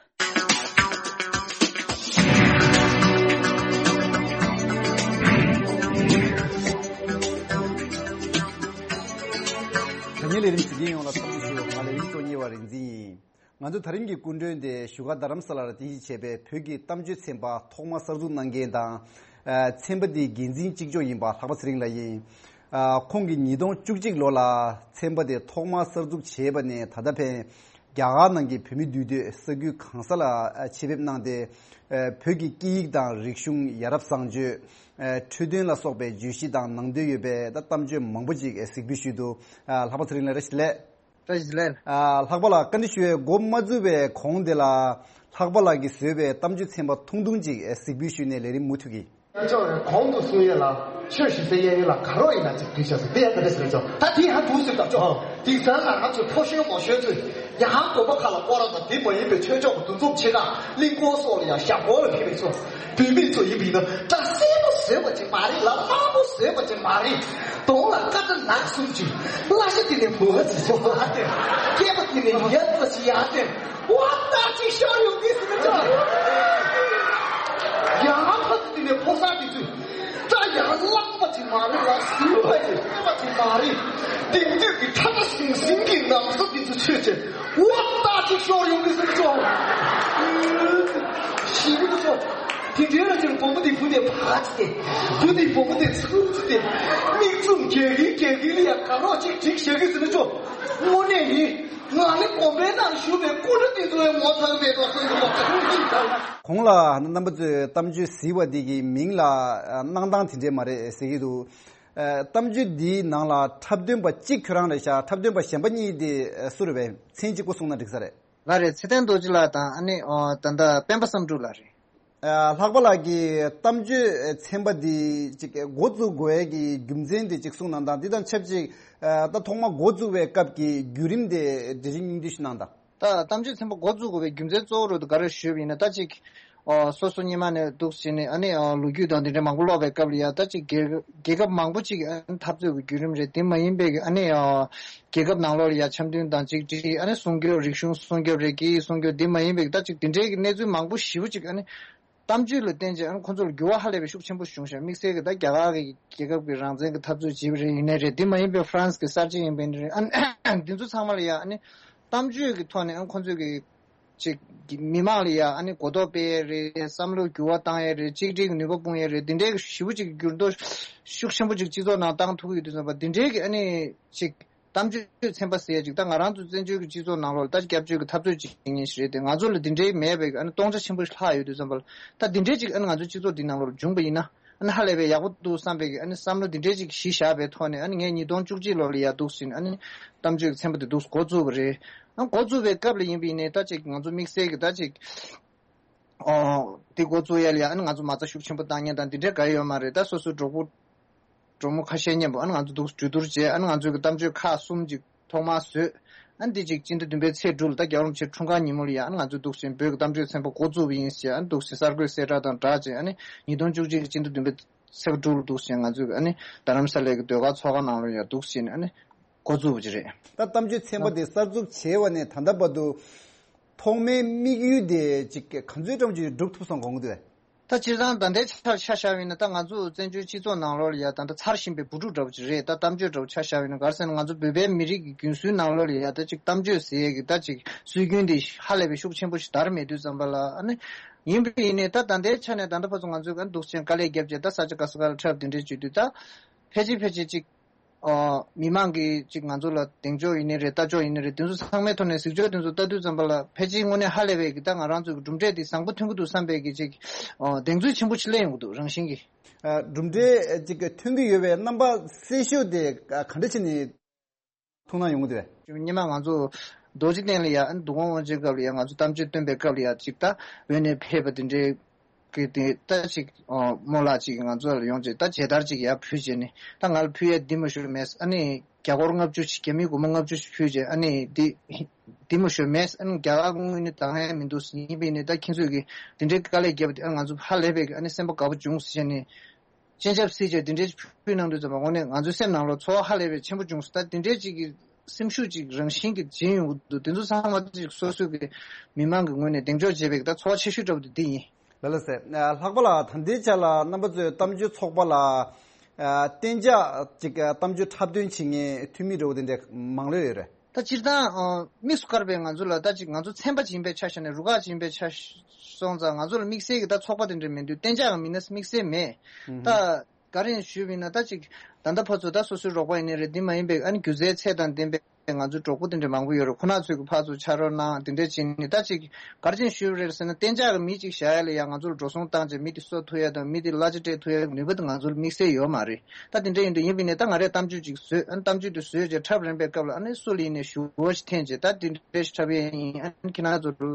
དྲ་བརྙན་ལས་རིམ་གཟིགས་མཁན་ཡོངས་ལ་འཚམས་འདྲི་ཞུ། ང་ལས་རིམ་གཙོ་གཉེར་བ་རིག་འཛིན་ཡིན། ང་ཚོ་ད་རིང་གི་སྐུ་མགྲོན་དེ་བཞུགས་སྒར་རྡ་རམ་ས་ལར་རྟེན་གཞི་བྱས་པའི་བོད་ཀྱི་གཏམ་བརྗོད་ཚན་པ་ཐོག་མར་གསར་འཛུགས་གནང་མཁན་དང་། ཨ་ཚན་པ་འདིའི་འགན་འཛིན་གཅིག་ལྕོགས་ཡིན་པ་ལྷག་པ་ཚེ་རིང་ལགས་ཡིན། ཨ་ཁོང་གིས་ཉིས་སྟོང་བཅུ་གཅིག་ལོ་ལ་ཚན་པ་དེ་ཐོག་མར་གསར་འཛུགས་བྱས་པ་ནས་ད་ལྟ་ཕན་རྒྱ་གར་ནང་གི་བོད་མི་འདུས་སྡོད་ས་ཁུལ་གང་ས་ལ་ཨ་ཆེད་ཕེབས་གནང་སྟེ། ཨ་བོད་ཀྱི་སྐད་ཡིག་དང་རིག་གཞུང་ཡ་རབས་བཟང་སྤྱོད། ཨ་འཕྲོད་བསྟེན་ལ་སོགས་པའི་བརྗོད་གཞི་དང་ནང་དོན་ཡོད་པའི་ད་གཏམ་བརྗོད་མང་པོ་ཅིག་གཟིགས་འབུལ་ཞུས་འདུག་ཨ་ལྷག་པ་ཚེ་རིང་ལགས་བཀྲ་ཤིས་བདེ་ལེགས། བཀྲ་ཤིས་བདེ་ལེགས། ཨ་ལྷག་པ་ལགས་བཀའ་འདྲི་ཞུ་བའི་འགོ་མ་བཙུགས་པའི་གོང་དེ་ལ་ལྷག་པ་ལགས་ཀྱིས་བཟོས་པའི་གཏམ་བརྗོད་ཚན་པ་ཐུང་ཐུང་ཅིག་གཟིགས་འབུལ་ཞུས་ནས་ལས་རིམ་མུ་མཐུད་ཀྱིས། ཅོག་རེ་གོང་དུ་གསུང་ཡས་ལ་ཆོས་ཞུ་སའི་གཡས་གཡོན་ལ་དགའ་རོགས་ཡིན་ན་ཅིག་འདུས་བྱས་སོ། དེ་ཡང་ག་རེ་ཟེར་ཅོག་ད་དེ་ཡང་འདུག་ཟེར་ད་ཅོག་དེང་སང་ང་རང་ཚོའི་ཕོ་གཞོན་མོ་གཞོན་ཚོས་ཡང་དགོན་པ་ཁག་ལ་སྐོར་ར་དང་དེ་མ་ཡིན་པའི་ཆོས་ཕྱོགས་ཀྱི་འདུ་འཛོམས་ཆེ་ཁག་གླིང་སྐོར་སོགས་ལ་ཡང་ཞབས་སྐོར་ལ་ཕེབས་པའི་ཚོ། བུད་མེད་ཚོ་ཡིན་པ་ཡིན་ན་སྐྲ་སེར་པོ་བཟོས་པ་ཅིག་མ་རེད་ལ། དམར་པོ་བཟོས་པ་ཅིག་མ་རེད། གདོང་ལ་སྐར་ཆ་ནག་གསུམ་ཅིག་བརླ་ཤ་དེ་ནས་བུ་བ་ཙི་ཅིག་ཡར་བསྟན། སྐེད་པ་དེ་ནས་ཡ་ཙི་ཅིག་ཡར་བསྟན། བ་ཏག་ཅིག་ཤོར་ཡོང་གི་ཟེར་ན་ཅིག་ཡང་ཕ་ཙི་དེ་ནས་ཕོ་གསར་དེ་ཚོས་སྐྲ་ཡང་ལངས་པ་ཅིག་མ་རེད་ལ། ཟིན་པ་ཅིག་སྐྱེས་པ་ཅིག་མ་རེད། དེང་དུས་ཀྱི་ཁྲ་ཁྲ་ཟིང་ཟིང་གི་ནམ་བཟའ་དེ་ཚོ་ཚོས་ཅིག་བ་ཏག་ཅིག་ཤོར་ཡོང་གི་ཟེར་ན་ཅིག་ཞི་བ་ཅིག་དེ་འདྲའི་ར་ཅིག་བུ་མོ་དེ་བུ་དེ་བ་ཅིག་དེ། བུ་དེ་བུ་མོ་དེ་ཚུར་ཅིག་དེ། མིག་བཙུམ་རྒྱག་གིན་རྒྱག་གིན་ལ་ཡ་དགའ་རོགས་ཅིག་སྒྲིག་བཞག་གི་ཟེར་ན་ཅོག་དངོས་གནས་ཡིན། ང་ནི་དགོན་པའི་ནང་བཞུགས་པའི་སྐུ་ཕྲེང་དེ་ཚོ་ཡང་ངོ་ཚ་གི་མེད་དོ་བསམ་གི་མ་ཚོར་གི་ད། གོང་ལ་རྣམ་པ་ཚོས་གཏམ་བརྗོད་གཟིགས་པ་འདི་གི་མིང་ལ་གནང་སྟངས་དེ་འདྲས་མ་རེད་ཟེར་གི་འདུག་ཨ་གཏམ་བརྗོད་འདིའི་ནང་ལ་འཁྲབ་སྟོན་པ་གཅིག་ཁྱོད་རང་རེད་ཤག་འཁྲབ་སྟོན་པ་གཞན་པ་གཉིས་དེ་སུ་རེད་པས། མཚན་གཅིག་པོ་གསུངས་ན་འགྲིག་ས་རེད། ང་རེད། ཚེ་བརྟན་རྡོ་རྗེ་ལགས་དང་ཨ་ནི་ཨོ་ད་ལྟ་སྤེན་པ་བསམ་འགྲུབ་ལགས་རེད། ཨ་ལྷག་པ་ལགས་ཀྱིས་གཏམ་བརྗོད་ཚན་པ་འདི་ཅིག་འགོ་བཙུགས་དགོས་ཡས་ཀྱི་རྒྱུ་མཚན་དེ་ཅིག་གསུངས་གནང་དང་། འདི་དང་ཆབས་ཅིག་ཨ་ད་ཐོག་མ་འགོ་བཙུགས་པའི་སྐབས་ཀྱི་བརྒྱུད་རིམ་དེ་འབྲེལ་རིམ་སྙིང་བསྡུས་ཤིག་གནང་དང་། ད་གཏམ་བརྗོད་ཚན་པ་འགོ་བཙུགས་དགོས་པའི་རྒྱུ་མཚན་གཙོ་བོ་རུ་ག་རེ་ཞུས་པ་ཡིན་ན། ད་ཅིག་ཨོ་སོ་སོ་སྔོན་མ་ནས་འདུག་ཟེར་ནས་ཨ་ནི་ཨོ་ལོ་རྒྱུས་དང་འདི་འདྲ་མང་པོ་ཀློག་པའི་སྐབས་ལ་ཡ། ད་ཅིག་རྒྱལ་རྒྱལ་ཁབ་མང་པོ་ཅིག་ཨ་ནི་འཐབ་རྩོད་ཀྱི་བརྒྱུད་རིམ་རེད། དེ་མ་ཡིན་པའི་ཨ་ནི་ཨོ་རྒྱལ་ཁབ་ནང་ལོགས་ལ་ཡ་འཆམ་མཐུན་དང་གཅིག་སྒྲིལ། ཨ་ནི་སྲུང་སྐྱོབ། རིག་གཞུང་སྲུང་སྐྱོབ་རེད། སྐད་ཡིག་སྲུང་སྐྱོབ། དེ་མ་ཡིན་པའི་ད་ཅིག་དེ་འདྲའི་གི་གནས་ཚུལ་མང་པོ་ཞེ་པོ་ཅིག་ཨ་ནི་གཏམ་བརྗོད་ལ་བརྟེན་བྱས་ཨ་ནི་ཁོ་ཚོ་ལ་འགྱུར་བ་ཧ་ལས་པའི་ཤུགས་ཆེན་པོ་བྱུང་ཤག་དམིགས་བསལ་གྱི་ད་རྒྱ་གར་གྱི་རྒྱལ་ཁབ་ཀྱི་རང་བཙན་གྱི་འཐབ་རྩོད་བྱས་པ་རེད། ཡིན་ནའི་རེད། དེ་མ་ཡིན་པའི་ཧྥ་རན་སི་གི་གསར་བརྗེ་ཡིན་པ་ཡིན་ནའི་རེད། ཨ་ནི་འདི་ཚོ་ཚང་མ་ལ་ཡ་ཨ་ནི་གཏམ་བརྗོད་ཀྱི་ཐོག་ནས་ཨ་ནི་ཁོ་ཚོས་ཀྱི་ཅིག་མི་མང་ལ་ཡ་ཨ་ནི་གོ་རྟོགས་སྤེལ་ཡས་རེད། བསམ་བློ་འགྱུར་བ་བཏང་ཡས་རེད། གཅིག་སྒྲིལ་གྱི་ནུས་པ་སྤུངས་ཡས་རེད། འདི་འདྲའི་ཞེ་པོ་ཅིག་འགྱུར་ལྡོག་ཤུགས་ཆེན་པོ་ཅིག་སྤྱི་ཚོགས་ནང་བཏང་ཐུབ་ཀྱི་ཡོད་དུས་ཙམ་པ། འདི་འདྲའི་གི་ཨ་ནི་ཅིག་གཏམ་བརྗོད་ཚན་པ་ཟེར་ཡས་ཅིག་ད་ང་རང་ཚོ་བཙན་བྱོལ་གྱི་སྤྱི་ཚོགས་ནང་ལོགས་ལ་ད་སྐྱབས་བཅོལ་གྱི་འཐབ་རྩོད་བྱེད་མཁན་ཞིག་རེད་དེ། ང་ཚོ་ལ་འདི་འདྲའི་མེད་པའི་ཨ་ནི་སྟོང་ཆ་ཆེན་པོ་ཞིག་ལྷག་ཡོད་དུས་ཙམ་པ་ལ། ད་འདི་འདྲའི་ཅིག་ཨ་ནི་ང་ཚོའི་སྤྱི་ཚོགས་འདི་ནང་ལོགས་ལ་བྱུང་བ་ཡིན་ན་ཨ་ནི་ཧ་ལས་པའི་ཡག་པོ་འདུག་བསམ་པའི་གི་ཨ་ནི་བསམ་བློ་འདི་འདྲའི་ཅིག་གཞི་བཞག་པའི་ཐོག་ནས། ཨ་ནི་ངས་ཉིས་སྟོང་བཅུ་གཅིག་ལོ་ལ་ཡ་འདུག་ཟིན་ཨ་ནི་གཏམ་བརྗོད་ཀྱི་ཚན་པ་འདི་འདུག་འགོ་བཙུགས་པ་རེད། ཨ་འགོ་བཙུགས་པའི་སྐབས་ལ་ཡིན་པ་ཡིན་ནའི་ད་ཅིག་ང་ཚོ་དམིགས་བསལ་གྱི་ད་ཅིག་ཨོ་འདི་འགོ་བཙུགས་ཡ་ལ་ཡ་ཨ་ནི་ང་ཚོ་མ་རྩ་ཤུགས་ཆེན་པོ་བཏང་མཁན་དང་འདི་འདྲའི་ག་ཡོད་མ་རེད། ད་སོ་སོའི་གྲོགས་པོ་གྲོགས་མོ་ཁ་ཤས་མཉམ་པོ་ཨ་ནི་ང་ཚོ་འདུག་གྲོས་བསྡུར་བྱས། ཨ་ནི་ང་ཚོའི་གི་གཏམ་བརྗོད་ཁག་གསུམ་ཅིག་ཐོག་མར་བཟོས། ཨ་ནི་འདི་ཅིག་སྤྱི་ཟླ་བདུན་པའི་ཚེས་དྲུག་ལ་ད་རྒྱལ་བ་རིན་པོ་ཆེའི་འཁྲུངས་སྐར་ཉིན་མོ་ལ་ཡ་ཨ་ནི་ང་ཚོས་འདུག་ཟིན་བོད་ཀྱི་གཏམ་བརྗོད་ཚན་པ་འགོ་བཙུགས་པ་ཡིན་ཟེར། ཨ་ནི་འདུག་ཟིན་གསར་འགོད་གསལ་བསྒྲགས་དང་སྦྲགས་བྱས། ཨ་ནི་ཉིས་སྟོང་བཅུ་གཅིག་གི་སྤྱི་ཟླ་བདུན་པའི་ཚེས་དྲུག་ལ་འདུག་ཟིན་ང་ཚོས་ཨ་ནི་རྡ་རམ་ས་ལའི་གི་ཟློས་གར་ཚོགས་ཁང་ནང་ལ་ཡ་འདུག་ཟིན་ཨ་ནི་འགོ་བཙུགས་པ་ཅིག་རེད། ད་གཏམ་བརྗོད་ཚན་པ་དེ་གསར་འཛུགས་བྱས་པ་ནས་ད་ལྟ་བར་དུ་ ཐོག་མའི་དམིགས་ཡུལ་དེ་ཅིག་ག་ཚོད་ཙམ་ཅིག་སྒྲུབ་ཐུབ་སོང་དགོངས་ཀྱི་འདུག་གས། ད་སྤྱིར་བཏང་ད་ལྟའི་ཆར་ཆ་བཞག་པ་ཡིན་ན། ད་ང་ཚོ་བཙན་བྱོལ་སྤྱི་ཚོགས་ནང་ལོགས་ལ་ཡ་ད་ལྟ་ཚར་བཞིན་པའི་འབུ་ཕྲུག་འདྲ་བོ་ཅིག་རེད། ད་གཏམ་བརྗོད་འདྲ་བོ་ཆ་བཞག་པ་ཡིན་ན། ག་རེ་ཟེར་ན། ང་ཚོ་བོད་པའི་མི་རིགས་ཀྱི་རྒྱུན་སྲོལ་ནང་ལོགས་ལ་ཡ་ད་ཅིག་གཏམ་བརྗོད་ཟེར་ཡས་ཀྱི་ད་ཅིག་སྲོལ་རྒྱུན་དེ་ཧ་ལས་པའི་ཤུགས་ཆེན་པོ་ཞིག་དར་མེད་དུས་ཙམ་པ་ལ། ཨ་ནི་ཡིན་པ་ཡིན་ནའི་ད་ད་ལྟའི་ཆ་ནས་ད་ལྟ་བར་དུ་ང་ཚོས་ཨ་ནི་འདུག་སེ་བྱས་ནས་དཀའ་ལས་བརྒྱབ་བྱས། ད་ས་ཆ་ག་ས་ག་ལ་འཁྲབ་དེ་འདྲས་བྱེད་དུས། ད་ཕལ་ཆེར་ཕལ་ཆེར་ཅིག་ཨ། མི་མང་གིས་ཅིག་ང་ཚོ་ལ་གདེང་འཇོག་ཡིན་ནའི་རེད། ལྟ་ཕྱོགས་ཡིན་ནའི་རེད། དེ་ཚོ་ཚང་མའི་ཐོག་ནས་གཟིགས་ཕྱོགས་དེ་ཚོ་ལྟ་དུས་ཙམ་པ་ལ། ཕལ་ཆེར་དངོས་གནས་ཧ་ལས་པའི་གི་ད་ང་རང་ཚོའི་གི་གྲུབ་འབྲས་དེ་བཟང་པོ་ཐོན་གྱི་འདུག་བསམ་པའི་གི་ཅིག་ཨ། གདེང་ཚོད་ཆེན་པོ་ཞིག་སླེབས་ཡོང་གི་འདུག་རང་བཞིན་གྱིས། ཨ། གྲུབ་འབྲས་ཅིག་ཐོན་གྱི་ཡོད་པའི་རྣམ་པ་གསལ་ཤོས་དེ་ག་འདྲ་བྱས་ནས་མཐོང་སྣང་ཡོང་གི་འདུག་གས། སྔོན་མ་ང་ཚོ་རྡོ་རྗེ་གདན་ལ་ཡ། ཨ་ནི་འདུ་ཁང་དབུ་འབྱེད་སྐབས་ལ་ཡ། ང་ཚོ་གཏམ་བརྗོད་སྟོན་པའི་སྐབས་ལ་ཡ། ཅིག་ད་འོས་ནས་ཕེབས་པ་དེ་འདྲའི་གི་དེ་ད་ཅིག་ཨ། རྨོ་ལགས་ཅིག་ང་ཚོ་ལ་ཡོང་བྱས། ད་མཇལ་དར་ཅིག་ཡར་ཕུལ་བྱས་ནས། ད་ང་ལ་ཕུལ་ཡ་འདི་མ་ཞུ་མེད། ཨ་ནི་རྒྱ་སྒོར་ལྔ་བཅུ་ཞིག་རྒྱ་མིའི་སྒོར་མོ་ལྔ་བཅུ་ཞིག་ཕུལ་བྱས། ཨ་ནི་འདི་འདི་མ་ཞུ་མེད། ཨ་ནི་རྒྱ་གར་དངུལ་ནི་འདང་ཡ་མི་འདུག་ཟེར། ཡིན་པ་ཡིན་ནའི་ད་ཁྱེད་ཚོས་ཀྱིས་དེ་འདྲའི་དཀའ་ལས་བརྒྱབ་པ་དེ། ཨ། ང་ཚོ་ཧ་ལས་པའི་གི་ཨ་ནི་སེམས་པ་དགའ་པོ་བྱུང་ཟེར་བྱས་ནས། སྤྱན་ཆབ་བསིལ་བྱས་དེ་འདྲའི་ཕུལ་གནང་དུས་ཙམ་པ། དངོས་གནས་ང་ཚོའི་སེམས་ནང་ལོགས་ཚོར་བ་ཧ་ལས་པའི་ཆེན་པོ་བྱུང་སོང་། ད་དེ་འདྲའི་ཅིག་གི་སེམས་ཤུགས་ཅིག་རང་བཞིན་གྱིས་སྦྱིན་ཡོང་གི་འདུག་དེ་ཚོ་ཚང་མ་ཅིག་སོ་སོའི་གི་མི་མང་གི་ངོས་ནས་གདེང་འཇོག་བྱས་པའི་གི་ད་ཚོར་བ་ཆེ་ཤོས་འདྲ་པོ་དེ་འདི་ཡིན། ལགས་ལགས་སེ། ལྷག་པ་ལ་ད་ལྟའི་ཆ་ལ་རྣམ་པ་ཚོའི་གཏམ་བརྗོད་ཚོགས་པ་ལ། ཨ། གཏན་འཇགས་ཅིག་གཏམ་བརྗོད་འཁྲབ་སྟོན་བྱེད་མཁན་འཐུས་མི་འདྲ་པོ་དེ་འདྲ་མང་ལོས་ཡོད་རེད། ད་སྤྱིར་བཏང་ཨ། དམིགས་སུ་བཀར་བའི་ང་ཚོ་ལ། ད་ཅིག་ང་ཚོ་ཚན་པ་ཅིག་ཡིན་པའི་ཆ་བཞག་ནས། རུ་ཁག་ཅིག་ཡིན་པའི་ཆ་སོང་ཙང་། ང་ཚོ་ལ་དམིགས་བསལ་གྱི་ད་ཚོགས་པ་དེ་འདྲ་མི་འདུག་གཏན་འཇགས་ཀྱི་མི་སྣ་དམིགས་བསལ་མེད། ཨུ་ཧུ། ད་ག་རེ་ཞུས་པ་ཡིན་ན། ད་ཅིག་ད་ལྟ་བར་དུ་ད་སོ་སོའི་རོགས་པ་ཡིན་ནའི་རེད། འདི་མ་ཡིན་པའི་ཨ་ནི་སྒྱུ་རྩལ་ཚད་དང་ལྡན་པའི་ང་ཚོའི་གྲོགས་པོ་དེ་འདྲ་མང་པོ་ཡོད་རེད། ཁོ་ན་ཚོས་ཀྱི་ཕར་ཚུར་ཕྱག་རོགས་གནང་། དེ་འདྲ་བྱས་ནས། ད་ཅིག་ག་རེ་བྱས་ནས་ཞུས་པ་རེད་ཟེར་ན། གཏན་འཇགས་ཀྱི་མི་ཅིག་བཞག་ཡ་ལ་ཡ་ང་ཚོ་ལ་འགྲོ་སོང་བཏང་བྱས། མི་དེ་གསོ་ཐུབ་ཡ་དང་། མི་དེ་གླ་ཆ་སྤྲད་ཐུབ་ཡ་གི་ནུས་པ་དེ་ང་ཚོ་ལ་དམིགས་བསལ་ཡོད་མ་རེད། ད་དེ་འདྲ་ཡིན་དུས། ཡིན་པ་ཡིན་ནའི་ད་ང་རས་གཏམ་བརྗོད་ཅིག་བཟོས། ཨ་ནི་གཏམ་བརྗོད་དེ་བཟོས་བྱས་འཁྲབ་རན་པའི་སྐབས་ལ། ཨ་ནི་སུ་ལ་ཡིན་ནའི་ཞུ་བ་ཞིག་འཐེན་བྱས། ད་དེ་འདྲ་ཞིག་འཁྲབ་ཡས་ཡིན། ཨ་ནི་ཁྱེད་རང་ཚོ་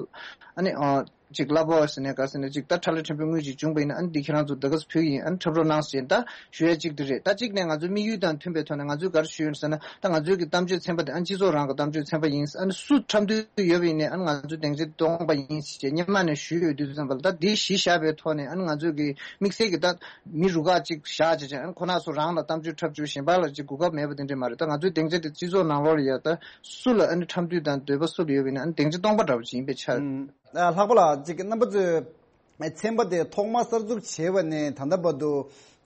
ཨ་ནི་ཨ་ཅིག་གླ་ཕོགས་ཟེར་ནའི་ག་ཟེར་ནའི་ཅིག་ད་ཁྲལ་ཕྲན་བུ་དངུལ་ཅིག་བྱུང་པ་ཡིན་ན། ཨ་ནི་འདི་ཁྱེད་རང་ཚོ་ད་ག་ས་ཕུལ་གྱི་ཡིན། ཨ་ནི་འཁྲབ་རོགས་གནང་ཟེར། ད་ཞུ་ཡ་གཅིག་དེ་རེད། ད་གཅིག་ནས་ང་ཚོའི་དམིགས་ཡུལ་དང་མཐུན་པའི་ཐོག་ནས། ང་ཚོས་ག་རེ་ཞུས་ཡོད་ཟེར་ན། ད་ང་ཚོའི་གི་གཏམ་བརྗོད་ཚན་པ་དེ་ཨ་ནི་སྤྱི་ཚོགས་རང་གི་གཏམ་བརྗོད་ཚན་པ་ཡིན། ཨ་ནི་སུ་འཁྲབ་འདོད་ཡོད་པ་ཡིན་ནའི། ཨ་ནི་ང་ཚོས་སྡིངས་ཆ་སྟོང་པ་ཡིན་ཟེར་བྱས་སྔོན་མ་ནས་ཞུས་ཡོད་དུས་ཙམ་པ་ལ། ད་འདི་གཞི་བཞག་པའི་ཐོག་ནས། ཨ་ནི་ང་ཚོའི་གི་དམིགས་བསལ་གྱི་ད་མི་རུ་ཁག་ཅིག་བཞག་བྱས་བྱས། ཨ་ནི་ཁོ་ན་ཚོ་རང་ལ་གཏམ་བརྗོད་འཁྲབ་རྒྱུ་གཞན་པ་ལ་ཅིག་གོ་སྐབས་མེད་པ་དེ་འདྲ་མ་རེད། ད་ང་ཚོའི་སྡིངས་ཆ་དེ་སྤྱི་ཚོགས་ནང་ལོགས་ལ་ཡ། ད་སུ་ལ་ཨ་ནི་འཁྲབ་འདོད་དང་འདོད་པ་སུ་ལ་ཡོད་པ་ཡིན་ན། ཨ་ནི་སྡིངས་ཆ་སྟོང་པ་འདྲ་བོ་ཅིག་ཡིན་པའི་ཆ། ཨུམ། ཨ། ལྷག་པ་ལ་ཅིག་རྣམ་པ་ཚོས་ཚན་པ་དེ་ཐོག་མ་གསར་འཛུགས་བྱས་པ་ནས་ད་ལྟ་བར་དུ་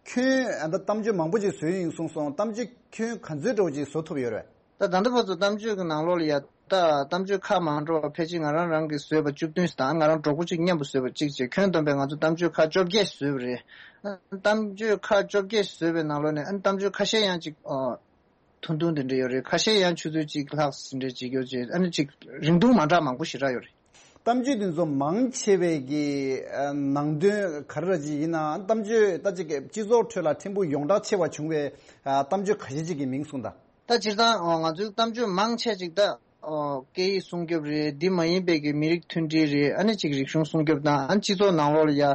ཁྱོན། ཨ། ད་གཏམ་བརྗོད་མང་པོ་ཅིག་བཟོས་ཡིན་གསུངས་སོང་། གཏམ་བརྗོད་ཁྱོན་ག་ཚོད་འདྲ་བོ་ཅིག་བཟོ་ཐུབ་ཡོད་རེད། ད་ད་ལྟ་བར་དུ་གཏམ་བརྗོད་ཀྱི་ནང་ལོགས་ལ་ཡ། ད་གཏམ་བརྗོད་ཁག་མང་འགྲོ་བ་ཕལ་ཆེར་ང་རང་རང་གིས་བཟོས་པ་བཅུ་བདུན་ཞིག་དང་། ང་རང་གྲོགས་པོ་གཅིག་མཉམ་དུ་བཟོས་པ་གཅིག་བྱས། ཁྱོན་བསྡོམས་པས་ང་ཚོ་གཏམ་བརྗོད་ཁག་བཅོ་བརྒྱད་བཟོས་པ་རེད། གཏམ་བརྗོད་ཁག་བཅོ་བརྒྱད་བཟོས་པའི་ནང་ལོགས་ནས། ཨ་ནི་གཏམ་བརྗོད་ཁ་ཤས་ཡང་ཅིག་ཨ། ཐུང་ཐུང་དེ་འདྲ་ཡོད་རེད། ཁ་ཤས་ཡང་ཆུ་ཚོད་གཅིག་ལྷག་ཟིན་འདྲ་ཅིག་ཡོད་ཅེས། ཨ་ནི་ཅིག་རིང་ཐུང་མ་འདྲ་མང་པོ་ཞེ་དྲག་ཡོད་རེད། གཏམ་བརྗོད་འདི་ཚོ་མང་ཆེ་བའི་གི་ཨ་ནང་དོན་ག་རེ་ར་ཅིག་ཡིན་ན། གཏམ་བརྗོད་ད་ཅིག་གི་སྤྱི་ཚོགས་ཁྲོད་ལ་ཕྲན་བུ་ཡོངས་གྲགས་ཆེ་བ་བྱུང་བའི་ཨ་གཏམ་བརྗོད་ཁ་ཤས་ཅིག་གི་མིང་གསུངས་དང་། ད་སྤྱིར་བཏང་ཨ་ང་ཚོའི་གཏམ་བརྗོད་མང་ཆེ་ཅིག་ད་ཨ་སྐད་ཡིག་སྲུང་སྐྱོབ་རེད། འདི་མ་ཡིན་པའི་གི་མི་རིགས་མཐུན་སྒྲིལ་རེད། ཨ་ནི་ཅིག་རིག་གཞུང་སྲུང་སྐྱོབ་དང་། ཨ་ནི་སྤྱི་ཚོགས་ནང་ལོགས་ལ་ཡ་ཨ་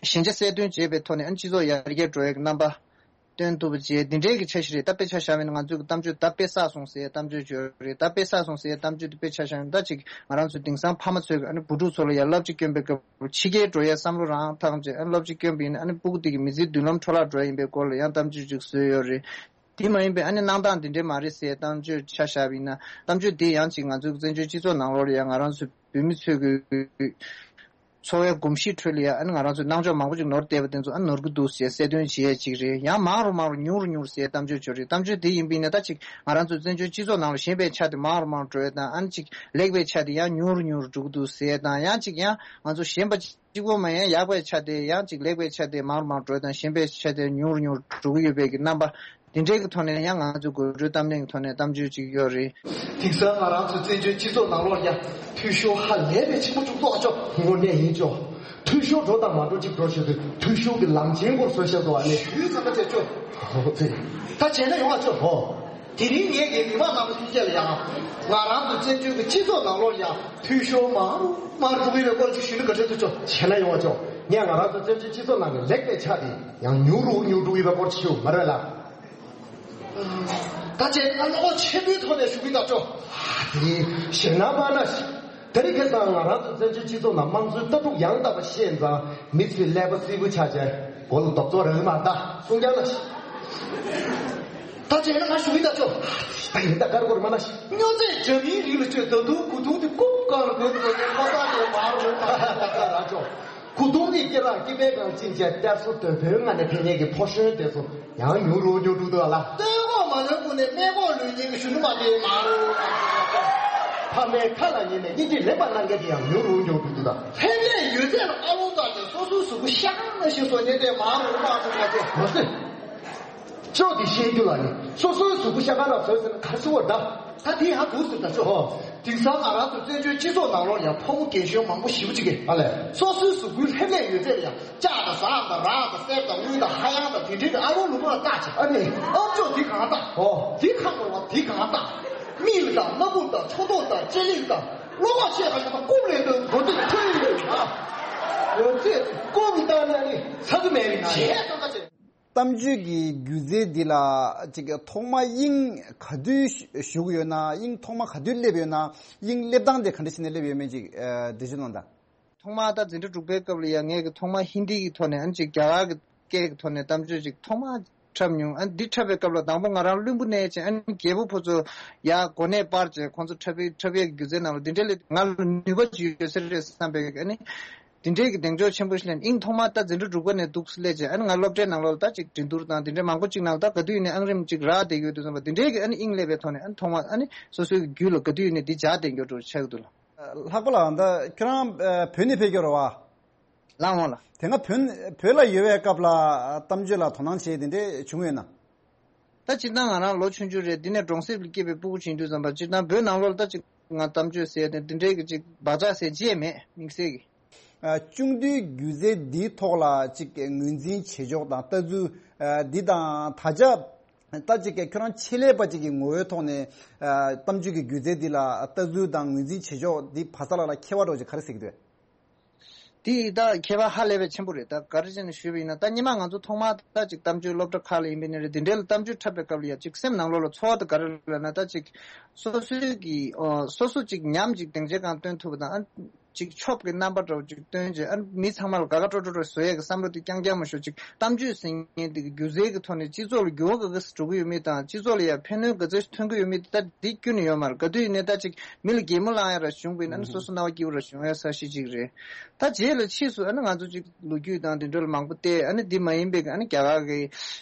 ཞན་ཆ་གསལ་སྟོན་བྱེད་པའི་ཐོག་ནས། ཨ་ནི་སྤྱི་ཚོགས་ཡར་རྒྱས་འགྲོ་ཡའི་རྣམ་པ་སྟོན་ཐུབ་པ་བྱས། འདི་འདྲའི་གི་འཆར་གཞི་རེད། ད་དཔེ་ཆ་བཞག་པ་ཡིན་ན། ང་ཚོའི་གི་གཏམ་བརྗོད་ད་དཔེ་བསགས་སོང་ཟེར་ཡའི་གཏམ་བརྗོད་ཅིག་ཡོད་རེད། ད་དཔེ་བསགས་སོང་ཟེར་ཡའི་གཏམ་བརྗོད་དེ་དཔེ་ཆ་བཞག་ན། ད་ཅིག་ང་རང་ཚོ་དེང་སང་ཕ་མ་ཚོས་ཀྱི་ཨ་ནི་བུ་ཕྲུག་ཚོ་ལ་ཡ་སློབ་གྲྭ་བསྐྱོན་པའི་སྐབས་ཕྱི་རྒྱལ་འགྲོ་ཡའི་བསམ་བློ་རང་བཏང་བྱས། ཨ་ནི་སློབ་གྲྭ་བསྐྱོན་པ་ཡིན་ན། ཨ་ནི་སྤུ་གུ་དེ་གི་མི་ཚེའི་མདུན་ལམ་འཕྲོ་བརླག་འགྲོ་ཡ་ཡིན་པའི་སྐོར་ལ་ཡང་གཏམ་བརྗོད་ཅིག་བཟོས་ཡོད་རེད། དེ་མ་ཡིན་པའི་ཨ་ནི་གནང་སྟངས་འདི་འདྲའི་མ་རེད་ཟེར་གཏམ་བརྗོད་ཆ་བཞག་པ་ཡིན་ན། གཏམ་བརྗོད་འདི་ཡང་ཅིག་ང་ཚོའི་བཙན་བྱོལ་སྤྱི་ཚོགས་ནང་ལོགས་ལ་ཡང་ང་རང་ཚོའི་བོད་མི་ཚོའི་གི་འཚོ་བའི་གོམས་གཤིས་ཁྲོད་ལ་ཡང་ཨ་ནི་ང་རང་ཚོའི་སྣང་ཕྱོགས་མང་པོ་ཅིག་ནོར་བསྡད་པ་དེ་ཚོ་ཨ་ནོར་གི་འདུག་ཟེར་གསལ་སྟོན་བྱེད་ཡས་ཅིག་རེད། ཡང་མང་རུ་མང་རུ་ཉུང་རུ་ཉུང་རུ་ཟེར་གཏམ་བརྗོད་ཅིག་རེད། གཏམ་བརྗོད་འདི་ཡིན་པ་ཡིན་ན། ད་ཅིག་ང་རང་ཚོའི་བཙན་བྱོལ་སྤྱི་ཚོགས་ནང་ལ་ཞན་པའི་ཆ་དེ་མང་རུ་མང་རུ་འགྲོ་ཡས་དང་། ཨ་ནི་ཅིག་ལེགས་པའི་ཆ་དེ་ཡང་ཉུང་རུ་ཉུང་རུ་འགྲོ་གི་འདུག་ཟེར་དང་། ཡང་ཅིག་ཡང་ང་ཚོ་ཞན་པ་གཅིག་པོ་མ་ཡིན། ཡག་པའི་ཆ་དེ་ཡང་ཅིག་ལེགས་པའི་ཆ་དེ་མང་རུ་མང་རུ་འགྲོ་དང་། ཞན་པའི་ཆ་དེ་ཉུང་རུ་ཉུང་རུ་འགྲོ་གི་ཡོད་པའི་གི་རྣམ་པ་འདི་འདྲའི་གི་ཐོག་ནས་ཡང་ང་ཚོའི་དགོད་བྲོའི་གཏམ་གླེང་གི་ཐོག་ནས་གཏམ་བརྗོད་ཅིག་ཡོད་རེད། དེང་སང་ང་རང་ཚོའི་བཙན་བྱོལ་སྤྱི་ཚོགས་ནང་ལོགས་ཡ་འཐུས་ཤོར་ཧ་ལས་པའི་ཆེན་པོ་བྱུང་སོང་ཨ་ཅོ། དངོས་གནས་ཡིན་ཅོ། འཐུས་ཤོར་འགྲོ་དང་མ་འགྲོ་ཅིག་འགྲོ་བྱེད་དུས། འཐུས་ཤོར་གྱི་ལམ་ཆེན་སྐོར་བཟོ་བཞག་འདུག་ཨ་ནི་ཞུས་ཙམ་པ་བྱས་ཅོ། ཧོ་ཧོ་ཙི། ད་བྱས་ན་ཡོང་ཨ་ཅོ་ཧོ། དེ་རིང་ངས་ངའི་མི་མང་རྣམ་པ་ཐམས་ཅད་ལ་ཡང་། ང་རང་ཚོ་བཙན་བྱོལ་གྱི་སྤྱི་ཚོགས་ནང་ལོགས་ཡང་འཐུས་ཤོར་མང་རུ་མང་རུ་འགྲོ་གི་ཡོད་པའི་སྐོར་ཅིག་ཞུས་ན་ག་འདྲ་འདུག་ཅོ། བྱས་ན་ཡོང་ཨ་ཅོ། ངས་ང་རང་ཚོ་བཙན་བྱོལ་སྤྱི་ཚོགས་ནང་ནས་ལེགས་པའི་ཆ་དེ་ཡང་ཉུང་རུ་ཉུང་རུ་འགྲོ་གི་ཡོད་པའི་སྐོར་ཅིག་ཞུ་མ་རེད་ལ། ད་ཅེ་ཨ་ལོ་ཆེན་པོའི་ཐོག་ནས་ཞུ་གི་ད་ཅོ། དེ་ཞེ་ན་མ་ན་ཞིག་དེ་རིང་ཁ་སང་ང་རང་ཚོ་བཙན་བྱོལ་སྤྱི་ཚོགས་ནང་དམངས་གཙོའི་ལྟ་གྲུབ་ཡང་དག་པ་ཤེས་ཙང་། མི་ཚོས་ཀླད་པ་སིལ་བུ་ཆགས་བྱས་མགོ་ལ་རྡོབ་ཚོགས་རང་མ་ད་གསུང་རྐྱང་ལ་ཞིག་ད་བྱས་ན་ང་ཞུ་ཡིན་ད་ཅོ། ད་ཡིན་ད་ཀར་ཀོར་མ་ན་ཤི། སྨྱོ་རྫས་འདྲ་མིན་རིགས་ལ་ཅོ། ད་དུང་གོས་ཐུང་དེ་ཀུབ་ཀར་གོན་དགོས་ཀྱི་ཁོ་ད་དེ་མ་རུ་ད་ད་ད་ད་ཅོ། གོས་ཐུང་དེ་སྐེ་རགས་སྐེ་པའི་གང་ཅིན་ཅན་གཏེར་སོ་དོད་པོའི་ང་ནས་ཕན་ཉེ་གི་ཕོ་ཤོན་དེ་ཚོ་ཡང་ཉུང་རུ་ཉུང་རུ་འདུག་ལ། སྟོན་གོ་མ་ལོན་ཀུན་ནས་སྨན་གོ་ལོན་ཉེ་གི་ཞུ་ནུ་མ་དེ་མ་རུ། ཕ་མའི་ཁ་ལ་ཉན་ནས་གཉིས་ཀྱིས་ལེན་པ་གནང་མཁན་དེ་ཡང་ཉུང་རུ་ཉུང་རུ་འདུག་ད། ལྷན་རྒྱས་ཡོད་ཚད་ལ་ཨ་ལོ་ད་ཅོ་སོ་སོའི་གཟུགས་པོ་ཤ་ན་ཤི་སོ་ཉེ་དེ་མ་རུ་མ་རུ་མ་ཅོ། མ་ཟེར། ཅོག་དེ་ཤེས་རྒྱུ་ལ་ནི་སོ་སོའི་གཟུགས་པོ་ཤ་ཁ་ལ་བཟོས་ཟེར་ན་ག་རེ་ཟེར་བ་ད། ད་དེ་ཧ་གོ་ཟེར་ད་ཆོག་ཨོ། དེང་སང་ང་རང་ཚོ་བཙན་བྱོལ་སྤྱི་ཚོགས་ནང་ལོགས་ཡང་ཕོ་མོ་རྒན་གཞོན་མང་པོ་ཞེ་པོ་ཅིག་གིས་ཨ་ལས། སོ་སོའི་གཟུགས་པོའི་ལྷེབ་ལྷེབ་ཡོད་ཚད་ལ་ཡང་ལྕགས་དང་ཟངས་དང་རག་དང་གསེར་དང་དངུལ་དང་ཧ་ཡང་དང་དེ་འདྲའི་ཨ་རོ་ལུ་མ་ལ་བཏགས་ཅིག་ཨ་ནི་ཨམ་ཅོག་དེ་གང་བཏགས། ཨོ། དེ་ཁ་ངོ་བ་དེ་གང་བཏགས། མིག་ལ་དང་སྣ་ཁུག་དང་ཕྱོགས་མདོག་དང་ལྕེ་ལེགས་དང་། བློ་ཁོག་ཆེ་བ་ཞིག་དང་རྐུབ་ལེན་དུ་གོ་དུས་ཁྲོས་ཡོད་ཨ། ཡོད་ཚད་རྐུབ་བཏང་ན་ནི་ཚ་གི་མེད་རིགས་ན་ཞེས་ཡང་ཚང་ཁ་ཆེ། གཏམ་བརྗོད་ཀྱི་སྒྱུ་རྩལ་འདི་ལ་ཅིག་ཐོག་མ་དབྱིངས་ག་དུས་ཞུགས་ཡོད་ན། དབྱིངས་ཐོག་མ་ག་དུས་སླེབས་ཡོད་ན། དབྱིངས་སླེབས་སྟངས་དེ་ག་འདྲ་བྱས་ནས་སླེབས་ཡོད་མེད་ཅིག་འགྲེལ་བརྗོད་གནང་དང་། ཐོག་མ་ད་འཛིན་གྲྭ་དྲུག་པའི་སྐབས་ལ་ཡང་ངས་ཀྱི་ཐོག་མ་ཧིན་དི་གི་ཐོག་ནས་ཨ་ནི་ཅིག་རྒྱ་གར་གྱི་སྐད་ཀྱི་ཐོག་ནས་གཏམ་བརྗོད་ཅིག་ཐོག་མ་འཁྲབ་མྱོང་། ཨ་ནི་འདི་འཁྲབ་པའི་སྐབས་ལ་དང་པོ་ང་རང་བླུན་པོ་ནས་བྱས་ཨ་ནི་རྒྱལ་པོ་ཕོ་ཚོ་ཡར་གོ་གནས་སྤར་བྱས་ཁོང་ཚོ་འཁྲབ་པའི་འཁྲབ་ཡས་ཀྱི་སྒྱུ་རྩལ་ནང་ལ་འདི་འདྲ་སླེབས་ང་ལ་ནུས་པ་ཅིག་ཡོད་ས་རེད་བསམ་པའི་ཨ་ནི། དེ་འདྲའི་གི་གདེང་འཇོག་ཆེན་པོ་ཞིག་ལེན། དབྱིངས་ཐོག་མ་ད་འཛིན་གྲྭ་དྲུག་པ་ནས་འདུག་སླེབས་རྗེས་ཨ་ནི་ང་སློབ་གྲྭའི་ནང་ལོགས་ལ་ད་ཅིག་འགྲན་བསྡུར་དང་དེ་འདྲའི་མང་པོ་ཅིག་ནང་ད་ག་དུས་ཡིན་ནའི་ཨང་རིམ་ཅིག་རག་བསྡད་ཡོད་དུས་ཙམ་པ་དེ་འདྲའི་གི་ཨ་ནི་དབྱིངས་སླེབས་པའི་ཐོག་ནས་ཨ་ནི་ཐོག་མ་ཨ་ནི་སོ་སོའི་གི་རྒྱུད་ལ་ག་དུས་ཡིན་ནའི་འདི་འཇགས་བསྡད་མགྱོགས་འགྲོ་ཆགས་ཀྱི་འདུག་ལ། ལྷག་པ་ལ་ད་ཁྱོད་རང་བོད་ནས་ཕེབས་ཀྱི་རེད་བ། ལགས་འོང་ལ། དེ་སྔ་བོད་བོད་ལ་ཡོད་པའི་སྐབས་ལ་གཏམ་བརྗོད་ལ་དོ་སྣང་བྱས་དེ་འདྲས་བྱུང་ཡོད་ན། ད་སྤྱིར་བཏང་ང་རང་ལོ་ཆུང་ཆུང་རེད། འདི་ནས་གྲོང་གསེབ་ལ་སྐྱེས་པའི་སྤུ་གུ་ཅིག་ཡིན་དུས་ཙམ་པ་སྤྱིར་བཏང་བོད་ནང་ལོགས་ལ་ད་ཅིག་ང་གཏམ་བརྗོད་ཟེར་ཏེ་འདི་འདྲའི་གི་ཅིག་བག་ཆགས་ཟེར་ཅི་ཡང་མེད་དམིགས་བསལ་གི། ཨ། ཆུང་དུས་སྒྱུ་རྩལ་འདིའི་ཐོག་ལ་ཅིག་ངོས་འཛིན་བྱེད་ཕྱོགས་དང་ལྟ་ཚུལ། ཨ། འདི་དང་ད་ཆ་ད་ཅིག་ཁྱོད་རང་ཆེད་ལས་པ་ཅིག་གི་ངོ་བོའི་ཐོག་ནས། ཨ། གཏམ་བརྗོད་ཀྱི་སྒྱུ་རྩལ་འདི་ལ་ལྟ་ཚུལ་དང་ངོས་འཛིན་བྱེད་ཕྱོགས་འདི་བར་ས་ལ་ལ་ཁྱད་པར་འདྲ་བོ་ཅིག་ག་རེ་གཟིགས་འདོད། དེ་ད་ཁྱད་པར་ཧ་ལས་པའི་ཆེན་པོ་རེད། ད་ག་རེ་བྱས་ནས་ཞུས་པ་ཡིན་ན་ད་སྔོན་མ་ང་ཚོ་ཐོག་མར་ད་ཅིག་གཏམ་བརྗོད་སློབ་གྲྭ་ཁག་ལ་ཡིན་པའི་ནི་རེད། དེ་འདྲའི་ལ་གཏམ་བརྗོད་འཁྲབ་པའི་སྐབས་ལ་ཡ་ཅིག་སེམས་ནང་ལོགས་ལ་ཚོར་བ་དེ་ག་རེ་ལབ་ན་ད་ཅིག་སོ་སོའི་གི་ཨོ་སོ་སོ་ཅིག་ཉམས་ཅིག་སྡིངས་ཆའི་སྒང་སྟོན་ཐུབ་པ་དང་ཨ་ཅིག་ཆོབ་ཀྱི་རྣམ་པ་འདྲ་བོ་ཅིག་སྟོན་བྱས་ཨ་མི་ཚང་མ་ལ་དགའ་དགའ་སྤྲོ་སྤྲོ་འདྲ་བོ་བཟོ་ཡས་ཀྱི་བསམ་བློ་དེ་རྐྱང་རྐྱང་མ་ཞོག་ཅིག་གཏམ་བརྗོད་ཟེར་མཁན་དེ་གི་སྒྱུ་རྩལ་གི་ཐོག་ནས་སྤྱི་ཚོགས་ལ་འགྱུར་བ་ག་ག་ཟེ་འགྲོ་གི་ཡོད་མེད་དང་སྤྱི་ཚོགས་ལ་ཡང་ཕན་གནོད་ག་ཚོད་ཐོན་གི་ཡོད་མེད་དེ་ད་འདི་ཁྱོན་ནས་ཡོད་མ་རེད། ག་དུས་ཡིན་ནའི་ད་ཅིག་མི་ལ་གད་མོ་ལངས་ཡ་ར་བྱུང་བ་ཡིན་ན་ཨ་ནི་སོ་སོ་སྣང་བ་སྐྱིད་པོ་ར་བྱུང་ཡ་ས་གཞི་ཅིག་རེད། ད་རྗེས་ལ་ཕྱིས་སུ་ཨ་ནི་ང་ཚོ་ཅིག་ལོ་རྒྱུས་དང་དེ་འདྲ་ལ་མང་པོ་བལྟས། ཨ་ནི་འདི་མ་ཡིན་པའི་ཨ་ནི་རྒྱ་གར་གི་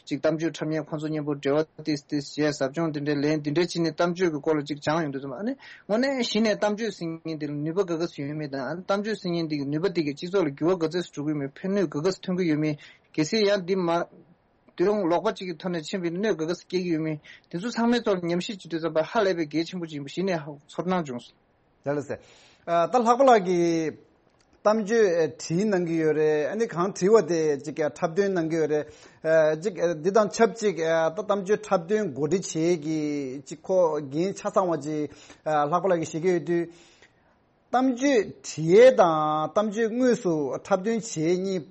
ཅིག་གཏམ་བརྗོད་འཁྲབ་མཁན་ཁོང་ཚོ་མཉམ་པོ་འབྲེལ་བ་ཏིས་ཏིས་བྱས་ཟབ་སྦྱོང་དེ་འདྲ་ལེན་དེ་འདྲ་བྱས་ནས་གཏམ་བརྗོད་ཀྱི་སྐོར་ལ་ཅིག་སྦྱངས་ཡོང་དུས་ཙམ་ཨ་ནི་དངོས་གནས་གཞི་ནས་གཏམ་བརྗོད་ཟེར་མཁན་དེ་ལ་ནུས་པ་ག་ག་ཟེ་ཡོད་མེད་དང་ཨ་ནི་གཏམ་བརྗོད་ཟེར་མཁན་དེ་གི་ནུས་པ་དེ་གི་སྤྱི་ཚོགས་ལ་འགྱུར་བ་ག་ཚོད་ཟེ་འགྲོ་གི་ཡོད་མེད། ཕན་གནོད་ག་ག་ཟེ་ཐོན་གི་ཡོད་མེད། གལ་སྲིད་ཡང་འདི་མ་དུས་རུང་ལོག་པ་གཅིག་གི་ཐོག་ནས་ཕྱིན་པའི་གནོད་ག་ག་ཟེ་སྐྱེལ་གྱི་ཡོད་མེད་དེ་ཚོ་ཚང་མའི་ཐོག་ལ་ཉམས་ཞིབ་བྱེད་དུས་ཙམ་པ་ཧ་ལས་པའི་གལ་ཆེན་པོ་ཅིག་ཡིན་པ་གཞི་ནས་ཧ་ཚོར་སྣང་བྱུང་སོང་། ལགས་ལགས་སེ། ཨ། ད་ལྷག་པ་ལགས་ཀྱིས་གཏམ་བརྗོད་བྲིས་གནང་གི་ཡོད་རེད། ཨ་ནི་གང་བྲིས་པ་དེ་ཅིག་འཁྲབ་སྟོན་གནང་གི་ཡོད་རེད། ཨ། ཅིག་འདི་དང་ཆབས་ཅིག་ཨ། ད་གཏམ་བརྗོད་འཁྲབ་སྟོན་གོ་སྒྲིག་བྱེད་ཀྱི་ཅིག་ཁོ་འགན་ཆ་ཚང་བ་ཅིག་ཨ། ལྷག་པ་ལགས་ཀྱིས་བཞེས་ཀྱི་ཡོད་དུས། གཏམ་བརྗོད་བྲིས་ཡས་དང་གཏམ་བརྗོད་དངོས་སུ་འཁྲབ་སྟོན་བྱེད་གཉིས་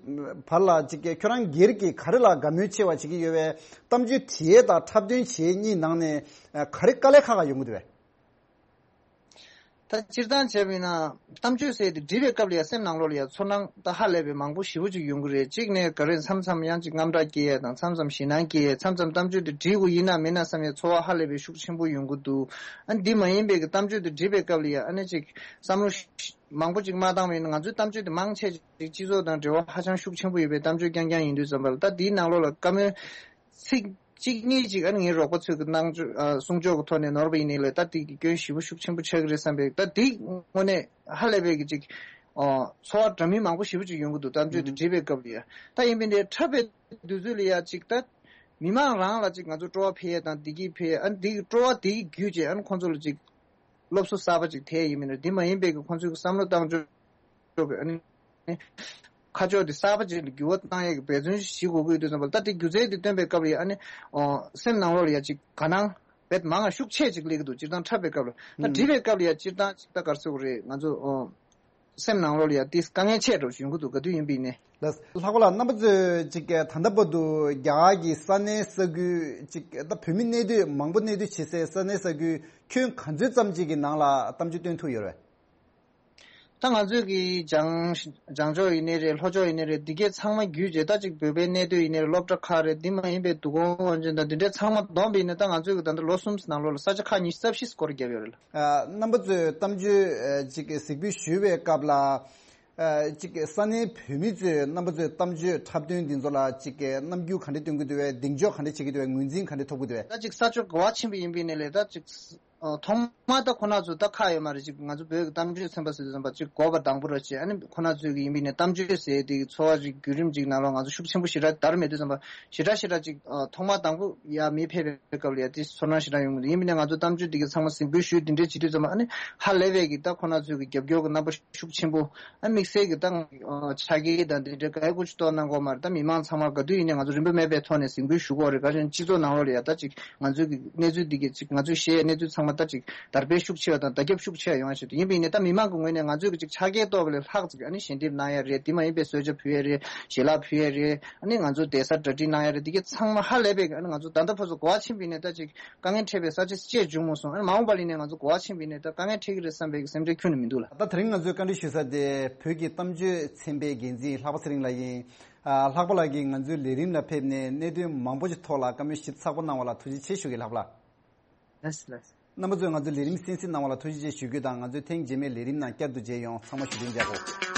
བར་ལ་ཅིག་ཁྱོད་རང་སྒེར་གྱིས་ག་རེ་ལ་དགའ་མོས་ཆེ་བ་བྱེད་ཀྱི་ཡོད་པས། གཏམ་བརྗོད་བྲིས་ཡས་དང་འཁྲབ་སྟོན་བྱེད་གཉིས་ནང་ནས་ག་རེ་དཀའ་ལས་ཁག་ཁག་ཡོང་གི་འདུག་པས། ད་སྤྱིར་བཏང་བྱས་པ་ཡིན་ན་གཏམ་བརྗོད་ཟེར་དེ་འབྲི་བའི་སྐབས་ལ་ཡང་སེམས་ནང་ལོགས་ལ་ཡང་ཚོར་སྣང་ད་ཧ་ལས་པའི་མང་པོ་ཞེ་པོ་ཅིག་ཡོང་གི་རེད། གཅིག་ནས་ག་རེ་མཚམས་མཚམས་ཡང་ཅིག་དངངས་སྐྲག་སྐྱེ་ཡས་དང་མཚམས་མཚམས་ཞེད་སྣང་སྐྱེ་ཡས། མཚམས་མཚམས་གཏམ་བརྗོད་དེ་འབྲི་དགོས་ཡིན་ན་མིན་ན་བསམ་ཡས་ཚོར་བ་ཧ་ལས་པའི་ཤུགས་ཆེན་པོ་ཡོང་གི་འདུག་ཨ་ནི་འདི་མ་ཡིན་པའི་གི་གཏམ་བརྗོད་དེ་འབྲི་བའི་སྐབས་ལ་ཡང་ཨ་ནི་ཅིག་བསམ་བློ་མང་པོ་ཅིག་མ་བཏང་བ་ཡིན་ན་ང་ཚོའི་གཏམ་བརྗོད་དེ་མང་ཆེ་ཅིག་སྤྱི་ཚོགས་དང་འབྲེལ་བ་ཧ་ཅང་ཤུགས་ཆེན་པོ་ཡོད་པའི་གཏམ་བརྗོད་རྐྱང་རྐྱང་ཡིན་དུས་ཙམ་པ་ལ་ད་འདིའི་ནང་ལོགས་ལ་བཀའ་མོལ་ཚིག་གཅིག་གཉིས་ཅིག་ཨ་ནི་ངའི་རོགས་པ་ཚོས་ཀྱི་གནང་ཕྱོགས་ཨ་གསུང་ཕྱོགས་ཀྱི་ཐོག་ནས་ནོར་བ་ཡིན་ནའི་ལས་ད་དེ་གི་སྐྱོན་ཞེ་པོ་ཤུགས་ཆེན་པོ་ཆགས་ཀྱི་རེད་བསམ་པའི་ད་དེ་དངོས་གནས་ཧ་ལས་པའི་གི་ཅིག་ཨ་ཚོར་བ་འདྲ་མིན་མང་པོ་ཞེ་པོ་ཅིག་ཡོང་གི་འདུག་གཏམ་བརྗོད་དེ་ཨུམ་འབྲི་བའི་སྐབས་ལ་ཡ་ད་ཡིན་པའི་འདི་འཁྲབ་པའི་དུས་ཚོད་ལ་ཡ་ཅིག་ད་མི་མང་རང་ལ་ཅིག་ང་ཚོ་སྤྲོ་བ་འཕེལ་ཡས་དང་བདེ་སྐྱིད་འཕེལ་ཡས་ཨ་ནི་དེ་གི་སྤྲོ་བ་དེ་གི་བརྒྱུད་བྱས་ཨ་ནི་ཁོང་ཚོ་ལ་ཅིག་སློབ་གསོ་གསར་པ་ཅིག་ཐེབས་ཡིན་མིན་ན་འདི་མ་ཡིན་པའི་གི་ཁོང་ཚོའི་གི་བསམ་བློ་བཏང་ཕྱོགས་ཀྱི་ཨ་ནི། ཁ་ཕྱོགས་དེ་གསར་པ་ཅིག་ལ་འགྱུར་བ་བཏང་ཡས་ཀྱི་འབད་བརྩོན་ཞིག་དགོས་ཀྱི་ཡོད་དུས་ཙམ་པ་ལ་ད་དེ་སྒྱུ་རྩལ་དེ་སྟོན་པའི་སྐབས་ལ་ཡ་ཨ་ནི་ཨོ་སེམས་ནང་ལོགས་ལ་ཡ་ཅིག་དགའ་སྣང་བེད་མང་ང་ཤུགས་ཆེ་ཅིག་སླེབས་ཀྱི་འདུག་སྤྱིར་བཏང་འཁྲབ་པའི་སྐབས་ལ་ད་ཨུམ་འབྲི་བའི་སྐབས་ལ་ཡ་སྤྱིར་བཏང་ཅིག་ད་ག་རེ་ཟེར་དགོས་རེད། ང་ཚོ་ཨོ་སེམས་ནང་ལོགས་ལ་ཡ་དེ་དཀའ་ངལ་ཆེ་འགྲོ་ཞིག་ཡོང་གི་འདུག་ག་དུས་ཡིན་པ་ཡིན་ནའི། ལགས། ལྷག་པ་ལགས་རྣམ་པ་ཚོས་ཅིག་ད་ལྟ་བར་དུ་རྒྱ་གར་གྱི་ས་གནས་ས་ཁུལ་ཅིག་ད་བོད་མི་གནས་སྡོད་མང་པོ་གནས་སྡོད་བྱེད་སའི་ས་གནས་ས་ཁུལ་ཁྱོན་ག་ཚོད་ཙམ་ཅིག་གི་ནང་ལ་གཏམ་བརྗོད་སྟོན་ཐུབ་ཡོད་རེད། ད་ང་ཚོས་ཀྱི་བྱང་བྱང་ཕྱོགས་ཡིན་ནའི་རེད། ལྷོ་ཕྱོགས་ཡིན་ནའི་རེད། འདི་གས་ཚང་མ་བརྒྱུད་བྱས་ད་ཅིག་བོད་པའི་གནས་སྡོད་ཡིན་ནའི་རེད། སློབ་གྲྭ་ཁག་རེད། འདི་མ་ཡིན་པའི་འདུ་ཁང་དབང་ཆེན་དང་འདི་འདྲའི་ཚང་མ་བསྡོམས་པ་ཡིན་ན་ད་ང་ཚོས་ཀྱི་ད་ལྟ་ལོ་གསུམ་ནང་ལོགས་ལ་ས་ཆ་ཁག་ཉི་ཤུ་རྩ་བཞི་སྐོར་བརྒྱབ་ཡོད་རེད་ལ། ཨ། རྣམ་པ་ཚོས་གཏམ་བརྗོད་ཨ་ཅིག་གཟིགས་འབུལ་ཞུས་པའི་སྐབས་ལ། ཨ་ཅིག་ས་གནས་བོད་མི་ཚོས་རྣམ་པ་ཚོའི་གཏམ་བརྗོད་འཁྲབ་སྟོན་འདི་ཚོ་ལ་ཅིག་རྣམ་འགྱུར་ག་འདྲ་སྟོན་གྱི་འདུག་བས། གདེང་འཇོག་ག་འདྲ་བྱེད་ཀྱི་འདུག་བས། ངོས་འཛིན་ག་འདྲ་ཐོབ་ཀྱི་འདུག་བས། ད་ཅིག་ས་ཕྱོགས་ག་བ་ཕྱིན་པ་ཡིན་པའི་ནས་ལས་ད་ཅིག་ཨ། ཐོག་མ་ད་ཁོ་ན་ཚོ་ད་ཁག་ཡོད་མ་རེད། ཅིག་ང་ཚོ་བོད་ཀྱི་གཏམ་བརྗོད་ཚན་པ་ཟེར་དུས་ཙམ་པ་ཅིག་འགོ་པ་དང་པོ་ར་བྱས། ཨ་ནི་ཁོ་ན་ཚོས་ཀྱི་ཡིན་པའི་ནས་གཏམ་བརྗོད་ཟེར་དེ་གི་ཚོ་བ་ཅིག་བརྒྱུད་རིམ་ཅིག་ནང་ལོགས་ང་ཚོ་ཤུགས་ཆེན་པོ་ཞེ་དྲག་དར་མེད་དུས་ཙམ་པ་ཞེ་དྲག་ཞེ་དྲག་ཅིག་ཨ། ཐོག་མ་དང་པོ་ཡར་མི་ཕེབས་པའི་སྐབས་ལ་ཡ་དེ་ཚོར་སྣང་ཞེ་དྲག་ཡོང་གི་འདུག་ཡིན་པའི་ནས་ང་ཚོ་གཏམ་བརྗོད་དེ་གི་ཚང་མ་གཟིགས་འབུལ་ཞུས་དེ་འདྲས་བྱེད་དུས་ཙམ་པ་ཨ་ནི་ཧ་ལས་པའི་གི་ད་ཁོ་ན་ཚོས་ཀྱི་རྒྱབ་སྐྱོར་གྱི་རྣམ་པ་ཤུགས་ཆེན་པོ། ཨ། དམིགས་བསལ་གྱི་ད་ཆ་རྐྱེན་དང་དེ་འདྲའི་ག་ཡ་ཀུ་ཅི་ཏོ་གནང་གོ་མ་རེད། ད་མི་མང་ཚང་མ་ག་དུས་ཡིན་ནའི་ང་ཚོ་རིན་པ་མེད་པའི་ཐོག་ནས་གཟིགས་འབུལ་ཞུ་གོ་རེད། ག་ཅན་སྤྱི་ཚོགས་ནང་ལོགས་ལ་ཡ་ད་ཅིག་ང་ཚོའི་གི་གནས་ཚུལ་འདི་གི་ཅིག་ང་ཚོས་བཤད་གནས་ཚུལ་ཚང་མ་ད་ཅིག་དར་སྤེལ་ཤུགས་ཆེ་བ་དང་བརྡ་ཁྱབ་ཤུགས་ཆེ་བ་ཡོང་བ་ཞིག་ཏུ་ཡིན་པ་ཡིན་ནའི་ད་མི་མང་གི་ངོས་ནས་ང་ཚོས་གི་ཅིག་ཆ་རྐྱེན་ཏོག་གི་ལས་ལྷག་ཅིག་ཨ་ནི་ཞལ་འདེབས་གནང་ཡ་རེད། དེ་མ་ཡིན་པའི་གསོལ་ཇ་ཕུལ་ཡ་རེད། ཞལ་ལག་ཕུལ་ཡ་རེད། ཨ་ནི་ང་ཚོ་བསྡད་ས་གྲ་སྒྲིག་གནང་ཡ་རེད། འདི་གི་ཚང་མ་ཧ་ལས་པའི་གི་ཨ་ནི་ང་ཚོ་ད་ལྟ་ཕར་ཚུར་ག་བ་ཕྱིན་པ་ཡིན་ནའི་ད་ཅིག་དཀའ་ངལ་འཕྲད་པའི་ས་ཆ་ཅིག་བྱུང་མ་སོང་། ཨ་ནི་མ་འོངས་པ་ལ་ནས་ང་ཚོ་གོ་བ་ཕྱིན་པ་ཡིན་ནའི་ད་དཀའ་ངལ་འཕྲད་ཀྱི་རེད་བསམ་པའི་སེམས་ཁྲལ་ཁྱོན་ནས་མི་འདུག་ལ། ད་དེ་རིང་ང་ཚོའི་བཀའ་འདྲི་ཞུ་ས་དེ་བོད་ཀྱི་གཏམ་བརྗོད་ཚན་པའི་འགན་འཛིན་ལྷག་པ་ཚེ་རིང་ལགས་ཡིན། ཨ། ལྷག་པ་ལགས་ཀྱིས་ང་ཚོའི་ལས་རིམ་ལ་ཕེབས་ནས་གནད་དོན་མང་པོ་ཞིག་ཐོག་ལ་བཀའ་མོལ་ཞིབ་ཚགས་པོ་གནང་བ་ལ་ཐུགས་རྗེ་ཆེ་ཞུ་གི། ལྷག་པ་ལགས། ལགས་སོ། ལགས་སོ། རྣམ་པ་ཚོས་ང་ཚོའི་ལས་རིམ་གསན་གཟིགས་གནང་བ་ལ་ཐུགས་རྗེ་ཆེ་ཞུ་རྒྱུ་དང་། ང་ཚོའི་ཐེངས་རྗེས་མའི་ལས་རིམ་ནང་བསྐྱར་དུ་མཇལ་ཡོང་། ཚང་མ་བཞུགས་གདན་འཇགས་དགོས།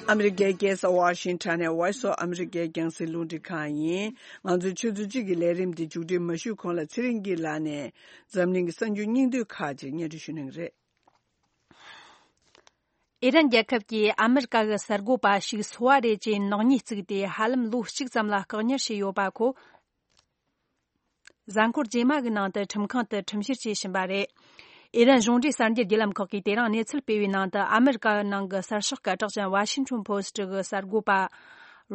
ཨ་མི་རི་ཀའི་རྒྱལ་ས་ཝ་ཤིང་ཊོན་ནས་Voice of America རྒྱང་སྲིང་རླུང་འཕྲིན་ཁང་ཡིན། ང་ཚོའི་ཆུ་ཚོད་གཅིག་གི་ལས་རིམ་འདི་མཇུག་སྒྲིལ་མ་ཞུས་གོང་ལ་ཚེ་རིང་སྐྱིད་ལགས་ནས་འཛམ་གླིང་གི་གསར་འགྱུར་སྙིང་བསྡུས་ཁག་ཅིག་སྙན་སྒྲོན་ཞུ་གནང་གི་རེད། ཨི་རན་རྒྱལ་ཁབ་ཀྱིས་ཨ་མི་རི་ཀ་གི་གསར་འགོད་པ་ཞིག་སོ་པ་རེད་ཅེས་ནག་ཉེས་བཙུགས་ཏེ་ཧ་ལམ་ལོ་གཅིག་ཙམ་ལ་བཀག་ཉར་བྱས་ཡོད་པ་ཁོ། གཟའ་འཁོར་རྗེས་མ་གི་ནང་དུ་ཁྲིམས་ཁང་དུ་ཁྲིམས་བཤེར་བྱེད་བཞིན་པ་རེད། ཨི་རན་གཞུང་འབྲེལ་གསར་འགྱུར་བརྒྱུད་ལམ་ཁག་གིས་དེ་རིང་གནས་ཚུལ་སྤེལ་བའི་ནང་དུ། ཨ་མི་རི་ཀ་ནང་གི་གསར་ཤོག་སྐད་གྲགས་ཅན་Washington Post གི་གསར་འགོད་པ་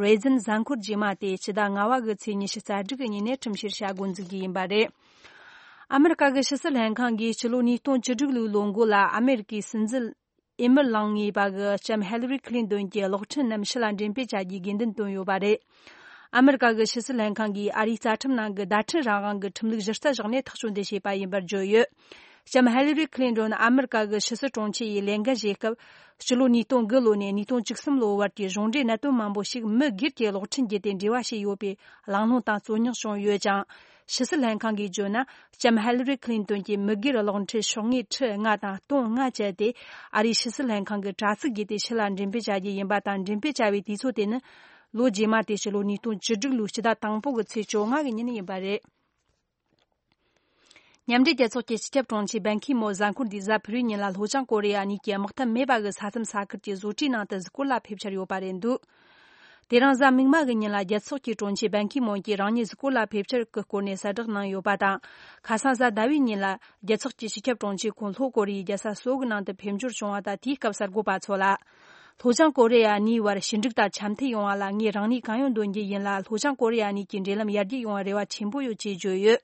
རེ་ཛིན་གཟའ་འཁོར་རྗེས་མ་དེ་ཕྱི་ཟླ་ལྔ་བ་གི་ཚེས་ཉི་ཤུ་རྩ་དྲུག་གི་ཉིན་ནས་ཁྲིམས་བཤེར་བྱ་འགོ་འཛུགས་རྒྱུ་ཡིན་པ་རེད། ཨ་མི་རི་ཀ་གི་ཕྱི་སྲིད་ལྷན་ཁང་གིས་ཕྱི་ལོ་ཉིས་སྟོང་བཅུ་དྲུག་ལོའི་ལོ་འགོ་ལ་ཨ་མི་རི་ཀའི་སྲིད་འཛིན་ཨི་མི་ལང་ངེས་པ་གི་ལྕམ་ཧེ་ལི་རི་ཁི་ལིན་ཏོན་གྱི་གློག་འཕྲིན་རྣམས་ཕྱི་ལ་འགྲེམས་སྤེལ་བྱ་རྒྱུའི་དགོས་འདུན་བཏོན་ཡོད་པ་རེད། ཨ་མི་རི་ཀ་གི་ཕྱི་སྲིད་ལྷན་ཁང་གིས་ཨ་རིའི་རྩ་ཁྲིམས་ནང་གི་བརྡ་འཕྲིན་རང་དབང་གི་ཁྲིམས་ལུགས་གཞི་རྩ་བཞག་ནས་ཐག་གཅོད་འདི་བྱས་པ་ཡིན་པར་བརྗོད་ཡོད། ལྕམ་ཧེ་ལི་རི་ཁི་ལིན་ཏོན་ཨ་མི་རི་ཀ་གི་ཕྱི་སྲིད་དྲུང་ཆེ་ཡི་ལས་འགན་བཞེས་སྐབས། ཕྱི་ལོ་ཉིས་སྟོང་དགུ་ལོ་ནས་ཉིས་སྟོང་བཅུ་གསུམ་ལོའི་བར་གྱི་གཞུང་འབྲེལ་གནད་དོན་མང་པོ་ཞིག་མི་སྒེར་གྱི་གློག་འཕྲིན་བརྒྱུད་དེ་འབྲེལ་བ་བྱས་ཡོད་པའི་གླེང་སློང་དང་རྩོད་རྙོག་བྱུང་ཡོད་ཅིང་། ཕྱི་སྲིད་ལྷན་ཁང་གིས་བརྗོད་ན། ལྕམ་ཧེ་ལི་རི་ཁི་ལིན་ཏོན་གྱི་མི་སྒེར་གློག་འཕྲིན་ཤོག་ངོས་ཁྲི་ལྔ་དང་སྟོང་ལྔ་བཅད་དེ། ཨ་རིའི་ཕྱི་སྲིད་ལྷན་ཁང་གི་དྲ་ཚིགས་བརྒྱུད་དེ་ཕྱི་ལ་འགྲེམས་སྤེལ་བྱ་རྒྱུ་ཡིན་པ་དང་། འགྲེམས་སྤེལ་བྱ་བའི་དུས་ཚོད་དེ་ནི་ལོ་རྗེས་མ་སྟེ་ཕྱི་ལོ་ཉིས་སྟོང་བཅུ་དྲུག་ལོའི་ཕྱི་ཟླ་དང་པོ་གི་ཚེས་བཅོ་ལྔ་གི་ཉིན་ཡིན་པ་རེད། མཉམ་འབྲེལ་རྒྱལ་ཚོགས་ཀྱི་སྤྱི་ཁྱབ་དྲུང་ཆེ་བན་ཁི་མོ་གཟའ་འཁོར་འདིའི་གཟའ་ཕུར་བུའི་ཉིན་ལ་ལྷོ་བྱང་ཀོ་རི་ཡ་གཉིས་ཀྱི་དམག་འཐབ་མེད་པ་གི་ས་མཚམས་ས་ཁུལ་གྱི་བཟོ་གྲྭའི་ནང་དུ་གཟིགས་སྐོར་ལ་ཕེབས་འཆར་ཡོད་པ་རེད་འདུག་དེ་རིང་གཟའ་མིག་དམར་གྱི་ཉིན་ལ་རྒྱལ་ཚོགས་ཀྱི་དྲུང་ཆེ་བན་ཁི་མོན་གྱིས་རང་ཉིད་གཟིགས་སྐོར་ལ་ཕེབས་འཆར་གྱི་སྐོར་ནས་གསལ་བསྒྲགས་གནང་ཡོད་པ་དང་། ཁ་སང་གཟའ་ཟླ་བའི་ཉིན་ལ་རྒྱལ་ཚོགས་ཀྱི་སྤྱི་ཁྱབ་དྲུང་ཆེ་ཁོང་ལྷོ་ཀོ་རི་ཡའི་རྒྱལ་ས་སོལ་གྱི་ནང་དུ་ཕེབས་འབྱོར་བྱུང་བ་དང་། དེའི་སྐབས་གསར་འགོད་པ་ཚོ་ལ། ལྷོ་བྱང་ཀོ་རི་ཡ་གཉིས་བར་ཞི་འགྲིག་དང་འཆམ་མཐུན་ཡོང་བ་ལ་ངས་རང་ནུས་གང་ཡོད་འདོན་རྒྱུ་ཡིན་ལ། ལྷོ་བྱང་ཀོ་རི་ཡ་གཉིས་ཀྱི་འབྲེལ་ལམ་ཡར་རྒྱས་ཡོང་བར་རེ་བ་ཆེན་པོ་ཡོད་ཅེས་བརྗོད་ཡོད།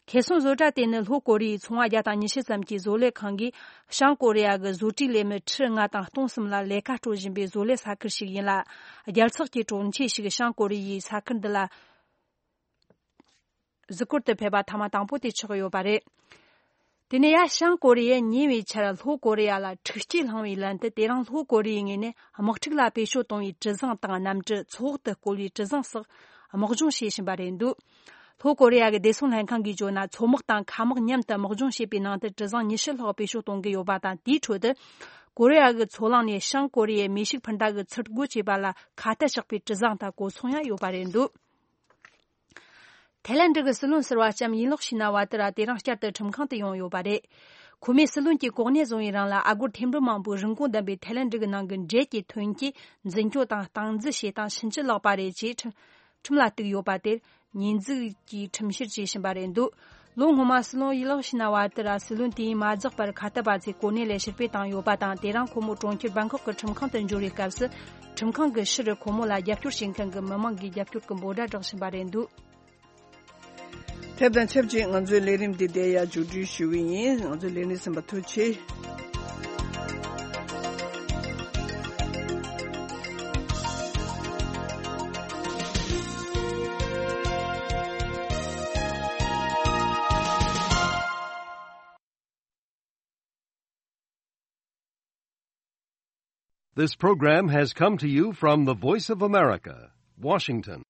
ཁེ་སང་བཟོ་གྲྭ་དེ་ནི་ལྷོ་ཀོ་རི་ཡའི་ཚོང་བ་བརྒྱ་དང་ཉི་ཤུ་ཙམ་གྱི་བཟོ་ལས་ཁང་གིས་བྱང་ཀོ་རི་ཡ་གི་བཟོ་གྲྭའི་ལས་མི་ཁྲི་ལྔ་དང་སྟོང་གསུམ་ལ་ལས་ཀ་སྤྲོད་བཞིན་པའི་བཟོ་ལས་ས་ཁུལ་ཞིག་ཡིན་ལ། རྒྱལ་ཚོགས་ཀྱི་དྲུང་ཆེ་ཞིག་བྱང་ཀོ་རི་ཡའི་ས་ཁུལ་འདི་ལ་གཟིགས་སྐོར་དུ་ཕེབས་པ་ཐེངས་མ་དང་པོ་དེ་ཆགས་ཡོད་པ་རེད། དེ་ནས་ཡ་བྱང་ཀོ་རི་ཡས་ཉེ་བའི་ཆར་ལྷོ་ཀོ་རི་ཡ་ལ་འཁྲུག་རྐྱེན་བསླངས་པའི་ལན་དུ། དེ་རིང་ལྷོ་ཀོ་རི་ཡའི་ངོས་ནས་དམག་འཁྲུག་ལ་བེད་སྤྱོད་གཏོང་བའི་གྲུ་གཟིངས་དང་གནམ་གྲུ། མཚོ་འོག་ཏུ་བརྐོ་བའི་གྲུ་གཟིངས་སོགས་དམག་སྦྱོང་བྱེད་བཞིན་པ་རེད་འདུག་ལྷོ་ཀོ་རི་ཡ་གི་བདེ་སྲུང་ལྷན་ཁང་གིས་བརྗོད་ན། མཚོ་དམག་དང་མཁའ་དམག་མཉམ་དུ་དམག་སྦྱོང་བྱེད་པའི་ནང་དུ་གྲུ་གཟིངས་ཉི་ཤུ་ལྷག་བེད་སྤྱོད་གཏོང་གི་ཡོད་པ་དང་། དེའི་ཁྲོད་དུ་ཀོ་རི་ཡ་གི་མཚོ་གླིང་ནས་བྱང་ཀོ་རི་ཡའི་མེ་ཤུགས་འཕུར་མདའ་གི་ཚུར་རྒོལ་བྱེད་པ་ལ་ཁ་གཏད་བཅག་པའི་གྲུ་གཟིངས་དང་གོ་མཚོན་ཡང་ཡོད་པ་རེད་འདུག་ཐའི་ལེན་ཌི་གི་སྲིད་བློན་ཟུར་པ་ལྕམ་ཡིན་ལོག་ཤི་ན་ཝ་ཏི་ར་དེ་རིང་བསྐྱར་དུ་ཁྲིམས་ཁང་དུ་ཡོང་ཡོད་པ་རེད། ཁོ་མོས་སྲིད་བློན་གྱི་གོ་གནས་བཟུང་བའི་རིང་ལ་ཨ་སྒོར་ཐེར་འབུམ་མང་པོའི་རིན་གོང་ལྡན་པའི་ཐའི་ལེན་ཌི་གི་ནང་གི་འབྲས་ཀྱི་ཐོན་སྐྱེད་འཛིན་སྐྱོང་དང་སྟངས་འཛིན་བྱེད་སྟངས་ཕྱིན་ཅི་ལོག་པ་རེད་ཅེས་ཁྲིམས་ཁྲིམས་ལ་གཏུགས་ཡོད་པ་དེར་ཉེས་འཛུགས་ཀྱིས་ཁྲིམས་བཤེར་བྱེད་བཞིན་པ་རེད་འདུག་ལོ་སྔོན་མ་སྲིད་བློན་ཡིན་ལོག་ཤི་ན་ཝ་ཏི་ར་སྲིད་བློན་དུས་ཡུན་མ་རྫོགས་པར་ཁ་གཏད་པ་ཚོས་གོ་གནས་ལས་ཕྱིར་འབུད་བཏང་ཡོད་པ་དང་། དེ་རིང་ཁོ་མོ་གྲོང་ཁྱེར་བྷང་ཁོག་གི་ཁྲིམས་ཁང་དུ་འབྱོར་བའི་སྐབས་སུ། ཁྲིམས་ཁང་གི་ཕྱིར་ཁོ་མོ་ལ་རྒྱབ་སྐྱོར་བྱེད་མཁན་གྱི་མི་མང་གིས་རྒྱབ་སྐྱོར་གྱི་འབོད་སྒྲ་བསྒྲགས་བཞིན་པ་རེད་འདུག་དེ་དང་ཆབས་ཅིག་ང་ཚོའི་ལས་རིམ་འདི་དེ་ཡང་མཇུག་སྒྲིལ་ཞུ་གི་ཡིན། ང་ཚོའི་ལས་རིམ་གསན་པར་ཐུགས་རྗེ་ཆེ། This program has come to you from the Voice of America, Washington.